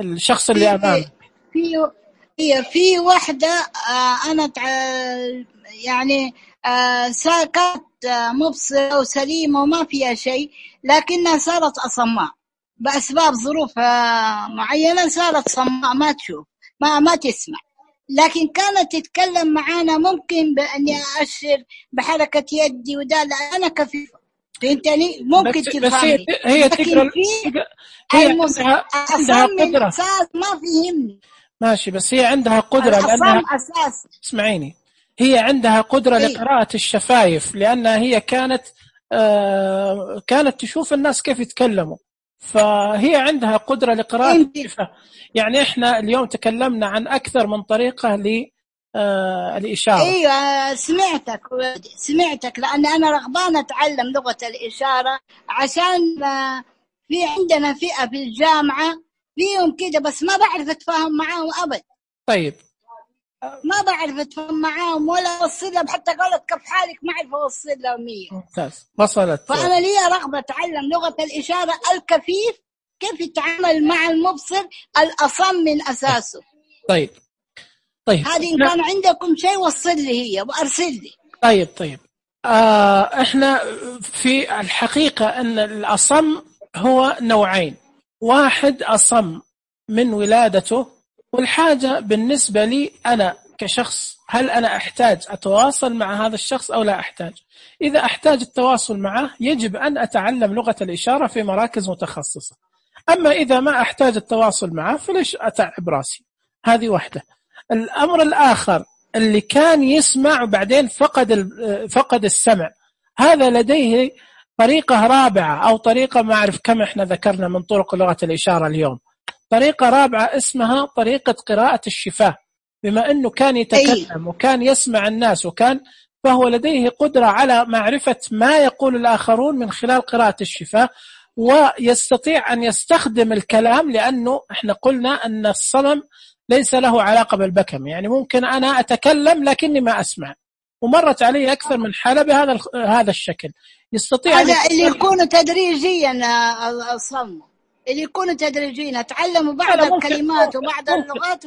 بالشخص اللي أمامك. في واحدة أنا يعني كانت مبصرة وسليمة وما فيها شيء، لكنها صارت أصماء بأسباب ظروف معينة، صارت صماء ما تشوف ما تسمع، لكن كانت تتكلم معانا ممكن بأني أشر بحركة يدي وده. أنا كفيفة فهمتني، ممكن تفهمني، هي تقرأ. هي عندها قدرة ما فهمني ماشي، بس هي عندها قدرة لأنها اسمعيني، هي عندها قدرة لقراءة الشفايف، لأنها هي كانت تشوف الناس كيف يتكلموا، فهي عندها قدرة لقراءة الشفايف. يعني إحنا اليوم تكلمنا عن أكثر من طريقة للإشارة. أيوة سمعتك لأن أنا رغبانة أتعلم لغة الإشارة، عشان في عندنا فئة في الجامعة فيهم كده، بس ما بعرف أتفاهم معاهم أبد. طيب ما بعرف أتفاهم معاهم ولا أوصل لهم، حتى قالت كيف حالك ما أعرف أوصل لهم 100. ممتاز وصلت. فأنا لي رغبة أتعلم لغة الإشارة الكفيف كيف يتعامل مع المبصر الأصم من أساسه. طيب هذه إن كان عندكم شيء وصل لي هي وأرسل لي. طيب إحنا في الحقيقة أن الأصم هو نوعين، واحد أصم من ولادته، والحاجة بالنسبة لي أنا كشخص هل أنا أحتاج أتواصل مع هذا الشخص أو لا أحتاج. إذا أحتاج التواصل معه يجب أن أتعلم لغة الإشارة في مراكز متخصصة، أما إذا ما أحتاج التواصل معه فليش أتعب راسي. هذه واحدة. الأمر الآخر اللي كان يسمع وبعدين فقد السمع، هذا لديه طريقة رابعة أو طريقة ما أعرف كم إحنا ذكرنا من طرق لغة الإشارة اليوم، طريقة رابعة اسمها طريقة قراءة الشفاه. بما أنه كان يتكلم وكان يسمع الناس فهو لديه قدرة على معرفة ما يقول الآخرون من خلال قراءة الشفاه، ويستطيع أن يستخدم الكلام، لأنه إحنا قلنا أن الصمم ليس له علاقة بالبكم. يعني ممكن أنا أتكلم لكني ما أسمع، ومرت علي أكثر من حالة هذا الشكل. يستطيع هذا اللي يكون تدريجيا الصم، اللي يكون تدريجيا تعلموا بعض الكلمات وبعض اللغات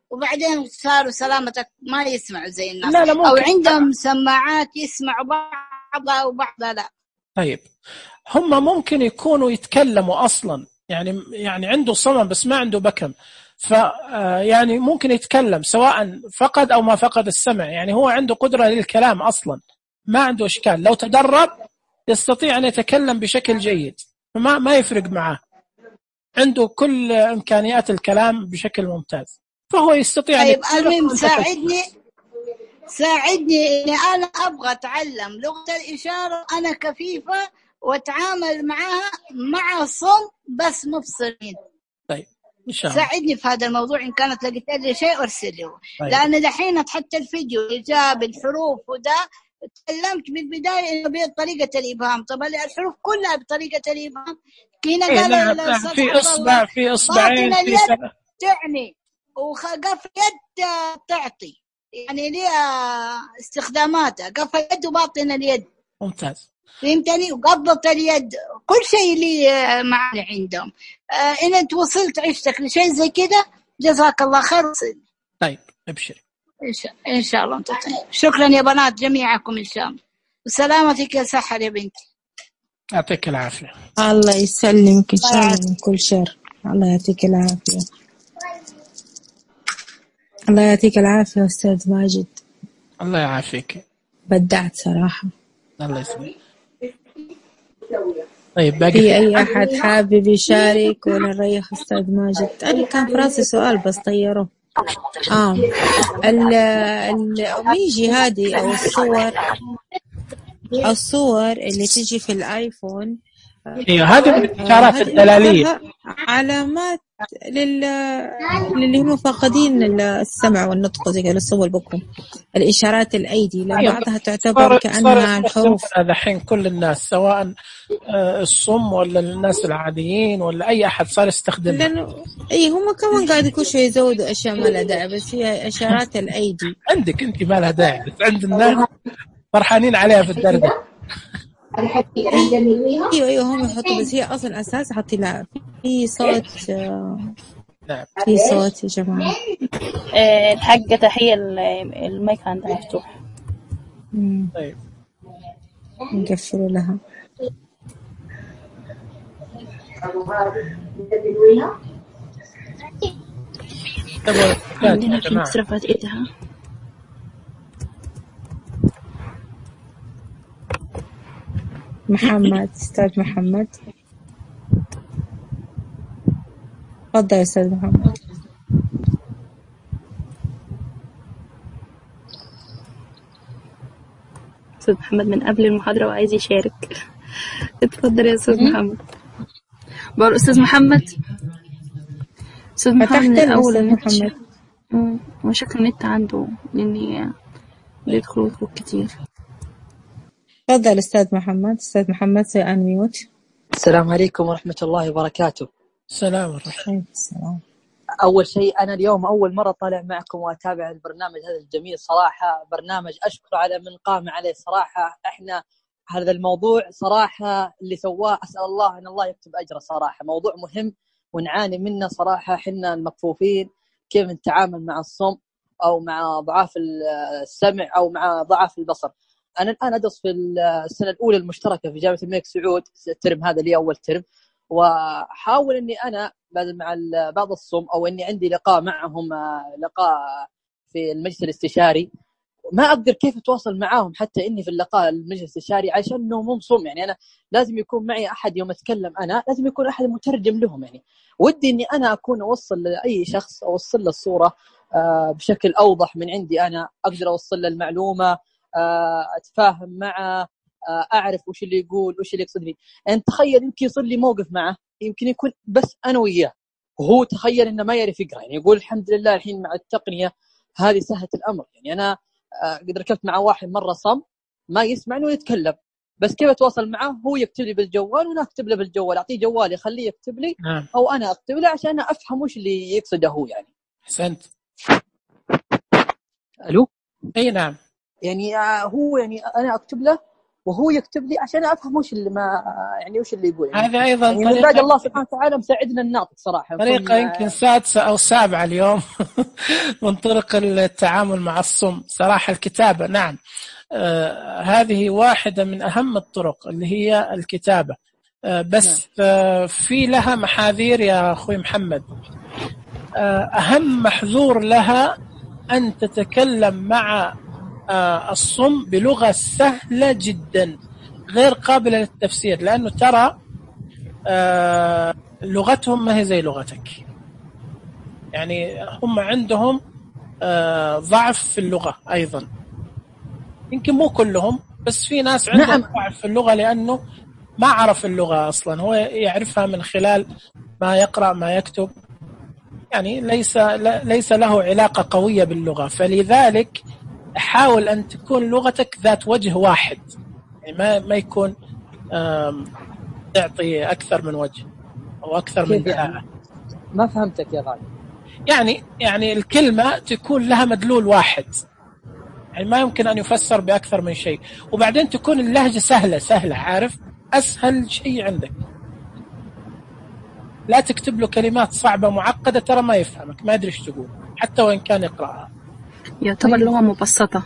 وبعدين صاروا سلامتك ما يسمعوا زي الناس. لا أو عندهم سماعات يسمعوا بعضها وبعضها لا. طيب هم ممكن يكونوا يتكلموا أصلا، يعني عنده صمم بس ما عنده بكم، يعني ممكن يتكلم سواء فقد أو ما فقد السمع، يعني هو عنده قدرة للكلام أصلا، ما عنده إشكال. لو تدرب يستطيع أن يتكلم بشكل جيد، ما يفرق معه، عنده كل إمكانيات الكلام بشكل ممتاز، فهو يستطيع. طيب المهم ساعدني إني أنا أبغى أتعلم لغة الإشارة، أنا كفيفة وأتعامل معها مع صم بس مبصرين. طيب إن شاء الله ساعدني في هذا الموضوع، إن كانت لقيت لي شيء أرسل لي. طيب. لأن دحين حتى الفيديو إجاب الحروف وده تكلمت بالبداية إنه بطريقة الإبهام. طبعا الحروف كلها بطريقة الإبهام. كنا قال في إصبعين في تعني وقف يد تعطي، يعني ليها استخداماتها، قف اليد وباطن اليد. ممتاز. فهمتني؟ وقبضة اليد، كل شيء لي معنا عندهم. إن أنت وصلت عشتك لشيء زي كده جزاك الله خير. طيب ابشر إن شاء الله. شكرا يا بنات جميعكم إن شاء الله، وسلامتك يا سحر يا بنتي. يعطيك العافية. الله يسلمك إن شاء الله من كل شر. الله يعطيك العافية. الله يعطيك العافية أستاذ ماجد. الله يعافيك. بدعت صراحة. الله يسلمك. طيب باقي في أي أحد حابب يشارك ولا نريح أستاذ ماجد؟ أنا كان في راسي سؤال بس طيره. الأوميجي هذه أو الصور اللي تجي في الآيفون، هذه من الإشارات الدلالية، علامات للي هم فاقدين السمع والنطق زي الصور بكم، الإشارات الأيدي بعضها تعتبر كأنها الحروف. الحين كل الناس سواء الصم ولا الناس العاديين ولا أي أحد صار يستخدمها. لأنه هم كمان قاعد كل شيء يزودوا أشياء ما لها داعي، بس هي إشارات الأيدي. عندك أنت ما لها داعي، بس عند الناس فرحانين عليها في الدردة. ايوه هم يحطوا، بس هي اصلا اساس حطي لها في صوت. في صوت يا جماعه. الحاجه تحيه المايك عندها مفتوح. طيب نقفل لها. عندنا في مصرفات ايدها. محمد، أستاذ محمد تفضل يا أستاذ محمد. أستاذ محمد من قبل المحاضرة وعايز يشارك. اتفضل يا أستاذ محمد. بقول أستاذ محمد. أستاذ محمد الأول النت وشكل النت عنده لأني بيدخل ويخرج كتير. تفضل أستاذ محمد. أستاذ محمد سأنميوت. السلام عليكم ورحمة الله وبركاته. السلام ورحمة الله. أول شيء أنا اليوم أول مرة طالع معكم وأتابع البرنامج هذا الجميل صراحة، برنامج أشكر على من قام عليه صراحة. إحنا هذا الموضوع صراحة اللي سواه أسأل الله أن الله يكتب أجره صراحة، موضوع مهم ونعاني منه صراحة. حنا المكفوفين كيف نتعامل مع الصم أو مع ضعاف السمع أو مع ضعاف البصر. أنا الآن أدرس في السنة الأولى المشتركة في جامعة الملك سعود، الترم هذا لي أول ترم، وحاول أني أنا مع بعض الصم أو أني عندي لقاء معهم، لقاء في المجلس الاستشاري، ما أقدر كيف أتواصل معاهم حتى إني في اللقاء المجلس الاستشاري عشان إنهم هم صم. يعني أنا لازم يكون معي أحد يوم أتكلم، أنا لازم يكون أحد مترجم لهم. يعني ودي إني أنا أكون أوصل لأي شخص أوصل له الصورة بشكل أوضح من عندي، أنا أقدر أوصل له المعلومة، أتفاهم معه، أعرف وش اللي يقول وش اللي يقصدني. يعني تخيل يمكن يصير لي موقف معه، يمكن يكون بس أنا وياه وهو تخيل إنه ما يعرف يقرأ، يعني يقول الحمد لله الحين مع التقنية هذه سهلت الأمر. يعني أنا قد ركبت مع واحد مرة صم ما يسمعني ويتكلم، بس كيف أتواصل معه؟ هو يكتب لي بالجوال وأنا أكتب له بالجوال، أعطيه جوالي خليه يكتب لي أو أنا أكتب له عشان أفهم وش اللي يقصده هو يعني. أحسنت. ألو؟ أي نعم. يعني هو يعني أنا أكتب له وهو يكتب لي عشان أفهم وش اللي ما يعني وش اللي يقول يعني. هذا أيضا يعني من بعد الله سبحانه وتعالى مساعدنا الناطق صراحة. طريقة يمكن سادسة أو سابعة اليوم من طرق التعامل مع الصم صراحة الكتابة. نعم هذه واحدة من أهم الطرق اللي هي الكتابة. بس في لها محاذير يا أخوي محمد. أهم محذور لها أن تتكلم مع الصم بلغة سهلة جدا غير قابلة للتفسير، لأنه ترى لغتهم ما هي زي لغتك، يعني هم عندهم ضعف في اللغة أيضا، يمكن مو كلهم بس في ناس عندهم ضعف في اللغة لأنه ما عرف اللغة أصلا، هو يعرفها من خلال ما يقرأ ما يكتب، يعني ليس له علاقة قوية باللغة. فلذلك حاول أن تكون لغتك ذات وجه واحد، يعني ما يكون تعطي أكثر من وجه أو أكثر من دلالة. يعني ما فهمتك يا غالي. يعني الكلمة تكون لها مدلول واحد، يعني ما يمكن أن يفسر بأكثر من شيء، وبعدين تكون اللهجة سهلة، عارف، أسهل شيء عندك. لا تكتب له كلمات صعبة معقدة، ترى ما يفهمك، ما يدري ايش تقول حتى وإن كان يقرأها. يعتبر لغة مبسطة.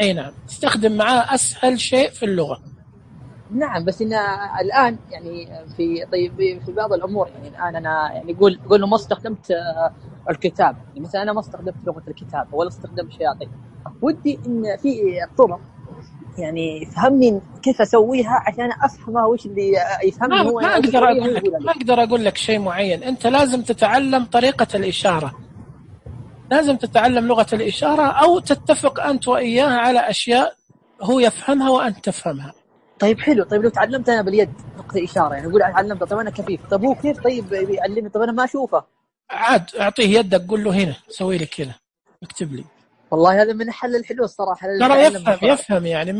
أي نعم، استخدم معاه أسهل شيء في اللغة. نعم، بس إن الآن يعني في بعض الأمور يعني الآن أنا يعني قول له ما استخدمت الكتاب، يعني مثلا أنا ما استخدمت لغة الكتاب ولا استخدمت شياطين، ودي إن في طرق يعني فهمني كيف أسويها عشان أفهمها وش اللي يفهمني هو. ما أقدر أقول لك شيء معين، أنت لازم تتعلم طريقة الإشارة، لازم تتعلم لغة الإشارة، أو تتفق أنت وإياه على أشياء هو يفهمها وأنت تفهمها. طيب حلو، طيب لو تعلمت أنا باليد نقطة إشارة، يعني أقول تعلمت، طب أنا كفيف، طب هو كيف طيب يعلمني، طب أنا ما أشوفه. عاد أعطيه يدك، قول له هنا سوي لي كذا، اكتب لي. والله هذا من حل الحلو الصراحة. ترى يفهم يعني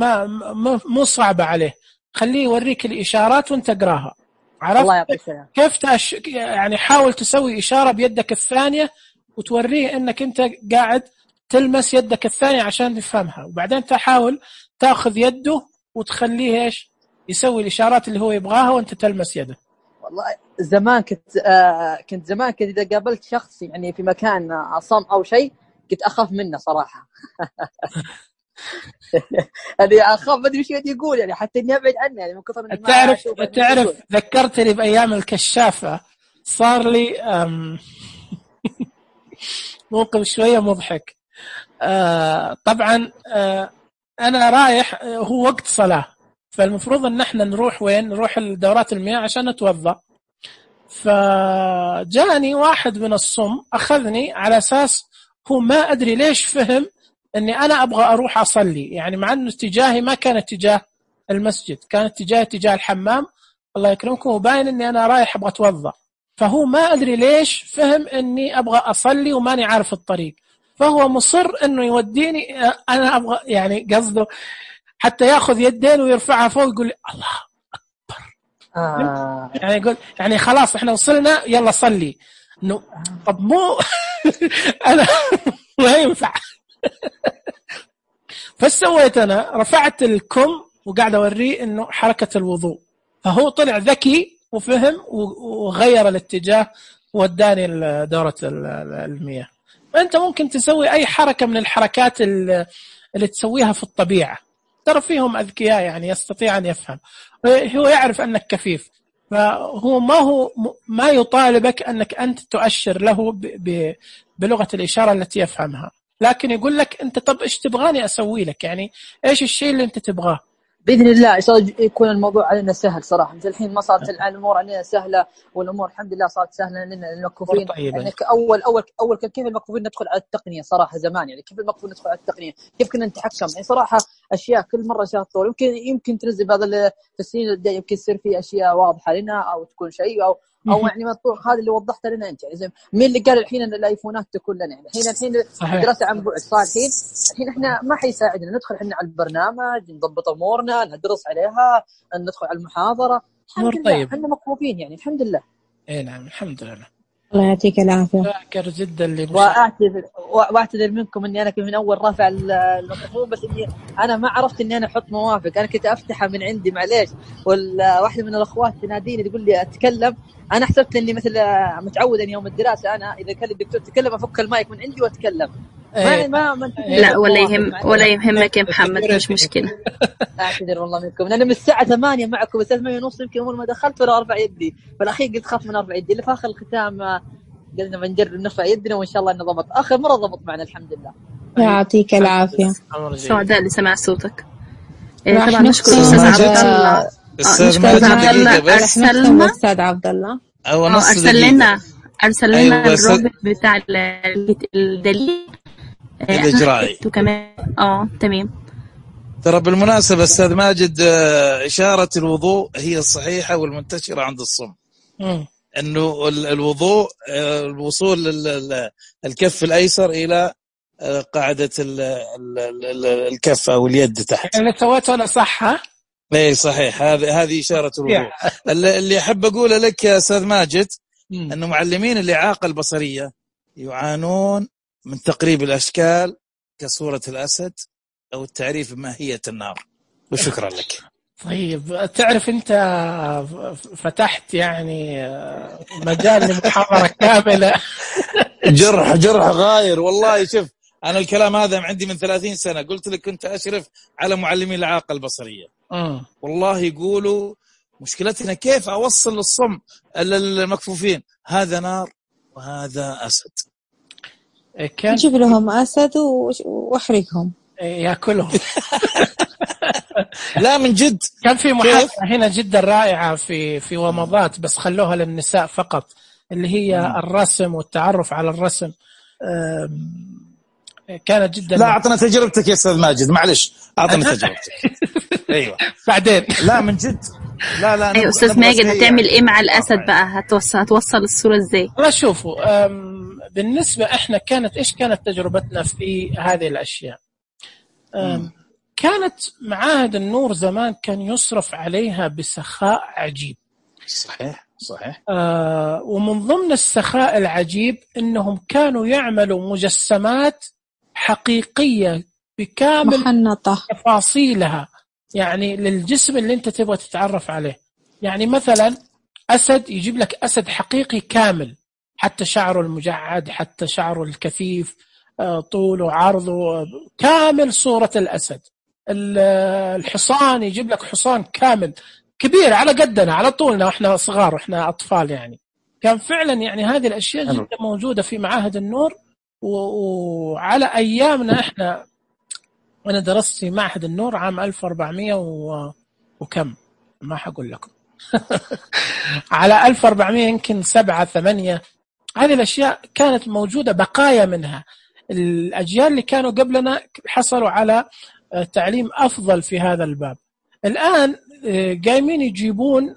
مو صعبة عليه، خليه يوريك الإشارات وانت اقراها. عرفت كيف يعني حاول تسوي إشارة بيدك الثانية وتوريه انك انت قاعد تلمس يدك الثانية عشان تفهمها، وبعدين تحاول تاخذ يده وتخليه ايش يسوي الإشارات اللي هو يبغاها وانت تلمس يده. والله زمان كنت زمان إذا قابلت شخص يعني في مكان عصام أو شيء كنت أخاف منه صراحة. يعني أخاف، ما أدري وش يقول، يعني حتى إني أبعد عنه، يعني من كثر من تعرف ذكرتني بأيام الكشافة، صار لي موقف شوية مضحك. طبعا أنا رايح، هو وقت صلاة، فالمفروض أن احنا نروح وين؟ نروح الدورات المياه عشان نتوضأ. فجاني واحد من الصم أخذني على أساس هو ما أدري ليش فهم أني أنا أبغى أروح أصلي، يعني مع أنه اتجاهي ما كان اتجاه المسجد، كان اتجاه الحمام الله يكرمكم، وباين أني أنا رايح أبغى أتوضأ. فهو ما أدري ليش فهم أني أبغى أصلي وماني عارف الطريق، فهو مصر أنه يوديني، أنا أبغى يعني قصده حتى يأخذ يدين ويرفعها فوق يقول لي الله أكبر. يعني يقول يعني خلاص إحنا وصلنا يلا صلي. طب مو أنا ما ينفع. فسويت أنا رفعت الكم وقاعد أوريه إنه حركة الوضوء، فهو طلع ذكي وفهم وغير الاتجاه وداني دورة المياه. فأنت ممكن تسوي أي حركة من الحركات اللي تسويها في الطبيعة، ترى فيهم أذكياء يعني يستطيع أن يفهم، هو يعرف أنك كفيف، فهو ما يطالبك أنك أنت تؤشر له بلغة الإشارة التي يفهمها، لكن يقول لك أنت طب إيش تبغاني أسوي لك، يعني إيش الشيء اللي أنت تبغاه. بإذن الله يكون الموضوع علينا سهل صراحة. مثل الحين ما صارت الأمور علينا سهلة، والأمور الحمد لله صارت سهلة لنا المكفوفين. يعني أول كيف المكفوفين ندخل على التقنية صراحة زمان، يعني كيف المكفوفين ندخل على التقنية، كيف كنا نتحكم، يعني صراحة أشياء كل مرة أشياء تطور. يمكن تنزل بعض في السنين الجاية يمكن يصير في أشياء واضحة لنا أو تكون شيء او يعني مطبوخ. هذا اللي وضحت لنا انت. يعني مين اللي قال الحين ان الايفونات تكون لنا؟ يعني الحين الدراسه عن بعد صار الحين احنا ما حيساعدنا ندخل احنا على البرنامج، نضبط امورنا، ندرس عليها، ندخل على المحاضره. الحمد لله احنا مكفوفين يعني الحمد لله. اي نعم الحمد لله. الله يعطيك العافيه. شاكر جدا واعتذر منكم اني انا كنت من اول رافع الميكروفون، بس اني انا ما عرفت اني انا احط موافق. انا كنت افتحها من عندي معليش، واحده من الاخوات تناديني تقول لي اتكلم. انا حسبت اني مثل متعود ان يوم الدراسه انا اذا كان الدكتور تكلم افك المايك من عندي واتكلم. لا ولا يهمك يا محمد، مش مشكله. اعتذر والله منكم. انا من الساعه 8 معكم، الساعه 8:30 يمكن اول ما دخلت ولا ارفع يدي، بالاخير قلت خاف من ارفع يدي. اللي في اخر الختام قلنا بنجرب نرفع يدنا وان شاء الله انه ضبط. اخر مره ضبط معنا الحمد لله. يعطيك العافيه. سعداء اللي سمع صوتك. طبعا نشكر استاذ عبد الله. استاذ عبد الله ارسل لنا الرابط بتاع الدليل الاجرائي وكمان تمام. ترى بالمناسبه استاذ ماجد اشاره الوضوء هي الصحيحه والمنتشره عند الصم. انه الوضوء الوصول الكف الايسر الى قاعده الكف او اليد تحت. يعني سويته انا صح؟ ها اي صحيح. هذه اشاره الوضوء. اللي احب اقوله لك يا استاذ ماجد انه معلمين الاعاقه البصريه يعانون من تقريب الاشكال كصوره الاسد او التعريف بماهيه النار. وشكرا لك. طيب تعرف انت فتحت يعني مجال لمحاضرة كاملة. جرح غاير والله. شوف انا الكلام هذا عندي من 30 سنة. قلت لك كنت اشرف على معلمين الاعاقة البصرية. والله يقولوا مشكلتنا كيف اوصل للصم المكفوفين هذا نار وهذا اسد. نجيب لهم اسد واحرقهم ياكلهم. لا من جد كان في محاضرة هنا جدا رائعة في ومضات، بس خلوها للنساء فقط، اللي هي الرسم والتعرف على الرسم. كانت جدا. لا أعطنا تجربتك يا أستاذ ماجد، معلش أعطنا تجربتك. أيوة بعدين. لا من جد. لا أيوة أستاذ ماجد هتعمل إيه مع الأسد بقى؟ هتوصل الصورة إزاي؟ لا شوفوا، بالنسبة إحنا إيش كانت تجربتنا في هذه الأشياء؟ كانت معاهد النور زمان كان يصرف عليها بسخاء عجيب. صحيح. ومن ضمن السخاء العجيب إنهم كانوا يعملوا مجسمات حقيقية بكامل محنطة تفاصيلها، يعني للجسم اللي أنت تبغى تتعرف عليه. يعني مثلا أسد يجيب لك أسد حقيقي كامل، حتى شعره المجعد، حتى شعره الكثيف، طوله عرضه كامل صورة الأسد. الحصان يجيب لك حصان كامل كبير على قدنا على طولنا واحنا صغار واحنا أطفال. يعني كان فعلا يعني هذه الأشياء جدا موجودة في معاهد النور. وعلى أيامنا احنا، أنا درست في معهد النور عام 1400 وكم ما حقول لكم. على 1400 يمكن 7-8. هذه الأشياء كانت موجودة بقايا منها. الأجيال اللي كانوا قبلنا حصلوا على تعليم أفضل في هذا الباب. الآن قايمين يجيبون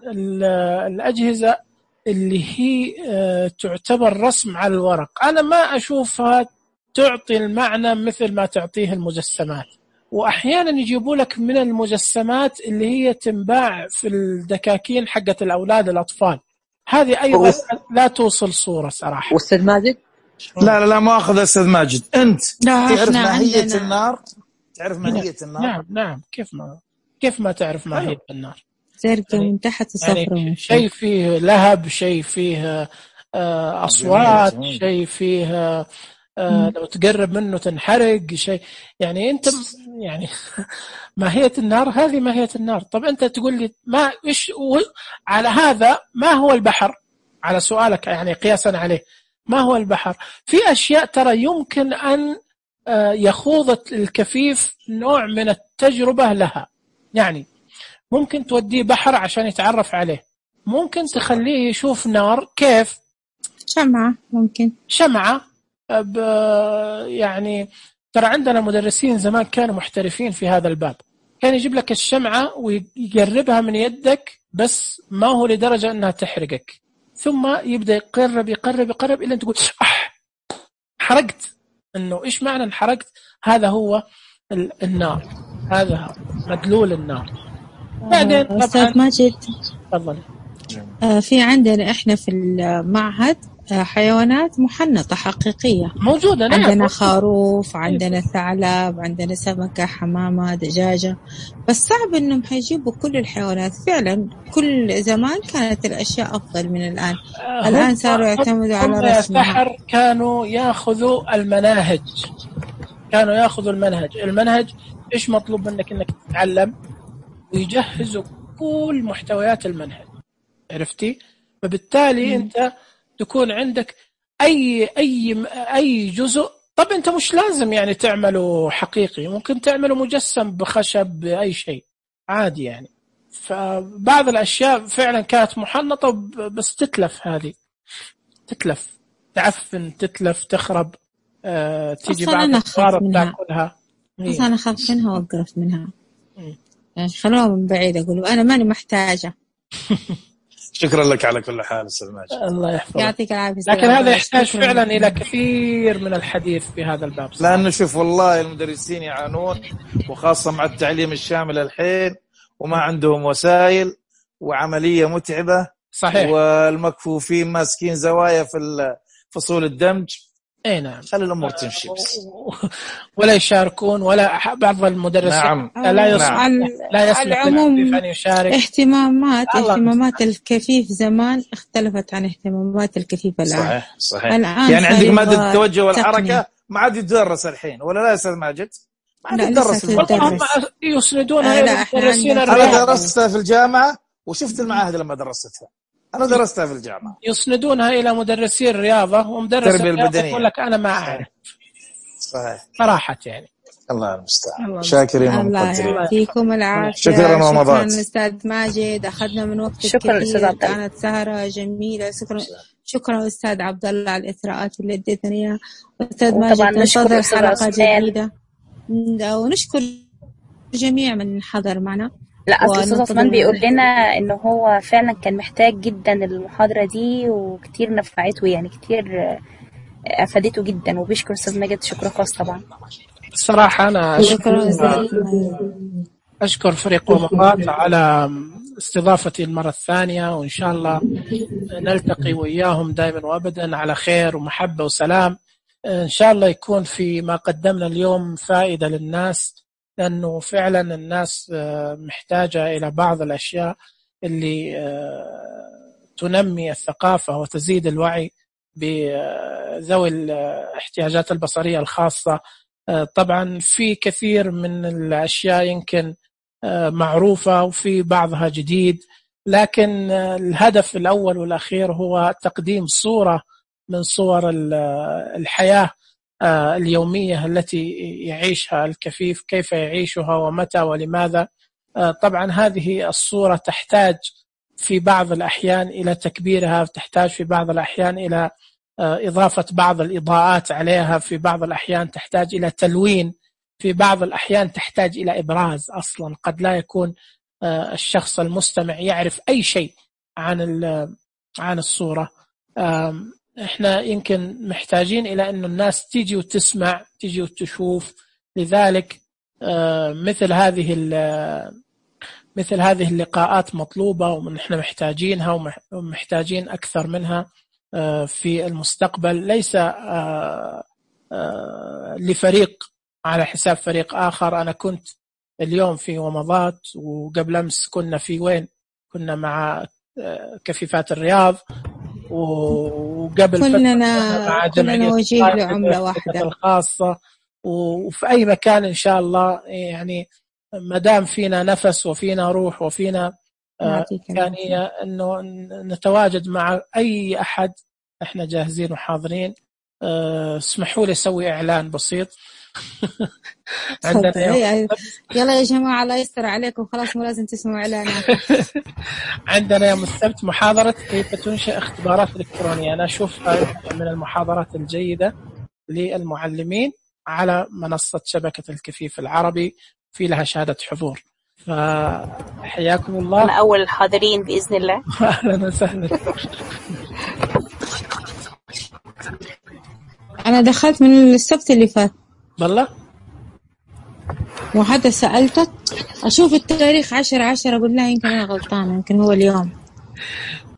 الأجهزة اللي هي تعتبر رسم على الورق. أنا ما أشوفها تعطي المعنى مثل ما تعطيه المجسمات. وأحيانا يجيبوا لك من المجسمات اللي هي تنباع في الدكاكين حقة الأولاد الأطفال. هذه أيضا لا توصل صورة صراحة. والأستاذ ماجد لا مؤاخذ أستاذ ماجد، أنت تعرف ماهية النار؟ تعرف ماهية النار؟ نعم. كيف ما تعرف ماهية النار؟ زرقاء من تحت صفرة، يعني شيء فيه لهب، شيء فيه أصوات، شيء فيه لو تقرب منه تنحرق، شيء يعني أنت يعني ماهية النار هذه ماهية النار. طب أنت تقول لي ما إيش على هذا؟ ما هو البحر؟ على سؤالك يعني قياسا عليه ما هو البحر؟ في أشياء ترى يمكن أن يخوض الكفيف نوع من التجربة لها. يعني ممكن توديه بحر عشان يتعرف عليه، ممكن تخليه يشوف نار. كيف؟ شمعة، ممكن شمعة. يعني ترى عندنا مدرسين زمان كانوا محترفين في هذا الباب، كان يجيب لك الشمعة ويقربها من يدك، بس ما هو لدرجة أنها تحرقك، ثم يبدأ يقرب إلى أن تقول حرقت. إنه إيش معنى انحرقت؟ هذا هو النار، هذا مدلول النار. بعدين أستاذ ماجد تفضل. في عندنا إحنا في المعهد حيوانات محنطة حقيقية موجودة. عندنا خروف، عندنا ثعلب، عندنا سمكة، حمامة، دجاجة. بس صعب إنهم حيجيبوا كل الحيوانات. فعلا كل زمان كانت الأشياء أفضل من الآن. الآن صاروا يعتمدوا على رسمها. السحر كانوا يأخذوا المنهج إيش مطلوب منك؟ إنك تتعلم، ويجهزوا كل محتويات المنهج، عرفتي؟ فبالتالي أنت تكون عندك أي جزء. طب أنت مش لازم يعني تعمله حقيقي، ممكن تعمله مجسم بخشب بأي شيء عادي يعني. فبعض الأشياء فعلا كانت محنطة بس تتلف، هذه تتلف، تعفن، تتلف، تخرب، تيجي بعض الأطوار تأكلها. بس أنا أخاف منها وأقرف منها يعني. خلوها من بعيد، أقول أنا ماني محتاجة. شكرا لك على كل حال أستاذ ماجد. الله يحفظك. يعطيك العافية. لكن هذا يحتاج فعلا إلى كثير من الحديث في هذا الباب. لأنه شوف والله المدرسين يعانون، وخاصة مع التعليم الشامل الحين، وما عندهم وسائل، وعملية متعبة. صحيح. والمكفوفين ماسكين زوايا في فصول الدمج. اي نعم. خلي الامور تمشي بس. ولا يشاركون، ولا بعض المدرسين نعم. لا يصلح العموم أن يشارك. اهتمامات الكفيف زمان اختلفت عن اهتمامات الكفيف الآن. صحيح. يعني عندك مادة التوجه والحركة ما عاد يدرس الحين، ولا لا يا أستاذ ماجد؟ ما عاد يدرس. يسندونها إلى المدرسين. أنا درستها في الجامعة وشفت المعاهد لما درستها. أنا درستها في الجامعة. يسندونها إلى مدرسي الرياضة، ومدرس الرياضة يقول لك أنا ما أعرف. صحيح. صراحة يعني. الله المستعان. شاكرين ومقدرين. الله يعطيكم العافية. شكرا رمضان. شكرا أستاذ ماجد، أخذنا من وقتك كثير، كانت سهرة جميلة. شكرا أستاذ عبد الله على الإثراءات اللي اديتني إياها. أستاذ ماجد ننتظر حلقة جديدة، ونشكر جميع من حضر معنا. لا أستاذ عثمان بيقول لنا إنه هو فعلا كان محتاج جدا المحاضرة دي، وكتير نفعته يعني، كتير أفادته جدا، وبيشكر أستاذ ماجد شكر خاص طبعا. الصراحة أنا أشكر فريق ومضات على استضافتي المرة الثانية، وإن شاء الله نلتقي وإياهم دائما وأبدا على خير ومحبة وسلام. إن شاء الله يكون في ما قدمنا اليوم فائدة للناس، لأنه فعلا الناس محتاجة إلى بعض الأشياء اللي تنمي الثقافة وتزيد الوعي بذوي الاحتياجات البصرية الخاصة. طبعا في كثير من الأشياء يمكن معروفة وفي بعضها جديد، لكن الهدف الأول والأخير هو تقديم صورة من صور الحياة اليومية التي يعيشها الكفيف، كيف يعيشها ومتى ولماذا. طبعا هذه الصورة تحتاج في بعض الأحيان إلى تكبيرها، تحتاج في بعض الأحيان إلى إضافة بعض الإضاءات عليها، في بعض الأحيان تحتاج إلى تلوين، في بعض الأحيان تحتاج إلى إبراز. أصلا قد لا يكون الشخص المستمع يعرف أي شيء عن الصورة. إحنا يمكن محتاجين إلى أن الناس تيجي وتسمع، تيجي وتشوف. لذلك مثل هذه اللقاءات مطلوبة، ونحن محتاجينها ومحتاجين أكثر منها في المستقبل. ليس لفريق على حساب فريق آخر. أنا كنت اليوم في ومضات، وقبل أمس كنا في وين؟ كنا مع كفيفات الرياض، وقبل كلنا وجيه لعملة واحدة الخاصة، وفي أي مكان إن شاء الله. يعني مدام فينا نفس وفينا روح وفينا إمكانية أنه نتواجد مع أي أحد، إحنا جاهزين وحاضرين. اسمحوا لي أسوي إعلان بسيط. عندنا يلا يا جماعة الله يستر عليكم، خلاص مو لازم تسمعوا إعلانات. عندنا يوم السبت محاضرة كيف تنشئ اختبارات إلكترونية. أنا أشوفها من المحاضرات الجيدة للمعلمين على منصة شبكة الكفيف العربي، في لها شهادة حضور. فحياكم الله. أنا أول الحاضرين بإذن الله. أهلا وسهلا. أنا دخلت من السبت اللي فات والله، وحتى سألتك أشوف التاريخ 10/10، أقول لها يمكن أنا غلطانة، يمكن هو اليوم.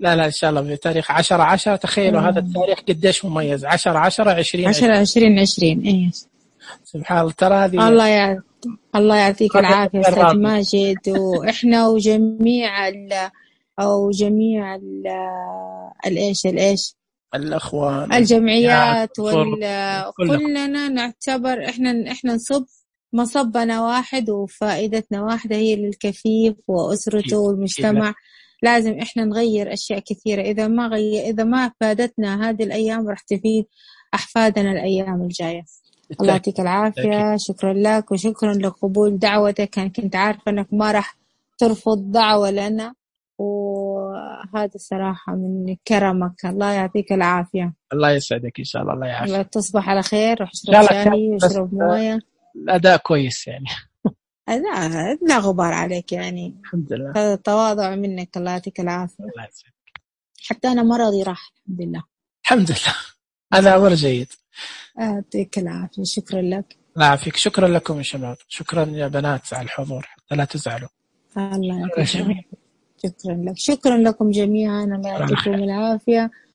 لا إن شاء الله بتاريخ 10/10. تخيلوا هذا التاريخ قديش مميز، 10/10/2020. 10/2020. إيه سبحان الله. ترى هذه الله يعطيك العافية أستاذ ماجد، وإحنا وجميع الإيش الأخوان الجمعيات كلنا نعتبر إحنا نصب مصبنا واحد وفائدتنا واحدة، هي للكفيف وأسرته والمجتمع. لازم إحنا نغير أشياء كثيرة. إذا ما فادتنا هذه الأيام راح تفيد أحفادنا الأيام الجاية. الله يعطيك العافية. شكرا لك وشكرا لقبول دعوتك. كنت عارفة أنك ما راح ترفض دعوة لنا، وهذا صراحة من كرمك. الله يعطيك العافية. الله يسعدك إن شاء الله. الله يعافيك. الله تصبح على خير، واشرب شاي واشرب موية. الأداء كويس يعني. لا غبار عليك يعني. الحمد لله. هذا تواضع منك. الله يعطيك العافية. الله يسعدك. حتى أنا مرضي راح الحمد لله. الحمد لله. هذا أمر جيد. يعطيك العافية. شكرا لك. الله يعافيك. شكرا لكم يا شباب. شكرا يا بنات على الحضور، حتى لا تزعلوا. الله يعافيك. شكرا لك. شكرا لكم جميعا. الله يعطيكم العافية.